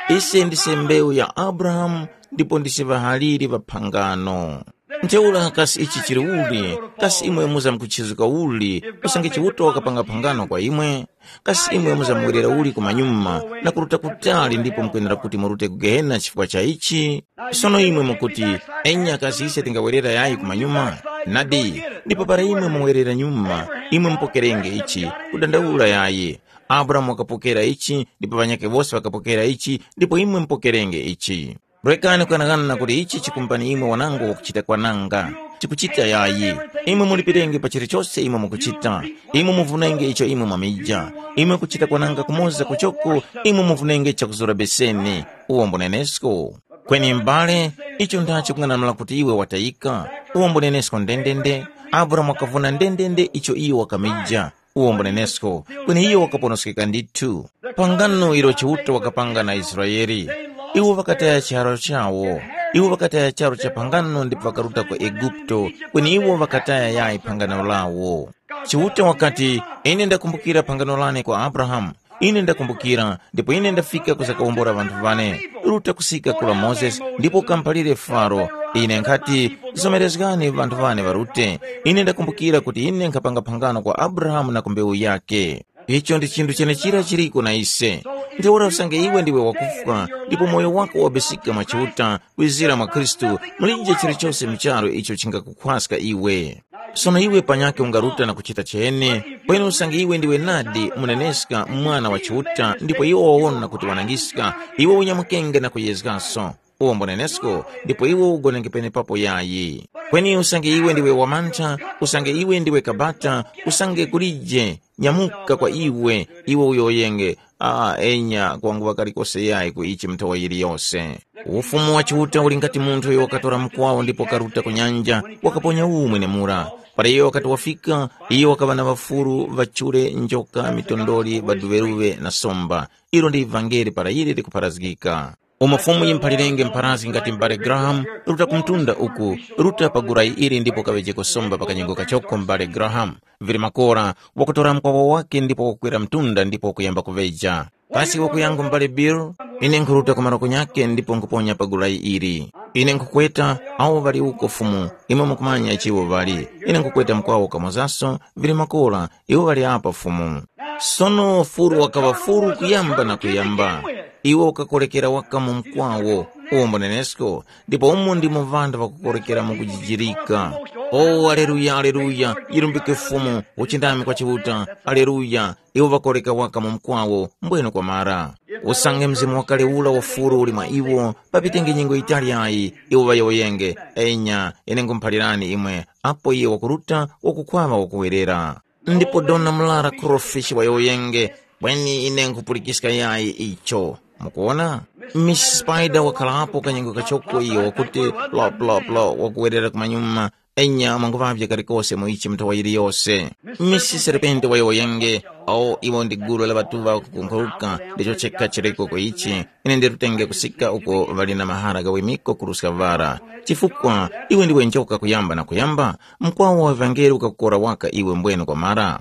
Ise ndise mbewu ya Abrahamu, ndipo ndise ŵahaliri ŵa phangano. Ntheura kasi ichi chili uli? Kasi imwe muzamkuchizuka uli? Usange Chiuta wakapanga phangano kwa imwe, kasi imwe muzamuwerera uli kumanyuma na kuruta kutali ndipo mukwenera kuti murute ku Gehena chifukwa cha ichi? Sono imwe mukuti, enya kasi ise tingawerera yayi kumanyuma? Nadi, ndipo para imwe muwerera nyuma, imwe mupokerenge ichi, kudandaula yayi. Abrahamu wakapokera ichi, ndipo ŵanyakhe wose ŵakapokera ichi, ndipo imwe mupokerenge ichi. Rekani kughanagana kuti ichi chikumpani imwe wanango wakuchita kwananga. Chikuchita yayi. Imwe mulipirenge pa chilichose imwe mukuchita. Imwe muvunenge icho imwe mwamija. Imwe kuchita kwananga kumoza kuchoko, imwe muvunenge chakuzura beseni. Uwo mbunenesko. Kweni m'bale, icho ndachi kung'anamula kuti iwe watayika? Uwo mbunenesko ndendende. Abrahamu wakavuna ndendende icho iyo wakamija. Uwo mbunenesko, kweni iyo wakaponoskeka ndithu. Pangano ilo Chiuta wakapanga na Israele, iwo ŵakataya charo chawo. Iwo ŵakataya charo cha pangano ndipo ŵakaruta ku Eguputo, kweni iwo ŵakataya yayi pangano lawo. Chiuta wakati, ine ndakumbukira pangano lane kwa Abrahamu. Ine ndakumbukira, ndipo ine ndafika kuzakawombola ŵanthu ŵane. Ruta kusika kula Mozesi, ndipo ukamphalire Faro. Ine nkhati, zomerezgani ŵanthu ŵane ŵarute. Ine ndakumbukira kuti ine nkhapanga phangano kwa Abrahamu na ku mbewu yake. Icho ndi chinthu chenechira chiriko na ise. Ntheura usange iwe ndiwe wakufwa, ndipo moyo wako wabisika mwa Chiuta, kwizira mwa Khristu, mulije chilichose mu charu icho chingakukhwaska iwe. Sono iwe panyakhe ungaruta na kuchita chene, kweni usange iwe ndiwe nadi muneneska mwana wa Chiuta ndipo iwo wawona kuti wanangiska, iwe unyamukenge na kuyezgaso. Uwo mbunenesko, ndipo iwe ugonenge penepapo yayi. Kweni usange iwe ndiwe wamantha, usange iwe ndiwe kabata, usange kulije, nyamuka kwa iwe, iwe uyowoyenge, ah, enya kwanguŵa kalikose yayi ku ichi mnthowa yiliyose. Ufumu wa Chiuta uli ngati munthu uyo wakatora mukwawo ndipo wakaruta ku nyanja, wakaponya umwe nemura. Para iyo wakati wafika, iyo wakaŵa na ŵafuru, ŵachure, njoka, mitondoli, ŵaduŵeruŵe na somba. Ilo ndi ivangeli para ili likupharazgika. Umo Fumu yimuphalirenge mpharazgi ngati m'bale Graham, ruta ku mtunda uku, ruta pa gulayi ili ndipo kaŵejeko somba pa kanyengo kachoko m'bale Graham. Vili makora, wakutora mukwawo wake ndipo wakukwera mtunda ndipo wakuyamba kuŵeja. Kasi wakuyangu m'bale Bill? Ine nkhuruta ku maroko nyakhe ndipo nkhuponya pa gulayi ili. Ine nkhukweta, awo ŵali uko Fumu, imwe mukumanya ichiwo ŵali. Ine nkhukweta mukwawo kamozaso, vili makora, iwo ŵali apa Fumu. Sono furu wakaŵa furu kuyamba na kuyamba. Iwo wakakorekera waka mu mkwawo, uwo mbunenesko, ndipo umo ndimo ŵanthu ŵakukorekera mu kujijirika. O, aleluya, aleluya, yirumbike Fumu, uchindami kwa Chiuta, aleluya, iwo ŵakoreka waka mu mkwawo, mbwene kwamara. Usange mzimu wakale ula wa furu uli mwa iwo, papitenge nyengo yitali yayi, iwo ŵayowoyenge, enya, ine nkhumuphalirani imwe, apo iye wakuruta, wakukhwaŵa wakuwerera. Ndipo dona mlara Crawfish wayowoyenge, kweni ine nkhupulikiska yayi icho. Mukuwona? Miss Spider wakhalapo kanyengo kachoko iyo wakuti, lo, lo, lo, wakuwerera kumanyuma, enya mwanguŵavye kalikose mu ichi mnthowa yiliyose. Miss Serpente wayowoyenge, o iwo ndi gulu la ŵatuŵa kukunkhuruka, ndicho chekha chiriko ku ichi. Ine ndirutenge kusika uko ŵali na mahara ghawimiko kuruska vara. Chifukwa iwe ndiwe njoka kuyamba na kuyamba, mkwawo wa ŵangeli ukakukora waka iwe mbwene kwamara.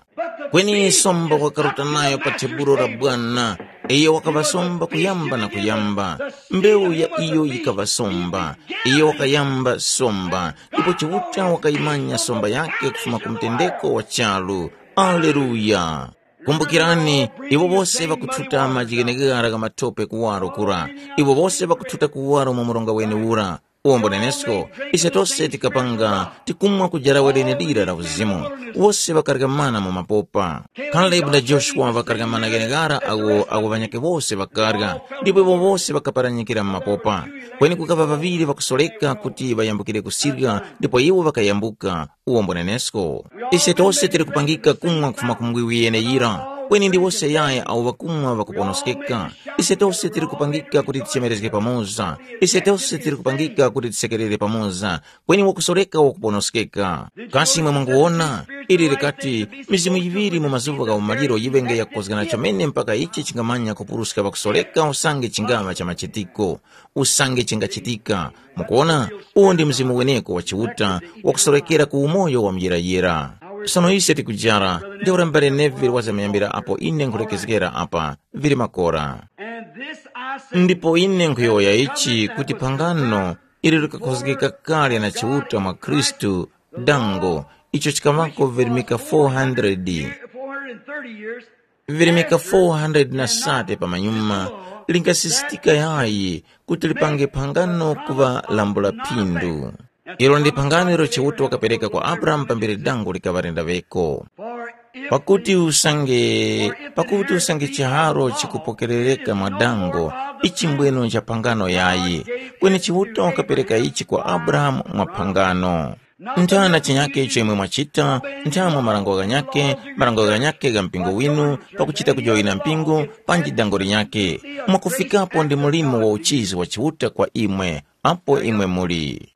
Kweni somba wakaruta nayo pa tebulo la Bwana, iyo wakaŵa somba kuyamba na kuyamba. Mbewu ya iyo yikaŵa somba, iyo wakayamba somba, ndipo Chiuta wakayimanya somba yake kufuma ku mtendeko wa charu. Aleluya! Kumbukirani, iwo wose ŵakuthuta majighenegera gha mathope kuwaro kura, iwo wose ŵakuthuta kuwaro mu mronga wene ura. Uwo mbunenesko, ise tose tikapanga tikumwa kujarawe lenelira la uzimu, wose ŵakarya mana mu mapopa. Kalebu na Joshua ŵakarya mana gheneghara agho agho ŵanyakhe wose ŵakarya, ndipo iwo wose ŵakaparanyikira mu mapopa. Kweni kukaŵa ŵaŵiri ŵakusoreka kuti ŵayambukire kusirya, ndipo iwo ŵakayambuka. Uwo mbunenesko. Ise tose tili kupangika kumwa kufuma ku mbwiwi yeneyira, kweni ndi wose yaya awo ŵakumwa ŵakuponoskeka. Ise tose tili kupangika kuti tichemerezge pamoza. Ise tose tili kupangika kuti tisekerere pamoza, kweni wakusoreka wakuponoskeka. Kasi imwe mwanguwona, ili likati, mizimu yiŵiri mu mazuŵa gha umaliro yiŵenge yakukozgana chomene mpaka ichi chingamanya kupuruska ŵakusoreka usange chingaŵa cha machitiko, usange chingachitika. Mukuwona, uwo ndi mzimu weneko wa Chiuta wakusorekera ku umoyo wa muyirayira. Sono ise tikujara, ntheura mbale Neville wazamuyambira apo ine nkhulekezgera apa, vili makora. And this I Ndipo ine nkhuyowoya ichi kuti phangano ili likakhozgeka kale na Chiuta mwa Khristu, dango, icho chikaŵako virimika four hundred, four hundred thirty years, virimika four hundred na sate pamanyuma, lingasisitika yayi kuti lipange phangano kuŵa lambula phindu. Ilo ndi phangano ilo Chiuta wakapereka kwa Abrahamu pambere dango likaŵa lendaŵeko. Pakuti usange, pakuti usange chiharo chikupokerereka mwa dango, ichi mbwenu ncha phangano yayi, kweni Chiuta wakapereka ichi kwa Abrahamu mwa phangano. Nthana chinyake icho imwe mwachita, nthamwe marango ghanyake, marango ghanyake gha mpingo winu, pakuchita kujoyina mpingo, panji dango linyake, mwakufikapo ndi mulimo wa uchizi wa Chiuta kwa imwe, apo imwe muli.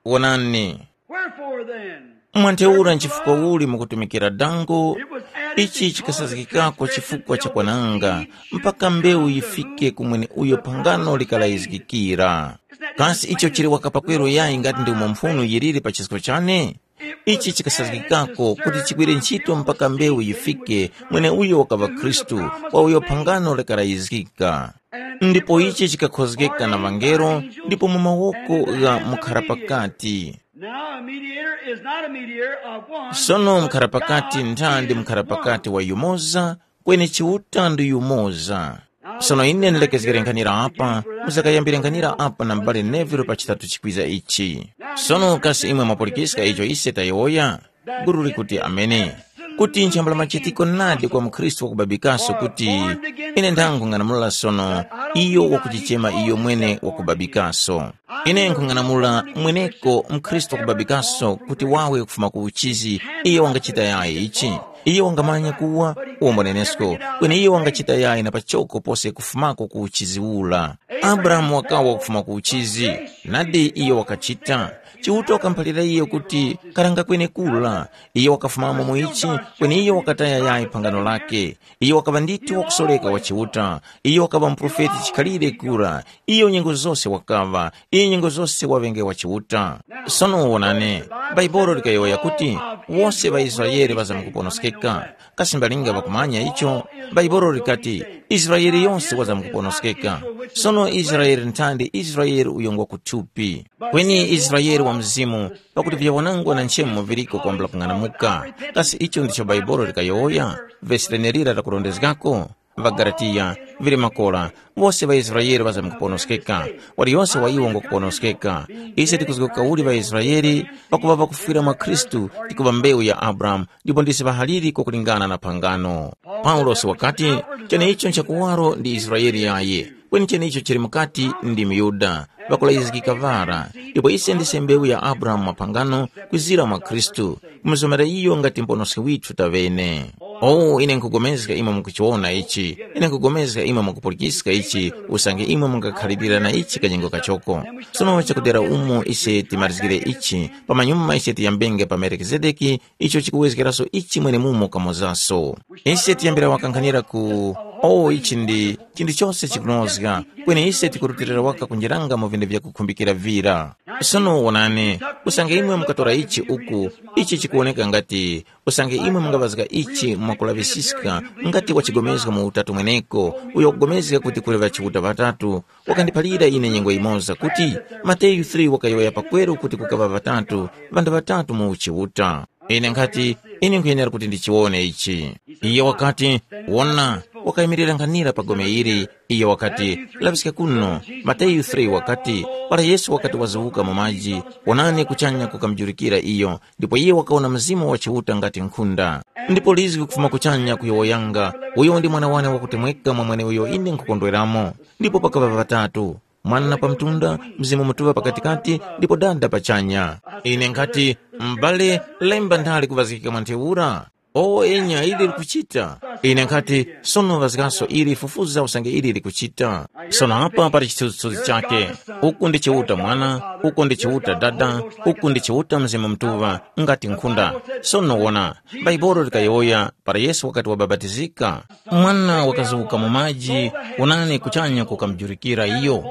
Wonani. Wherefore then? Mwantheura nchifukwa uli mukutumikira dango? Ichi chikasazgikako chifukwa cha kwananga, mpaka mbewu yifike ku mweneuyo phangano likalayizgikira. Kasi icho chili waka pakweru yayi ngati ndi umo mphunu yiliri pa chisko chane? Ichi chikasazgikako kuti chigwire ntchito mpaka mbewu yifike mweneuyo wakaŵa Khristu, wa uyo phangano likalayizgika. Ndipo ichi chikakhozgeka na ŵangelo, ndipo mu mawoko gha mukhara pakati. Now a mediator is not a mediator of one, sono but mukhara pakati God ntha ndi is mukhara one. Pakati wa yumoza, kweni Chiuta ndi yumoza. Sono ine ndilekezgere nkhanira apa, muzakayambire nkhanira apa na m'bale Neville pa chitatu chikwiza ichi. Sono kasi imwe mwapulikiska icho ise tayowoya? Guru likuti amene. Kuti nchambula machitiko nadi kwa mukhristu wakubabikaso kuti, ine ndangung'anamula sono, iyo wakuchichema iyo mwene wakubabikaso. Ine nkhung'anamula mweneko mukhristu wakubabikaso kuti wawe kufuma ku uchizi, iyo wangachita yayi ichi. Iyo wangamanya kuwa, uwombonenesko, kweni iyo wangachita yayi na pachoko pose kufumako ku uchizi ula. Abrahamu wakawa kufuma ku uchizi, nadi iyo wakachita. Chiuta wakamuphalira iyo kuti karanga kwenekura. Iyo wakafumamo mu ichi, kweni iyo wakataya yayi phangano lake. Iyo wakaŵa ndithu wakusoreka wa Chiuta. Iyo wakaŵa muprofeti chikhalire kura. Iyo nyengo zose wakaŵa, iyo nyengo zose waŵenge wa Chiuta. Sono wonani, Baibolo likayowoya kuti wose ŵaIsraele ŵazamkuponoskeka. Kasi mbalinga ŵakumanya icho? Baibolo likati, Israele yose wazamkuponoskeka. Sono Israele nthandi Israele uyo ngwa kuthupi. Kweni Israele wa mzimu, pakuti vyawanangwa na nchemo viliko kwambula kung'anamuka. Kasi icho ndicho Baibolo likayowoya? Vesi lenelira lakurondezgako? Ŵagalatiya, vili makora, wose ŵaIsraele ŵazamkuponoskeka, waliyose wa iwo ngukuponoskeka. Ise tikuzguka uli ŵaIsraele, pakuŵa ŵakufwira mwa Khristu, tikuŵa mbewu ya Abrahamu, ndipo ndisi ŵahaliri kwakulingana na phangano. Paulosi wakati, cheneicho nchakuwaro ndi Israele yaye, kweni cheneicho chili mukati ndi myuda, ŵakulayizgika ŵara, ndipo ise ndise mbewu ya Abrahamu mwa phangano, kwizira mwa Khristu, kumuzomera iyo ngati muponoski withu taŵene. O, ine nkhupulikana imwe mukuchiwona ichi, ine nkhupulikana imwe mukupulikiska ichi, usange imwe mungakhalirira na ichi kanyengo kachoko. Sono chakudera umo ise timalizgire ichi, pamanyuma ise tiyambenge pa Melikizedeki, icho chikuwezgeraso ichi mwenemumo kamozaso. Ise tiyambira wakankhanira ku, o, ichi ndi chinthu chose chikunozga, kweni ise tikurutilira waka kunjeranga mu vinthu vyakukhumbikira vira. Sono wonani, usange imwe mukatora ichi uku, ichi chikuwoneka ngati, usange imwe mungaŵazga ichi mwakulaŵisiska, ngati wachigomezga mu Utatu mweneko, uyo wakugomezga kuti kuli ŵachiuta ŵatatu, wakandiphalira ine nyengo yimoza kuti, Mateyu three wakayowoya pakweru kuti kukaŵa ŵatatu, ŵanthu ŵatatu mu uchiuta. Ine nkhati, ine nkhuyenera kuti ndichiwone ichi. Iye wakati, wona, wakayimirira nkhanira pa gome ili, iye wakati, laŵiska kuno. Mateyu three wakati, para Yesu wakati wazuwuka mu maji, wonani kuchanya kukamujurikira iyo, ndipo iye wakawona Mzimu wa Chiuta ngati nkhunda. Ndipo lizgi kufuma kuchanya kuyowoyanga, uyo ndi mwana wane wakutemweka mwa mweneuyo ine nkhukondweramo. Ndipo pakaŵa ŵatatu, Mwana pamtunda, Mzimu Mutuŵa pakatikati, ndipo Dada pachanya. Ine nkhati, m'bale, lemba ndale kuŵazgika mwa ntheura? O enya, ili likuchita. Ine nkhati, sono ŵazgaso ili, fufuza usange ili likuchita. Sono apa pali chithunzithunzi chake. Uku ndi Chiuta Mwana, uku ndi Chiuta Dada, uku ndi Chiuta Mzimu Mutuŵa, ngati nkhunda. Sono wona, Baibolo likayowoya para Yesu wakati wabapatizika, mwana wakazuka mu maji, wonani kuchanya kukamujurikira iyo.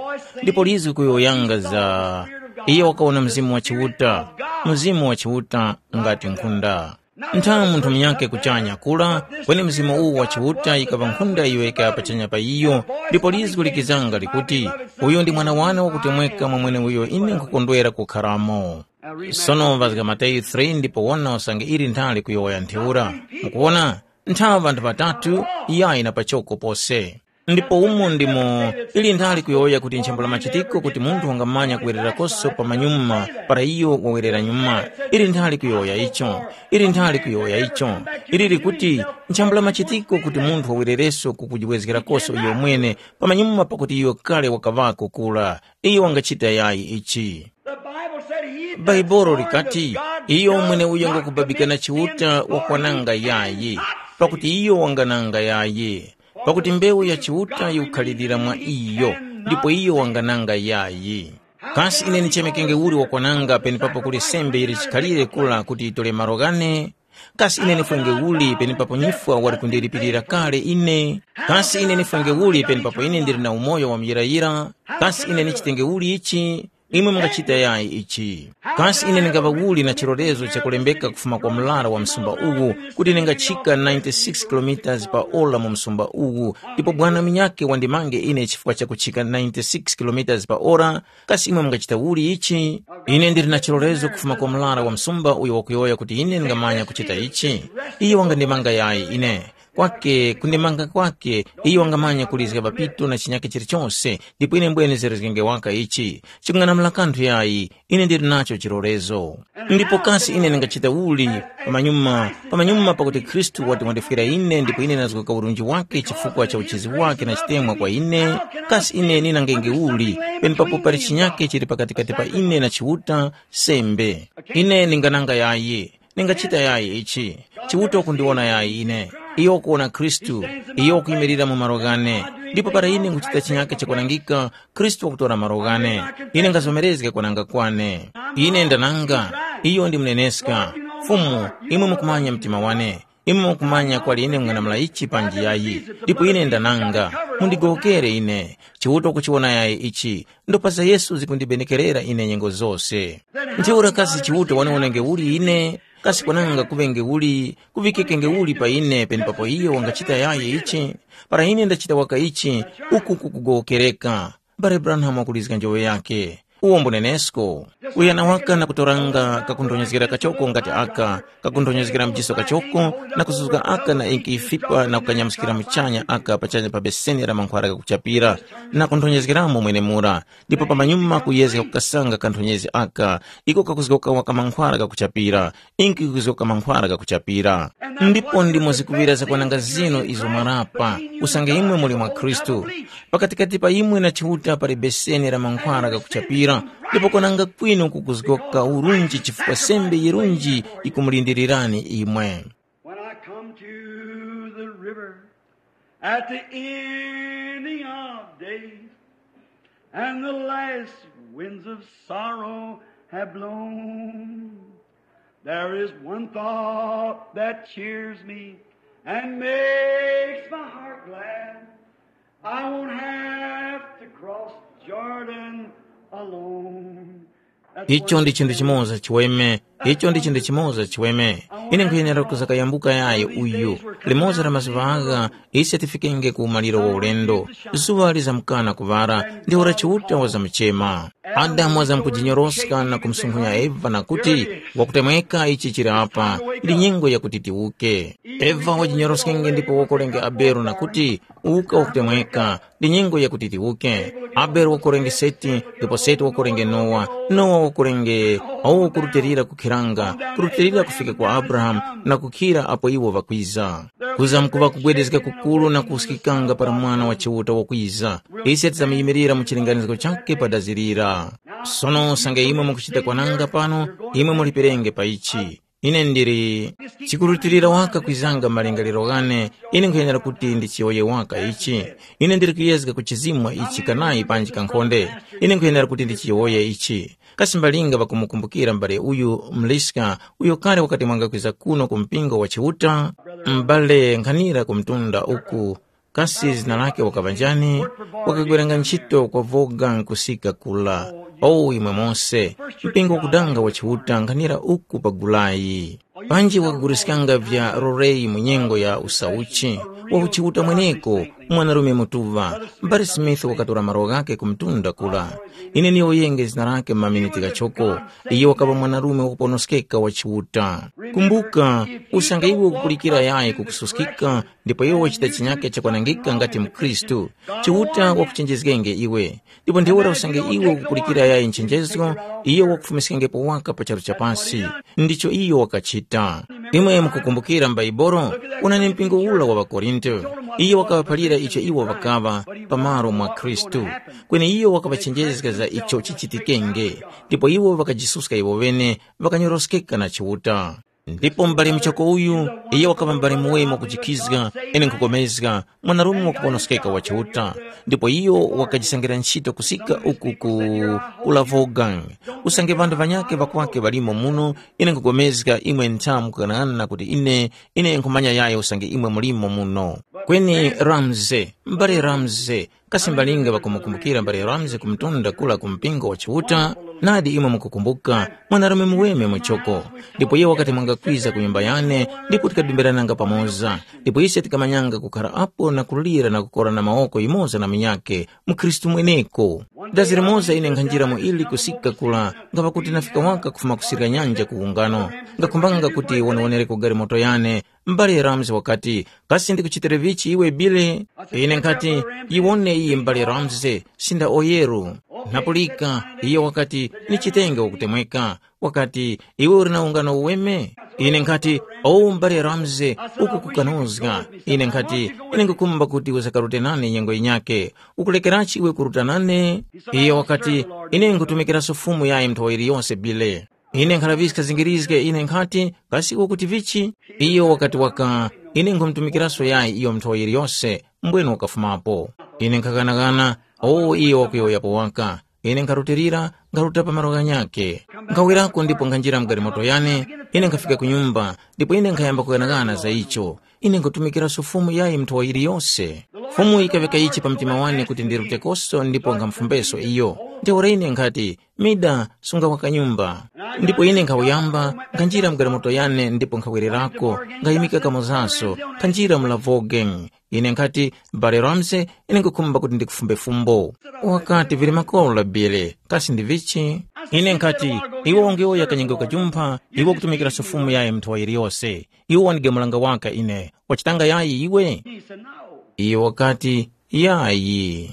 Ndipo lizgi kuyowoyanga za iyo wakawona Mzimu wa Chiuta, Mzimu wa Chiuta ngati nkhunda. Ntha munthu munyakhe kuchanya kura, kweni Mzimu uwu wa Chiuta yikaŵa nkhunda iyo yikaya pachanya pa iyo, ndipo lizgu likizanga likuti, “Uyu ndi Mwana wane wakutemweka mwa mweneuyo ine nkhukondwera kukharamo.” Sono ŵazga Mateyu three ndipo wona usange ili nthali kuyowoya ntheura. Mukuwona, ntha ŵanthu ŵatatu yayi na pachoko pose. Ndipo umo ndimo ili nthali kuyowoya kuti nchambula machitiko kuti munthu wangamanya kuwererakoso pamanyuma para iyo wawerera nyuma. Ili nthali kuyowoya icho. Ili nthali kuyowoya icho. Ili likuti nchambula machitiko kuti munthu wawerereso kukujiwezgerakoso iyo mwene pamanyuma pakuti iyo kale wakaŵako kura. Iyo wangachita yayi ichi. The Bible said he that Bhaibuli scorneth likati, God iyo mwene uyo cannot ngakubabikana commit Chiuta him, for wakwananga he yayi, cannot see. Pakuti iyo wangananga yayi. Pakuti mbewu ya Chiuta yikukhalirira mwa iyo, ndipo iyo wangananga yayi. Kasi ine nichemekenge uli wakwananga penepapo kuli sembe yili chikhalire kula kuti yitole malo ghane? Kasi ine nifwenge uli penepapo nyifwa wali kundilipirira kale ine? Kasi ine nifwenge uli penepapo ine ndili na umoyo wa muyirayira? Kasi ine nichitenge uli ichi? Imwe mungachita yayi ichi. Kasi ine ndingaŵa uli na chilolezo chakulembeka kufuma kwa mlara wa msumba uwu kuti ndingachika ninety-six kilometers pa ora mu msumba uwu, ndipo bwana minyake wandimange ine chifukwa cha kuchika ninety-six kilometers pa ora? Kasi imwe mungachita uli ichi? Ine ndili na chilolezo kufuma kwa mlara wa msumba uyo wakuyowoya kuti ine ndingamanya kuchita ichi. Iye wangandimanga yayi ine. Kwake kundimanga kwake, iyo wangamanya kulizga papito na chinyake chilichose, ndipo ine mbwene nzerezgenge waka ichi. Chikung'anamula kanthu yayi, ine ndili nacho chilolezo. Ndipo kasi ine ndingachita uli pamanyuma, pamanyuma pakuti Khristu wati wandifwira ine ndipo ine ndazgoka urunji wake chifukwa cha uchizi wake na chitemwa kwa ine? Kasi ine ninangenge uli, penepapo pali chinyake chili pakatikati pa ine na Chiuta, sembe? Ine ndingananga yayi. Ningachita yayi ichi. Chiuta wakundiwona yayi ine. Iyo wakuwona Khristu. Iyo wakuyimirira mu malo ghane. Ndipo para ine nkuchita chinyake chakwanangika, Khristu wakutora malo ghane. Ine ngazomerezga kwananga kwane. Ine ndananga. Iyo ndi muneneska. Fumu, imwe mukumanya mtima wane. Imwe mukumanya kwali ine mung'anamula ichi panji yayi. Ndipo ine ndananga. Mundigowokere ine. Chiuta wakuchiwona yayi ichi. Ndopa za Yesu zikundibenekerera ine nyengo zose. Ntheura kasi Chiuta waniwonenge uli ine? Kasi kwananga kuŵenge uli, kuŵikikenge uli pa ine penepapo iyo wangachita yayi ichi? Para ine ndachita waka ichi, uku kukugowokereka. Mbale Branham wakulizga njoŵe yakhe. Uwo mbunenesko. Kuyana waka na kutoranga kakunthonyezgera kachoko ngati aka, kakunthonyezgera mjiso kachoko, na kuzuzga aka na inki ifipa na kukanyamuskira muchanya aka pachanya pa beseni la mankhwara ghakuchapira, na kunthonyezgeramo mwenemura. Ndipo pamanyuma kuyezga kukasanga kanthonyezi aka, iko kakuzgoka waka mankhwara ghakuchapira, inki kuzgoka mankhwara ghakuchapira. Ndipo ndimo zikuŵira zakwananga zinu izo mwarapa, usange imwe muli mwa Khristu. Pakatikati pa imwe na Chiuta pali beseni la mankhwara ghakuchapira, ndipo kwananga kwinu kukuzgoka urunji chifukwa sembe yirunji yikumulindirirani imwe. When I come to the river at the ending of days, and the last winds of sorrow have blown, there is one thought that cheers me and makes my heart glad. I won't have to cross Jordan alone. Icho ndi chinthu chimoza chiweme. Icho ndi chinthu chimoza chiweme. Ine nkhuyenera kuzakayambuka yayi uyu. Limodzi la mazuŵa agha, ise tifikenge ku umaliro wa ulendo. Zuŵa lizamkana kuŵara, ndi ora Chiuta wazamuchema. Adamu wazamkujinyoroska na kumsunkhunya Eva na kuti, wakutemweka ichi chili apa, ndi nyengo yakuti tiwuke. Eva wajinyoroskenge ndipo wakolenge Abele na kuti, uka wakutemweka, ndi nyengo yakuti tiwuke. Abele wakorenge Seti, ndipo Seti wakorenge Nowa, Nowa wakorenge awo kurutilira kukhiranga, kurutilira kufika kwa Abrahamu na kukhira apo iwo ŵakwiza. Kuza mkuŵa kugwedezga kukuru na kuskikanga para Mwana wa Chiuta wakwiza. Ise tizamuyimirira mu chilinganizo chakhe pa dazi lira. Sono usange imwe mukuchita kwananga pano, imwe muliperenge pa ichi. Ine ndili chikurutilira waka kwizanga malingaliro ghane, ine nkhuyenera kuti ndichiyowoye waka ichi. Ine ndili kuyezga kuchizimwa ichi kanayi panji kankhonde, ine nkhuyenera kuti ndichiyowoye ichi. Kasi mbalinga ŵakumukumbukira m'bale uyu mliska uyo kale wakati mwangakwiza kuno ku mpingo wa Chiuta? M'bale nkhanira ku mtunda uku, kasi zina lake wakaŵa njani? Wakagweranga ntchito kwa Voga nkusika kula. O imwe mose, mpingo wakudanga wa Chiuta nkhanira uku pa Gulayi. Panji wakaguliskanga vya roreyi mu nyengo ya usauchi, wa ku Chiuta mweneko, mwanarume mutuŵa. Mbale Smith wakatora malo ghakhe ku mtunda kura. Ine niyowoyenge zina lakhe mu maminiti ghachoko. Iyo wakaŵa mwanarume wakuponoskeka wa Chiuta. Kumbuka, usange iwe ukupulikira yayi kukususkika, ndipo iwe wachita chinyake chakwanangika ngati mukhristu, Chiuta wakuchenjezgenge iwe. Ndipo ntheura usange iwe ukupulikira yayi nchenjezgo, iyo wakufumiskengepo waka pa charu cha pasi. Ndicho iyo wakachita. Imwe mukukumbukira m'Baibolo, unani mpingo ula wa ŵaKorinto. Iyo wakaŵaphalira icho iwo ŵakaŵa pamalo mwa Khristu. Kweni iyo wakaŵachenjezga za icho chichitikenge, ndipo iwo ŵakajisuska iwo ŵene, ŵakanyoroskeka na Chiuta. Ndipo m'bale muchoko uyu, iyo wakaŵa m'bale muweme wakujikhizga, ine nkhupulikana, mwanarume wakuponoskeka wa Chiuta, ndipo iyo wakajisangira nchito kusika uku ku Ulavogang. Usange ŵanthu ŵanyakhe ŵakwake ŵalimo muno, ine nkhupulikana imwe ntha mukughanaghananga kuti ine, ine nkhumanya yayi usange imwe mulimo muno. Kweni Ramsey, m'bale Ramsey, kasi mbalinga ŵakumukumbukira m'bale Ramsey ku mtunda kura ku mpingo wa Chiuta? Nadi imwe mukukumbuka, mwanarume muweme muchoko. Ndipo iyo wakati mwangakwiza ku nyumba yane, ndipo tikadumbirananga pamoza. Ndipo ise tikamanyanga kukhara apo na kulira na kukorana mawoko yumoza na munyakhe, mukhristu mweneko. Dazi limoza ine nkhanjira mu ili kusika kura, ngapa kuti nafika waka kufuma kusirika nyanja ku ungano. Ngakhumbanga kuti wonewonereko galimoto yane. M'bale Ramsey wakati, kasi ndikuchitire vichi iwe Bile? Ine nkhati, yiwone iyi m'bale Ramsey, sinda oyeru. Napulika, iyo wakati, nichitenge wakutemweka. Wakati, iwe uli na ungano uweme? Ine nkhati, o m'bale Ramsey, uku kukanozga. Ine nkhati, ine nkukhumba kuti uzakarute nane nyengo yinyakhe. Ukulekerachi iwe kuruta nane? Iyo wakati, ine nkhutumikiraso Fumu yayi nthowa yiliyose Bile. Ine nkhalaŵiska zingirizge ine nkhati, kasi ukuti vichi? Iyo wakati waka, ine nkhumutumikiraso yayi iyo nthowa yiliyose, mbwenu wakafumapo. Ine nkhaghanagana, o iyo wakuyowoyapo waka. Ine nkharutilira, nkharuta pa malo ghanyakhe. Nkhawerako ndipo nkhanjira mu galimoto yane, ine nkhafika ku nyumba, ndipo ine nkhayamba kughanagana za icho. Ine nkhutumikiraso Fumu yayi nthowa yiliyose. Fumu yikaŵeka ichi pa mtima wane kuti ndirutekoso ndipo nkhamufumbeso iyo. Ntheura ine nkhati, mida, sunga waka nyumba. Ndipo ine nkhawuyamba, nkhanjira mu galimoto yane ndipo nkhawererako, nkhayimika kamozaso, nkhanjira mu Lavogen. Ine nkhati, Bale Ramsey, ine nkhukhumba kuti ndikufumbe fumbo. Wakati, vili makora Bile, kasi ndi vichi? Ine nkhati, iwe wangeyowoya kanyengo kajumpha, iwe ukutumikiraso Fumu yayi nthowa yiliyose. Iwe wandigemulanga waka ine, wachitanga yayi iwe? Iyo wakati, yayi.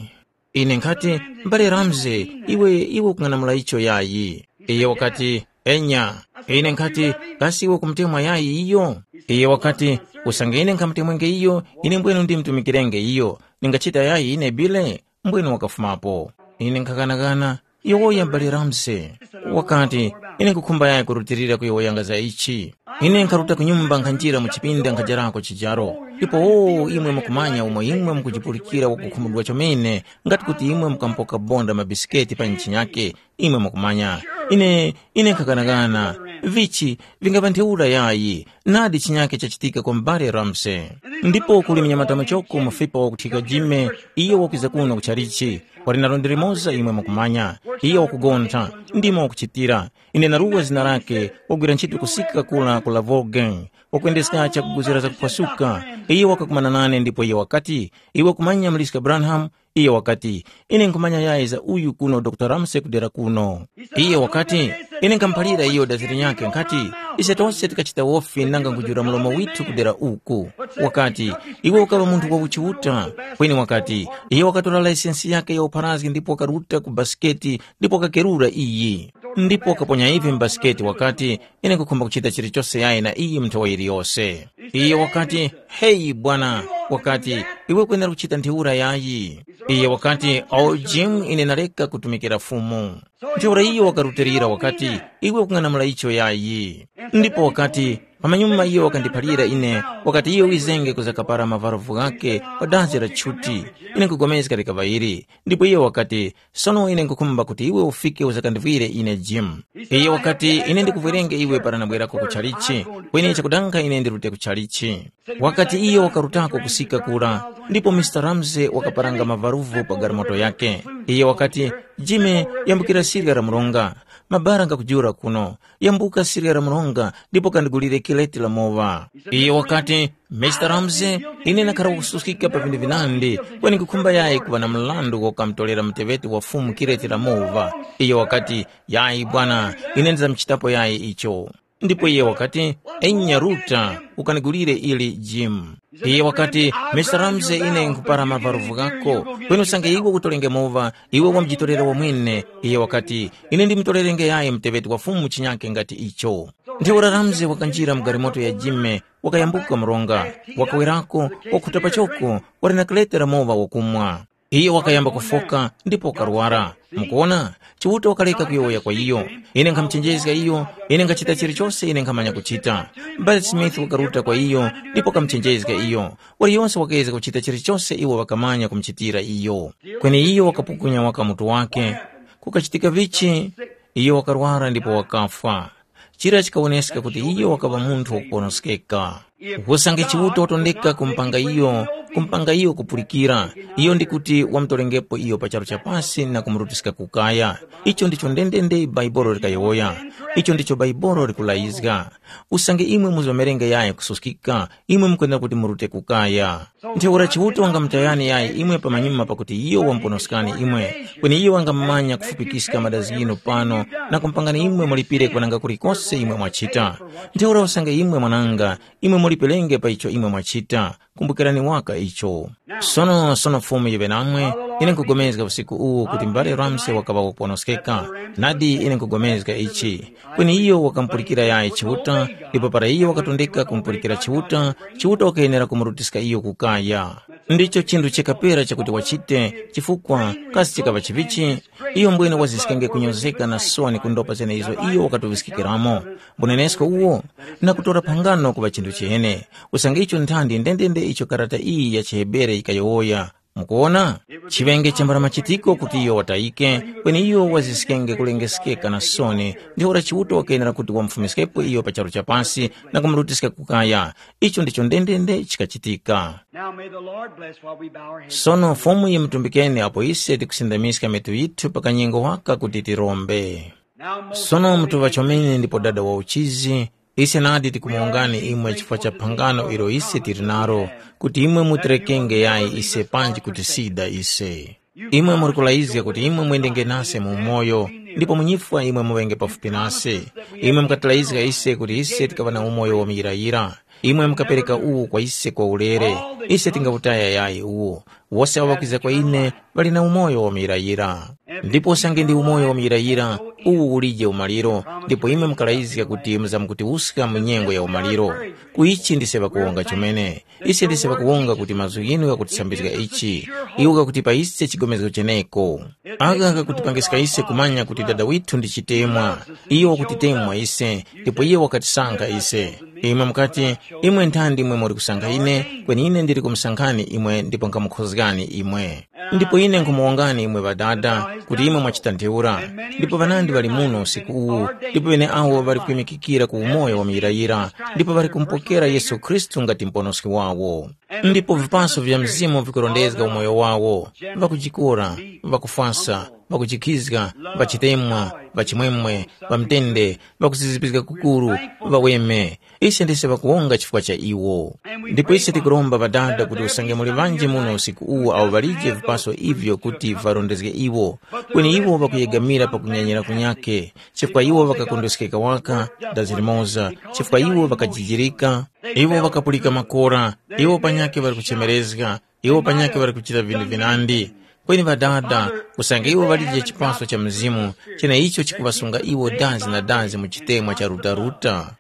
Ine nkhati, m'bale Ramsey, iwe, iwe ukung'anamula icho yayi? Iyo wakati, enya. Ine nkhati, kasi iwe ukumutemwa yayi iyo? Iyo wakati, usange ine nkhamutemwenge iyo, ine mbwenu ndimutumikirenge iyo. Ningachita yayi ine Bile? Mbwenu wakafumapo. Ine nkhaghanaghana, yowoya m'bale Ramsey. Wakati, ine nkhukhumba yayi kurutilira kuyowoyanga za ichi. Ine nkharuta ku nyumba nkhanjira mu chipinda nkhajarako chijaro. Ndipo o imwe mukumanya umo imwe mukujipulikira wakukhumudwa chomene, ngati kuti imwe mukampoka bonda mabisiketi pa nchinyake, imwe mukumanya. Ine, ine nkhaghanaghana, vichi, vingapa ntheura yayi, nadi chinyake chachitika kwa m'bale Ramsey. Ndipo kuli mnyamata muchoko mufipa wakuthika Jime, iyo wakwiza kuno ku chalichi, wali na lundi limoza imwe mukumanya, iyo wakugontha, ndimo wakuchitira. Ine naruwa zina lake, wagwira ntchito kusika kula ku Lavogen, wakwendeska chakuguzira zakuphwasuka. Iyo wakakumana nane ndipo iyo wakati, iwe kumanya Mliska Branham? Iyo wakati, ine nkhumanya yayi za uyu kuno Dr. Ramsey kudera kuno. Iyo wakati, ine nkhamuphalira iyo dazi linyakhe nkhati, ise tose tikachita wofi nanga nkujula mlomo withu kudera uku. Wakati, iwe ukaŵa munthu wa uchiuta. Kweni wakati, iyo wakatora laisensi yake ya upharazgi ndipo wakaruta ku basiketi ndipo wakakerura iyi. Ndipo wakaponya ivi m'basiketi wakati, ine nkukhumba kuchita chilichose yayi na iyi mu nthowa yiliyose. Iye wakati, heyi bwana, wakati, iwe ukwenera kuchita ntheura yayi. Iye wakati, o Jim, ine nareka kutumikira Fumu. Ntheura iyo wakarutilira wakati, iwe ukung'anamula icho yayi. Ndipo wakati, pamanyuma iyo wakandiphalira ine, wakati iyo wizenge kuzakapara mavarovu ghake pa dazi la chuti. Ine nkupulikana likaŵa ili. Ndipo iyo wakati, sono ine nkukhumba kuti iwe ufike uzakandivwire ine Jim. Iyo wakati, ine ndikuvwerenge iwe para nabwerako ku chalichi, kweni chakudanga ine ndirute ku chalichi. Wakati iyo wakarutako kusika kura, ndipo Mr. Ramsey wakaparanga mavaruvu pa galimoto yake. Iyo wakati, Jime, yambukira sirya la mronga. Mabara ngakujula kuno. Yambuka sirya la mronga ndipo kandigulire kireti la mowa. Iye wakati, Mister Ramsey, ine nakhara kususkika pa vinthu vinandi, kweni nkhukhumba yayi kuŵa na mrandu kokamutolera muteŵeti wa fumu kireti la mowa. Iye wakati, yayi bwana, ine ndizamchitapo yayi icho. Ndipo iye wakati, enya ruta, ukanigulire ili jimu. Iye wakati, Mister Ramsey, ine nkhupara mavaruvu ghako, kweni usange iwe kutolenge mowa, iwe wamjitorera wamwene. Iye wakati, ine ndimutolere ngeyayi muteŵeti wa fumu chinyake ngati icho. Ntheura Ramsey wakanjira mu galimoto ya Jime, wakayambuka mronga, wakawerako, wakhuta pachoko, wali na kalete la mowa wakumwa. Iyo wakayamba kufoka ndipo wakarwara. Mukuona, Chiuta wakareka kuyowoya kwa iyo. Ine nkhamuchenjezga iyo, ine nkhachita chilichose ine nkhamanya kuchita. M'bale Smith wakaruta kwa iyo ndipo wakamuchenjezga iyo. Waliyonse wakayezga kuchita chilichose iwo ŵakamanya kumuchitira iyo. Kweni iyo wakapukunya waka mutu wake. Kukachitika vichi, iyo wakarwara ndipo wakafwa. Chira chikawoneska kuti iyo wakaŵa munthu wakuponoskeka. Usange Chiuta watondeka kumpanga iyo, kumpanga iyo kupulikira, iyo ndi kuti wamutolengepo iyo pa charu cha pasi na kumurutiska ku kaya. Icho ndicho ndendende Baibolo likayowoya. Icho ndicho Baibolo likulayizga. Usange imwe muzomerenge yayi kususkika, imwe mukwenda kuti murute ku kaya. Ntheura Chiuta wangamutayani yayi imwe pamanyuma pakuti iyo wamuponoskani imwe, kweni iyo wangamumanya kufupikiska madazi ghinu pano na kumupangani imwe mulipire kwananga kulikose imwe mwachita. Ntheura usange imwe mwananga, imwe mulipirenge pa icho imwe mwachita. Kumbukirani waka icho. Sono sono Fumu yiŵe namwe, ine nkupulikana usiku uwu kuti mbale Ramse wakaŵa wakuponoskeka. Nadi ine nkupulikana ichi. Kweni iyo wakamupulikira yayi Chiuta, ndipo para iyo wakatondeka kumupulikira Chiuta, Chiuta wakayenera kumurutiska iyo ku kaya. Ndicho chinthu chikapera chakuti wachite, chifukwa kasi chikaŵa chivichi? Iyo mbwene waziskenge kunyozeka na soni ku ndopa zenezo iyo wakatuŵiskikiramo. Mbunenesko uwo, na kutora phangano kuŵa chinthu chene. Usange icho nthandi ndendende icho karata iyi ya chiHebere yikayowoya. Mukuwona? Chiŵenge chambala machitiko kuti iyo watayike, kweni iyo waziskenge kulengeskeka na soni, ntheura Chiuta wakayenera kuti wamufumiskepo iyo pa charu cha pasi na kumurutiska ku kaya. Icho ndicho ndendende chikachitika. Now may the Lord bless while we bow our heads. Sono Fumu yimutumbikeni apo ise tikusindamiska mitu yithu pa kanyengo waka kuti tirombe. Now, most Sono mutuŵa chomene ndipo Dada wa uchizi, ise nadi tikumuwongani imwe chifukwa cha phangano ilo ise tili nalo, kuti imwe mutirekenge yayi ise panji kutisida ise. Imwe muri kulayizga kuti imwe mwendenge nase mu umoyo, ndipo munyifwa imwe muŵenge pafupi nase. Imwe mukatilayizga ise kuti ise tikaŵa na umoyo wa muyirayira. Imwe mukapereka uwu kwa ise kwa ulere, ise tingawutaya yayi uwu. Wose awo ŵakwiza kwa ine ŵali na umoyo wa muyirayira. Ndipo usange ndi umoyo wa muyirayira, uwu ulije umaliro, ndipo imwe mukalayizga kuti muzamkutiwuska mu nyengo ya umaliro. Ku ichi ndise ŵakuwonga chomene. Ise ndise ŵakuwonga kuti mazgu ghinu ghakutisambizga ichi. Iwo ghakuti pa ise chigomezgo cheneko. Agha ghakutipangiska ise kumanya kuti Dada withu ndi chitemwa. Iyo wakutitemwa ise, ndipo iyo wakatisankha ise. Imwe mukati, imwe nthandi imwe muri kusankha ine, kweni ine ndili kumusankhani imwe ndipo nkhamukhozgani imwe. Ndipo ine nkhumuwongani imwe ŵadada, kuti imwe mwachita ntheura. Ndipo ŵanandi ŵali muno usiku uwu, ndipo ŵeneawo ŵali kuyimikikira ku umoyo wa muyirayira, ndipo ŵali kumupokera Yesu Khristu ngati Muponoski wawo. Ndipo vipaso vya Mzimu vikurondezga umoyo wawo, ŵakujikora, ŵakufwasa, ŵakujikhizga, ŵachitemwa, ŵachimwemwe, ŵamtende, ŵakuzizipizga kukuru, ŵaweme. Ise ndise ŵakuwonga chifukwa cha iwo. Ndipo ise tikuromba Ŵadada kuti usange muli ŵanji muno usiku uwu awo ŵalije vipaso ivyo kuti varondezge iwo, kweni iwo ŵakuyegamira pa kunyanyira kunyake, chifukwa iwo ŵakakondweskeka waka, dazi limoza, chifukwa iwo ŵakajijirika, iwo ŵakapulika makora, iwo panyakhe ŵali kuchemerezga, iwo panyakhe ŵali kuchita vinthu vinandi. Kweni Ŵadada, usange iwo ŵalije chipaso cha Mzimu, cheneicho chikuŵasunga iwo dazi na dazi mu chitemwa cha rutaruta.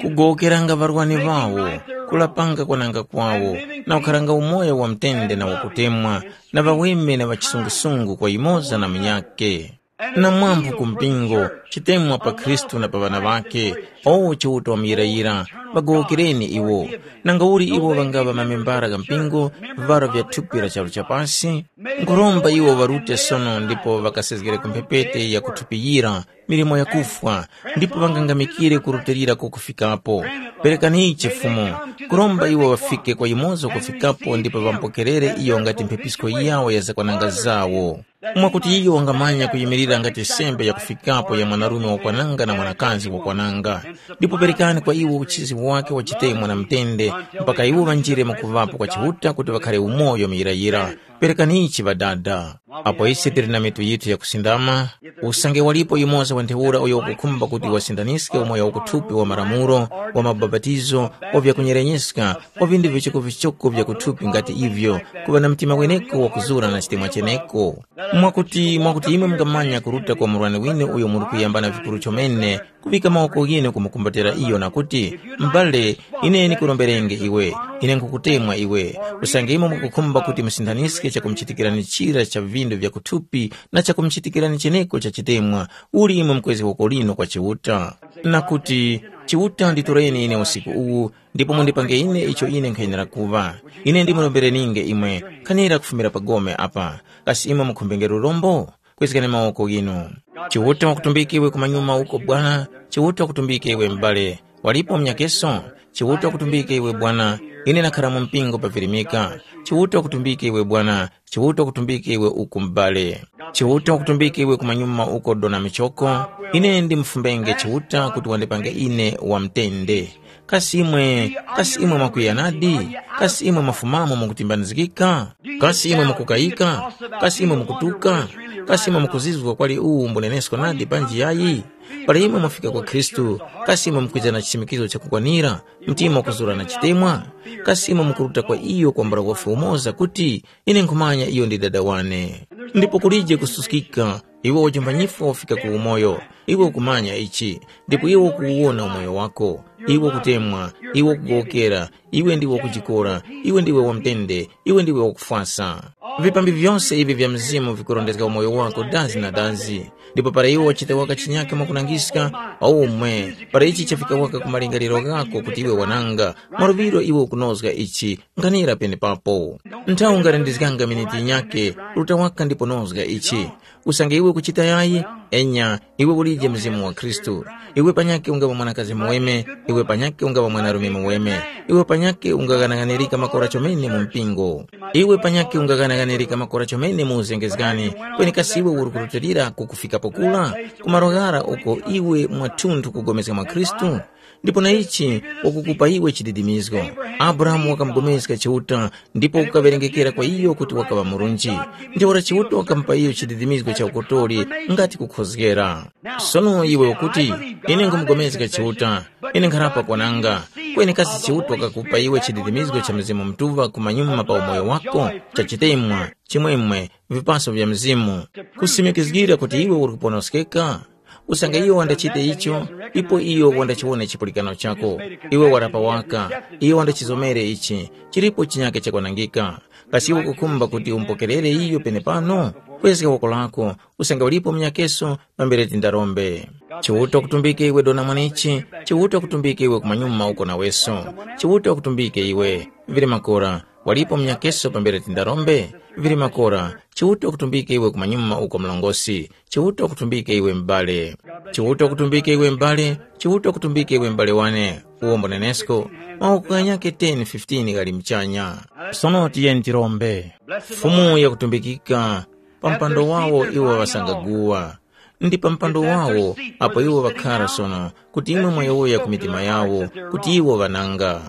Kugowokeranga ŵarwani ŵawo, kulapanga kwananga kwawo, na kukharanga umoyo wa mtende na wakutemwa, na ŵaweme na ŵachisungusungu kwa yumoza na munyakhe. Na mwambu ku mpingo, chitemwa pa Khristu na pa ŵana ŵakhe, owo Chiuta wamuyirayira, ŵagowokereni iwo. Nangauli iwo ŵangaŵa mamembara gha mpingo, vivara vya thupi la charu cha pasi, nkhuromba iwo ŵarute sono ndipo ŵakasezgere ku mphepete ya kuthupiyira, milimo yakufwa, ndipo ŵangangamikire kurutilira kokufikapo. Perekani ichi Fumu, kuromba iwo ŵafike kwa yumoza kufikapo ndipo ŵamupokerere iyo ngati mphepisko yawo ya zakwananga zawo. Mwakuti iyo wangamanya kuyimirira ngati sembe yakufikapo ya mwanarume wakwananga na mwanakazi wakwananga. Ndipo perekani kwa iwo uchizi wake wa chitemwa na mtende, mpaka iwo ŵanjire mu kuŵapo kwa Chiuta kuti ŵakhare umoyo muyirayira. Perekani ichi ŵadada. Apo ise tili na mitu yithu yakusindama, usange walipo yumoza wa ntheura uyo wakukhumba kuti wasindaniske umoyo wakuthupi wa malamulo, wa mabapatizo, wa vyakunyerenyeska, wa vindu vichoko-vichoko vya kuthupi ngati ivyo, kuŵa na mtima weneko wakuzura na chitemwa cheneko. Mwakuti mwakuti imwe mungamanya kuruta kwa murwani winu uyo muri kuyambana vikuru chomene, kuŵika mawoko ghinu kumukumbatira iyo na kuti, mbale, ine ndikuromberenge iwe, ine nkhukutemwa iwe, usange imwe mukukhumba kuti musinthanizge chakumuchitikirani chira cha vindu vya kuthupi na chakumuchitikirani cheneko cha chitemwa, uli imwe mukwezge woko linu kwa Chiuta, na kuti, Chiuta nditoreni ine usiku uwu, ndipo mundipange ine icho ine nkhayenera kuŵa. Ine ndimurombereninge imwe, nkhanira kufumira pa gome apa. Kasi imwe mukhumbenge lurombo? Kwezgani mawoko ghinu. Chiuta wakutumbike iwe kumanyuma uko Bwana, Chiuta wakutumbike iwe m'bale. Walipo mnyakeso? Chiuta wakutumbike iwe Bwana, ine nakhara mu mpingo pavirimika. Chiuta wakutumbike iwe Bwana, Chiuta wakutumbike iwe uku m'bale. Chiuta wakutumbike iwe kumanyuma uko dona michoko, ine ndimufumbenge Chiuta kuti wandipange ine wamtende. Kasi imwe, kasi imwe mwakwiya nadi? Kasi imwe mwafumamo mukutimbanizgika? Kasi imwe mukukayika? Kasi imwe mukutuka? Kasi imwe mukuzizwa kwali uwu mbunenesko nadi panji yayi? Para imwe mwafika kwa Khristu, kasi imwe mukwiza na chisimikizo chakukwanira, mtima wakuzura na chitemwa? Kasi imwe mukuruta kwa iyo kwambula wafi umoza kuti, ine nkhumanya iyo ndi dada wane? Ndipo kulije kususkika, iwe wajumba nyifwa wafika ku umoyo, iwe ukumanya ichi, ndipo iwe ukuwona umoyo wako, iwe ukutemwa, iwe ukugowokera, iwe ndiwe wakujikora, iwe ndiwe wamtende, iwe ndiwe wakufwasa. Vipambi vyose ivi vya mzimu vikurondezga umoyo wako dazi na dazi. Ndipo para iwe wachita waka chinyake mwakunangiska, aumwe, para ichi chafika waka ku malingaliro ghako kuti iwe wananga, mwaluŵiro iwe ukunozga ichi, nkhanira penepapo. Nthawi ungarendezganga miniti yinyake, ruta waka ndipo nozga ichi. Usange iwe ukuchita yayi, enya, iwe ulije Mzimu wa Khristu. Iwe panyakhe ungaŵa mwanakazi muweme, iwe panyakhe ungaŵa mwanarume muweme. Iwe panyakhe ungaghanaghanirika makora chomene mu mpingo. Iwe panyakhe ungaghanaghanirika makora chomene mu uzengezgani, kweni kasi iwe uri kurutilira kukufikapo kula, ku malo ghara uko iwe mwathunthu kugomezga mwa Khristu? Ndipo na ichi wakukupa iwe chididimizgo. Abrahamu wakamupulikana Chiuta ndipo kukaŵerengekera kwa iyo kuti wakaŵa murunji. Ntheura Chiuta wakamupa iyo chididimizgo cha ukotori ngati kukhozgera. Sono iwe ukuti, ine nkumupulikana Chiuta, ine nkharapa kwananga. Kweni kasi Chiuta wakakupa iwe chididimizgo cha Mzimu Mutuŵa kumanyuma pa umoyo wako, cha chitemwa, chimwemwe, vipaso vya Mzimu, kusimikizgira kuti iwe uri kuponoskeka? Usange iyo wandachite icho, ipo iyo wandachiwone chipulikano chako. Iwe warapa waka, iyo wandachizomere ichi, chilipo chinyake chakwanangika. Kasi iwe ukukhumba kuti umupokerere iyo penepano? Kwezga woko lako, usange ulipo munyakeso, pambere tindarombe. Chiuta kutumbike iwe dona mwanichi, Chiuta kutumbike iwe kumanyuma uko naweso. Chiuta kutumbike iwe, vili makora, walipo munyakeso pambere tindarombe? Vili makora, Chiuta kutumbike iwe kumanyuma uko mlongosi. Chiuta kutumbike iwe m'bale. Chiuta kutumbike iwe m'bale. Chiuta kutumbike iwe m'bale wane. Uwombo nenesko, mawoko ghanyakhe ten fifteen ghali mchanya. Sono tiyeni tirombe. Fumu yakutumbikika, pa mpando wawo iwo ŵasangaguwa. Ndi pa mpando wawo, apo iwo ŵakhara sono, kuti imwe mwayowoya ku mitima yawo, kuti iwo ŵananga.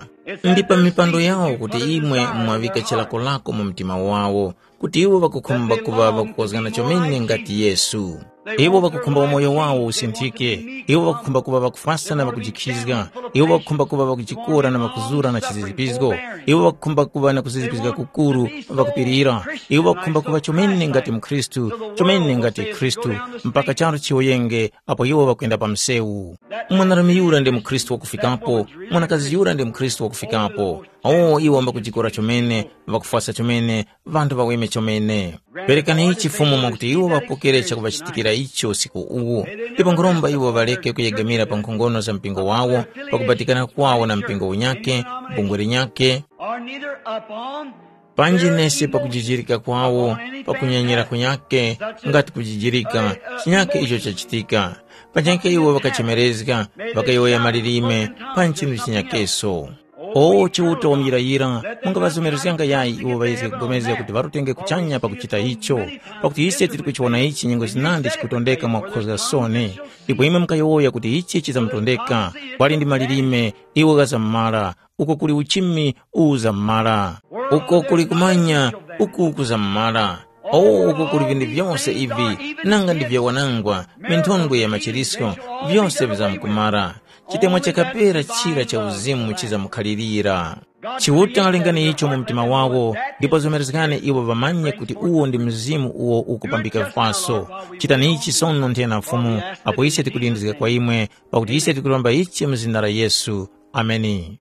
Ndi pa mipando yawo kuti imwe mwaŵika chilakolako mu mtima wawo, kuti iwo ŵakukhumba kuŵa ŵakukozgana chomene ngati Yesu. Iwo ŵakukhumba umoyo wawo usinthike. Iwo ŵakukhumba kuŵa ŵakufwasa na ŵakujikhizga. Iwo ŵakukhumba kuŵa ŵakujikora na ŵakuzura na chizizipizgo. Iwo ŵakukhumba kuŵa na kuzizipizga kukuru, ŵakupirira. Iwo ŵakukhumba kuŵa chomene ngati mukhristu, chomene ngati Khristu, mpaka charu chiwoyenge apo iwo ŵakwenda pa msewu. Mwanarume yura ndi mukhristu wakufikapo, mwanakazi yura ndi mukhristu wakufikapo. Awo iwo ŵambakujikora chomene, ŵakufwasa chomene, ŵanthu ŵaweme chomene. Perekani ichi Fumu mwakuti iwo ŵapokere chakuŵachitikira icho usiku uwu. Ndipo nkhuromba iwo ŵareke kuyegamira pa nkhongono za mpingo wawo, pakubatikana kwawo na mpingo unyakhe, bungwe linyakhe, or neither upon panji nesi pakujijirika kwawo, pakunyenyera kunyakhe, ngati kujijirika, chinyakhe icho chachitika. Panyakhe iwo ŵakachemerezga, ŵakayowoya malilime, pa nchinu chinyakeso. O Chiuta wamuyirayira, mungaŵazomerezganga yayi iwo ŵayezge kugomezga kuti ŵarutenge kuchanya pakuchita icho? Pakuti ise tili kuchiwona ichi nyengo zinandi chikutondeka mwakukhozga soni. Ndipo imwe mukayowoya kuti ichi chizamutondeka, kwali ndi malilime, iwo ghazamumara, uko kuli uchimi uzamumara, uko kuli kumanya, uku kuzamumara. O uko kuli vinthu vyose ivi, nanga ndi vyawanangwa, minthondwe ya machirisko, vyose vizamkumara. Chitemwa chakapera chira cha uzimu chizamukhalirira. Chiuta lengani icho mu mtima wawo, ndipo zomerezgani iwo ŵamanye kuti uwo ndi mzimu uwo ukupambika vipaso. Chitani ichi sono nthena Fumu, apo ise tikulindizga kwa imwe, pakuti ise tikulomba ichi mu zina la Yesu. Ameni.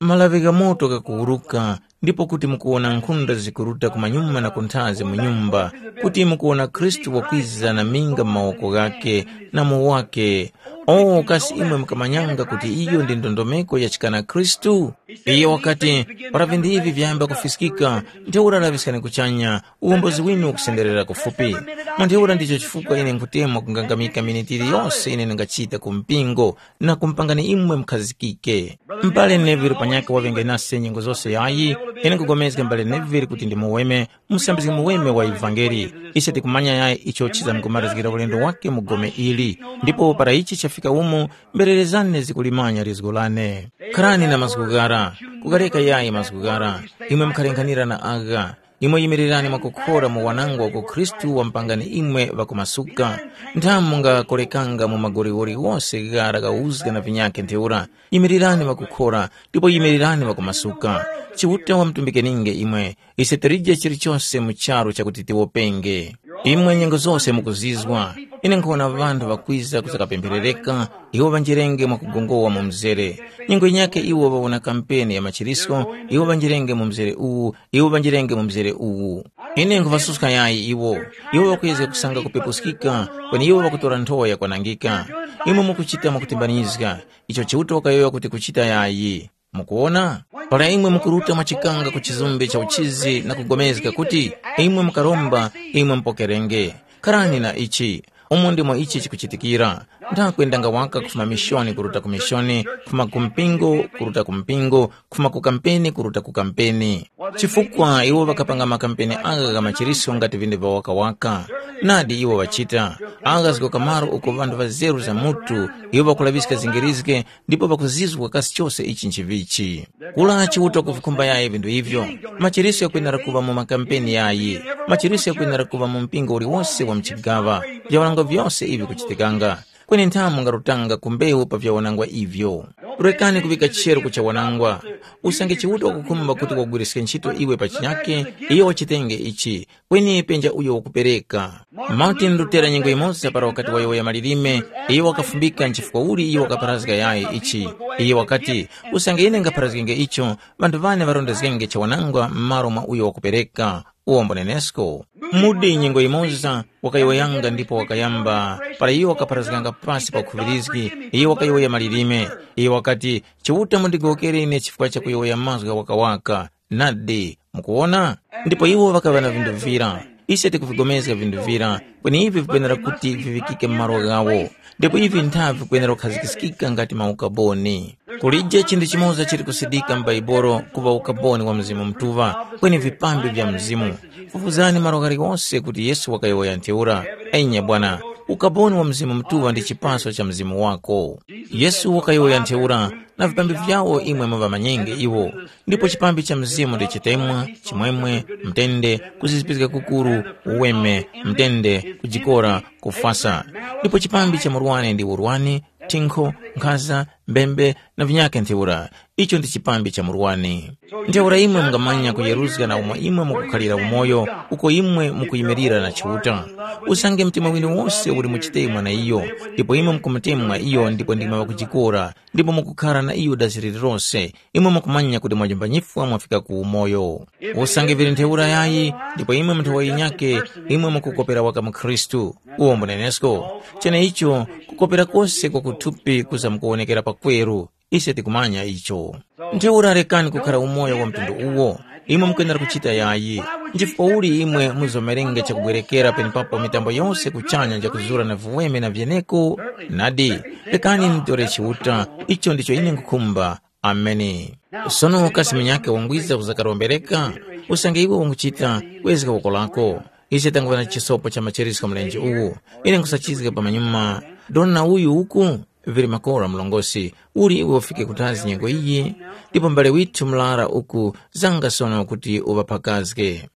Malaŵi gha moto ghakuwuruka, ndipo kuti mukuwona nkhunda zikuruta kumanyuma na kunthazi mu nyumba, kuti mukuwona Khristu wakwiza na minga mu mawoko ghakhe na mu wake. O kasi imwe mukamanyanga kuti iyo ndi ndondomeko ya chikana Khristu? Iyo wakati, para vinthu ivi vyayamba kufiskika, ntheura laŵiskani kuchanya, uwombozi winu ukusenderera kufupi. Mwa ntheura ndicho chifukwa ine nkhutemwa kungangamika miniti yiliyose ine ndingachita ku mpingo, na kumupangani imwe mukhazikike. M'bale Neville panyakhe waŵenge nase nyengo zose yayi, ine nkugomezga m'bale Neville kuti ndi muweme, musambizgi muweme wa ivangeli. Ise tikumanya yayi icho chizamkumarizgira ulendo wake mu gome ili. Ndipo para ichi chafika umu, mbererezani zikulimanya lizgu lane. Kharani na mazgu ghara, kukareka yayi mazgu ghara, imwe mukharenkhanira na agha. Imwe yimirirani mwakukhora mu wanangwa uko Khristu wamupangani imwe ŵakumasuka. Nthamu mungakorekanga mu magoliwori ghose ghara ghauzga na vinyakhe ntheura. Yimirirani ŵakukhora, ndipo yimirirani ŵakumasuka. Chiuta wamutumbikeninge imwe. Ise tilije chilichose mu charu chakuti tiwopenge. Imwe nyengo zose mukuzizwa. Ine nkhona ŵanthu ŵakwiza kuzakapempherereka, iwo ŵanjerenge mwakugongowa mu mzere. Nyengo yinyakhe iwo ŵawona kampeni ya machirisko, iwo ŵanjerenge mu mzere uwu, iwo ŵanjirenge mu mzere uwu. Ine nkhuŵasuska yayi iwo. Iwo ŵakuyezga kusanga kupepuskika, kweni iwo ŵakutora nthowa yakwanangika. Imwe mukuchita mwakutimbanizga, icho Chiuta wakayowoya kuti kuchita yayi. Mukuwona? Para imwe mukuruta mwachikanga ku chizumbe cha uchizi na kugomezga kuti, imwe mukaromba, imwe mupokerenge. Kharani na ichi. Umo ndimo ichi chikuchitikira. Ndakwendanga waka kufuma mishoni kuruta ku mishoni, kufuma ku mpingo kuruta ku mpingo, kufuma ku kampeni kuruta ku kampeni. Chifukwa iwo ŵakapanga makampeni agha gha machiriso ngati vinthu vya wakawaka. Nadi iwo ŵachita. Agha zgoka malo uko ŵanthu ŵazeru za mutu, iwo ŵakulaŵiska zingirizge ndipo ŵakuzizwa kasi chose ichi nchivichi. Kula Chiuta kuvikhumba yayi vinthu ivyo. Machiriso ghakwenera kuŵa mu makampeni yayi. Machiriso ghakwenera kuŵa mu mpingo uliwose wa mchigaŵa. Vyawanangwa vyose ivi kuchitikanga. Kweni nthamu ngarutanga ku mbewu pa vyawanangwa ivyo. Rekani kuŵika chero ku chawanangwa. Usange Chiuta wakukhumba kuti wagwiriske ntchito iwe pa chinyake, iyo wachitenge ichi. Kweni penja uyo wakupereka. Martin Lutera nyengo yimoza para wakati wayowoya malilime, iyo wakafumbika nchifukwa uli iyo wakapharazga yayi ichi. Iyo wakati, usange ine ngapharazgenge icho, ŵanthu ŵane ŵarondezgenge chawanangwa m'malo mwa uyo wakupereka. Uwombo nenesko. Mudi nyengo yimoza wakayowoyanga ndipo wakayamba, para iyo wakapharazganga pasi pa khuŵirizgi, iyo wakayowoya malilime. Iyo wakati, Chiuta mundigowokere ine chifukwa cha kuyowoya mazgu ghawakawaka. Nadi, mukuwona? Ndipo iwo ŵakaŵa na vinthu vira. Ise tikuvigomezga vinthu vira, kweni ivi vikwenera kuti viŵikike mu malo ghawo. Ndipo ivi ntha vikwenera kukhazikiskika ngati maukaboni. Kulije chinthu chimoza chili kusidika m'Baibolo kuŵa ukaboni wa Mzimu Mutuŵa, kweni vipambi vya Mzimu. Fufuzani malo ghaliwose kuti Yesu wakayowoya ntheura. Enya bwana, ukaboni wa Mzimu Mutuŵa ndi chipaso cha Mzimu wako. Yesu wakayowoya ntheura, na vipambi vyawo imwe muŵamanyenge iwo. Ndipo chipambi cha Mzimu ndi chitemwa, chimwemwe, mtende, kuzizipizga kukuru, uweme, mtende, kujikora, kufwasa. Ndipo chipambi cha murwani ndi urwani, thinkho, nkhaza, mbembe, na vinyakhe ntheura. Icho ndi chipambi cha murwani. Ntheura imwe mungamanya kuyeruzga na umo imwe mukukhalira umoyo, uko imwe mukuyimirira na Chiuta. Usange mtima winu wose uli mu chitemwa na iyo, ndipo imwe mukumutemwa iyo ndipo ndimwe ŵakujikora, ndipo mukukhara na iyo dasi lililose, imwe mukumanya kuti mwajimba nyifwa mwafika ku umoyo. Usange vili ntheura yayi, ndipo imwe munthu wa yinyake, imwe mukukopera waka mu Khristu. Uwo mbunenesko. Cheneicho, kukopera kose kwa kuthupi kuzamkuwonekera pakweru. Ise tikumanya icho. Ntheura rekani kukhara umoyo wa mtundu uwo. Imwe mukwenera kuchita yayi. Nchifukwa uli imwe muzomerenge chakubwerekera penepapo mitambo yose kuchanya njakuzura na viweme na vyeneko? Nadi, rekani nitore Chiuta, icho ndicho ine nkhukhumba. Ameni. Sono kasi munyakhe wangwiza kuzakarombereka? Usange iwe wanguchita, wezga woko lako. Ise tanguŵa na chisopo cha machiriso mlenje uwu. Ine nkhusachizga pamanyuma. Dona uyu uku, vili makora mlongosi, uli iwe ufike kuthazi nyengo iyi? Ndipo mbale withu mlara uku, zanga sono kuti uŵaphakazge.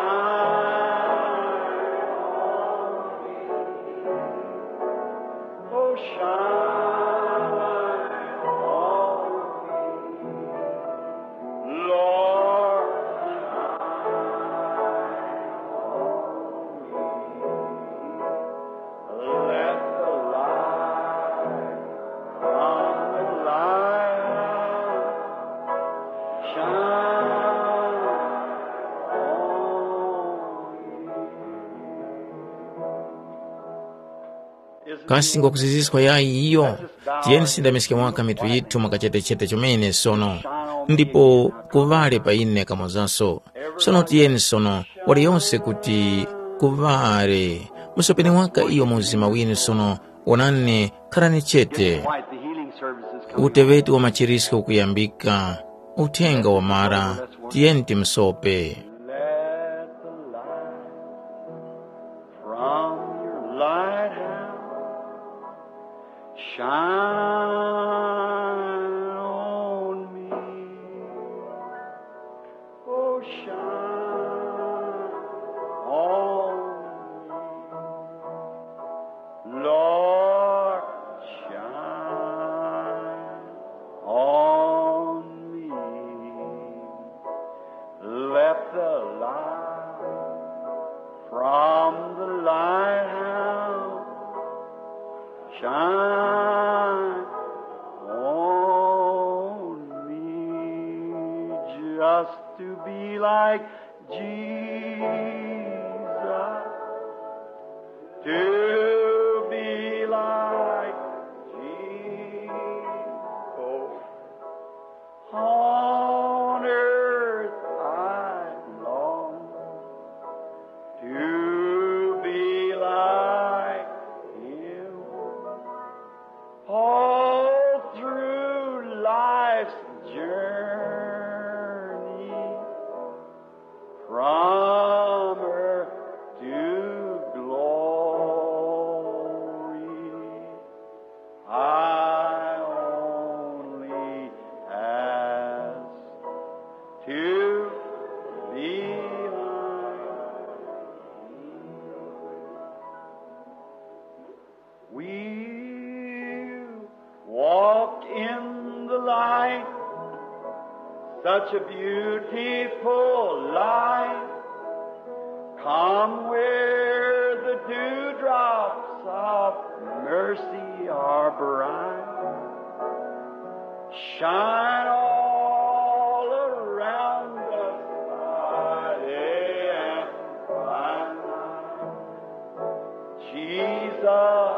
Shine on me. Oh, shine on me. Lord, shine on me. Let the light from the lighthouse shine on me. Kasi ngwakuziziska yayi iyo? Tiyeni tisindamiske waka mitu yithu mwa kachetechete chomene sono, ndipo kuŵale pa ine kamozaso. Sono tiyeni sono, waliyonse kuti kuŵale. Musopeni waka iyo mu mzima winu sono, wonani, kharani chete. Uteŵeti wa machirisko ukuyambika, uthenga wamara, tiyeni timusope. Let the light from your lighthouse shine on me. Oh, shine on me. Lord, shine on me. Let the light from the lighthouse shine on me, just to be like Jesus, to be like Jesus. On earth I long to be like him. All through life's journey, from earth to glory, I only ask to be like you. We'll walk in the light, such a beautiful light. Come where the dewdrops of mercy are bright. Shine all around us by day and by night. Jesus,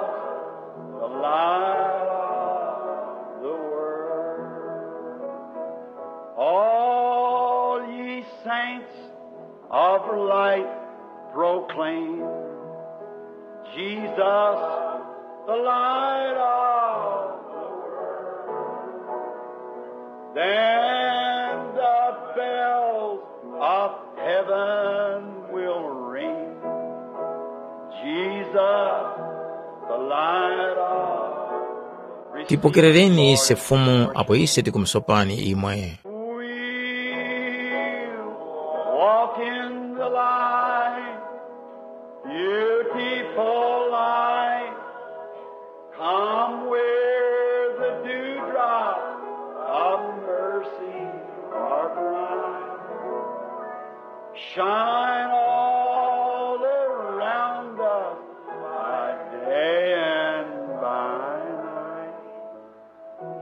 the light of the world. All ye saints of light proclaim, Jesus, the light of the world. Then the bells of heaven will ring. Jesus, the light of Tipokerereni ise Fumu apo ise tikumusopani imwe. We'll walk in the light, beautiful light. Come where the dewdrops of mercy are bright. Shine all around us by day and by night.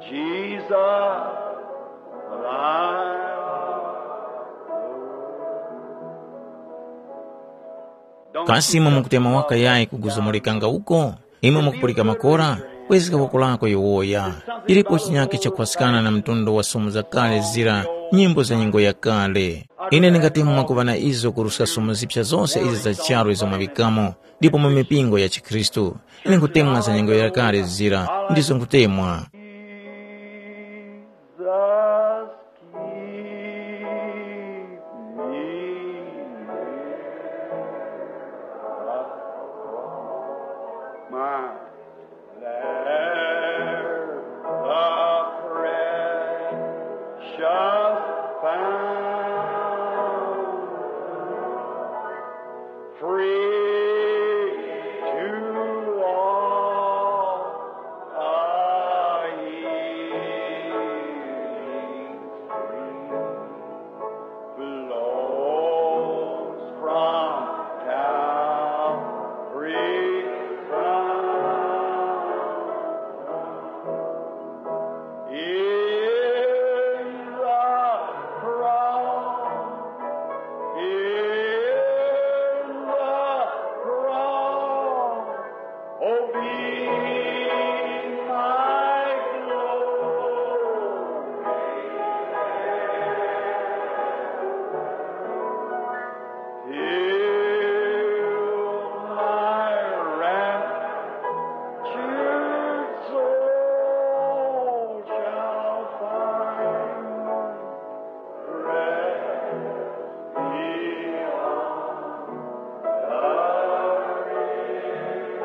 Jesus, the light of the world. Kasi imwe mukutema waka yayi kuguzumulika nga uko? Imwe mukupulika makora? Kwezga woko lako yowoya. Chilipo chinyakhe chakupaskana na mtundu wa sumu zakale zira nyimbo za nyengo yakale. Ine ndingatemwa kuŵa na izo kuruskaso mu zipsa zose izi za charu izo mwaŵikamo, ndipo mu mipingo ya chikhristu. Ine nkutemwa za nyengo yakale zira, ndizo nkutemwa. Jesus, keep me near. My, there the precious fountain. Free to all a healing stream flows from Calvary's fountain. In the cross, in the cross, oh, be my glory. Till my raptured soul shall find rest beyond the grave.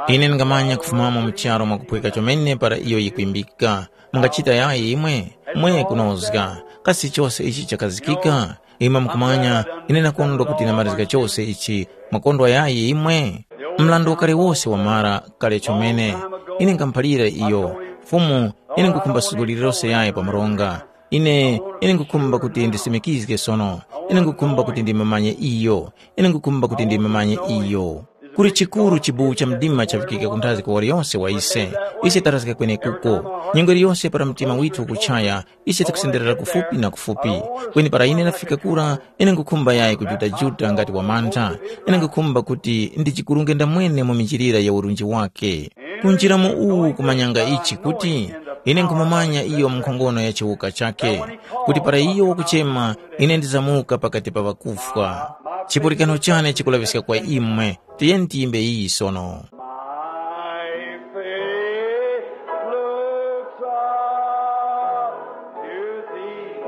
Ine ndingamanya kufumamo mu charu mwakuphweka chomene para iyo yikwimbika. Mungachita yayi imwe? Mwe kunozga. Kasi chose ichi chakazikika? Imwe mukumanya, ine nakondwa kuti ndamarizga chose ichi. Mwakondwa yayi imwe? Mrandu wakale wose wamara kale chomene. Ine nkamphalira iyo, Fumu, ine nkukhumba sukulu lililose yayi pa mronga. Ine, ine nkukhumba kuti ndisimikizge sono. Ine nkukhumba kuti ndimumanye iyo. Ine nkukhumba kuti ndimumanye iyo. Kuli chikuru chibuwu cha mdima chavikika kunthazi kwa waliyonse wa ise. Ise tarazga kwenekuko. Nyengo iliyonse para mtima withu ukuchaya, ise tikusenderera kufupi na kufupi. Kweni para ine ndafika kura, ine nkukhumba yayi kujuta-juta ngati wamantha. Ine nkukhumba kuti ndijikurunge ndamwene mu minjilira ya urunji wake. Kunjira mu uwu kumanyanga ichi kuti, ine nkhumumanya iyo mu nkhongono ya chiwuka chake, kuti para iyo wakuchema, ine ndizamuka pakati pa ŵakufwa. Chipulikano chane chikulaŵiska kwa imwe, tiyeni tiyimbe iyi sono. My faith looks up to thee,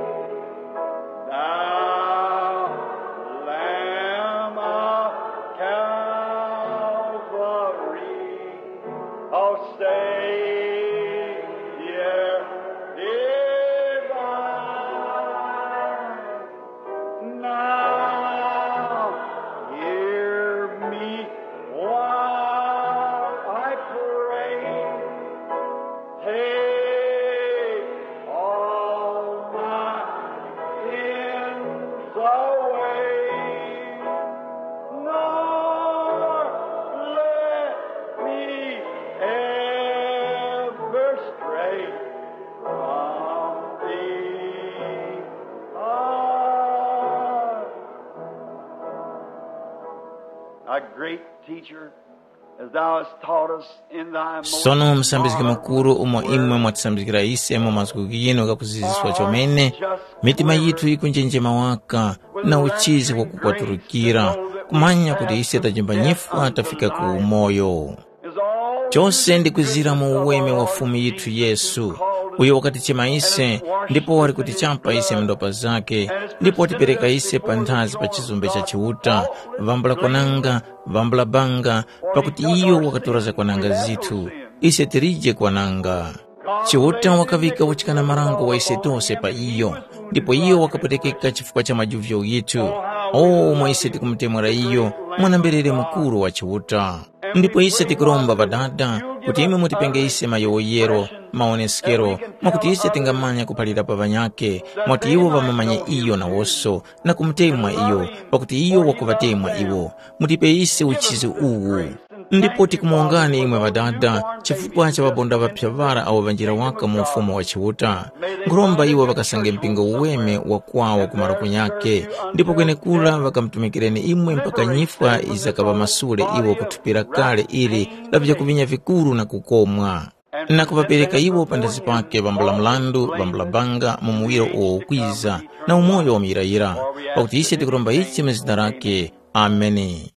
thou Lamb of Calvary. O Savior divine, now hear me while I pray. Take all my sins away, nor let me ever stray from thee. Ah. A great teacher, as thou hast taught us in thy most sono musambizgi mukuru umo imwe mwatisambizgira ise mu mazgu ghinu ghakuziziswa chomene, mitima yithu yikunjenjema waka na uchizi wakukwatulukira, kumanya kuti ise tajimba nyifwa tafika ku umoyo. Chose ndikwizira mu uweme wa Fumu yithu Yesu, uyo wakatichema ise ndipo wali kutichapa ise mu ndopa zakhe, ndipo watipereka ise panthazi pa chizumbe cha Chiuta, vambula kwananga, vambula banga, pakuti iyo wakatora zakwananga zithu, ise tilije kwananga. Chiuta wakaŵika uchikana marango wa ise tose pa iyo, ndipo iyo wakapwetekeka chifukwa cha majuvyo ghithu. O, umo ise tikumutemwera iyo, mwana-mberere mukuru wa Chiuta. Ndipo ise tikuromba Ŵadada, kuti imwe mutipenge ise mayowoyero, mawoneskero, mwakuti ise tingamanya kuphalira pa ŵanyakhe, mwakuti iwo ŵamumanye iyo nawonso, na kumutemwa iyo, pakuti iyo wakuŵatemwa iwo. Mutipe ise uchizi uwu. Ndipo tikumuwongani imwe Ŵadada, chifukwa cha ŵabonda ŵaphya ŵara awo ŵanjira waka mu Ufumu wa Chiuta. Nkhuromba iwo ŵakasange mpingo uweme wa kwawo kumaro kunyakhe, ndipo kwenekura ŵakamutumikireni imwe mpaka nyifwa yizakaŵamasule iwo ku thupi lakale ili la vyakuvinya vikuru na kukomwa. Na kuŵapereka iwo panthazi pake ŵambula mrandu ŵambula banga mu muwiro uwo ukwiza, na umoyo wa muyirayira. Pakuti ise tikuromba ichi mu zina lake. Ameni.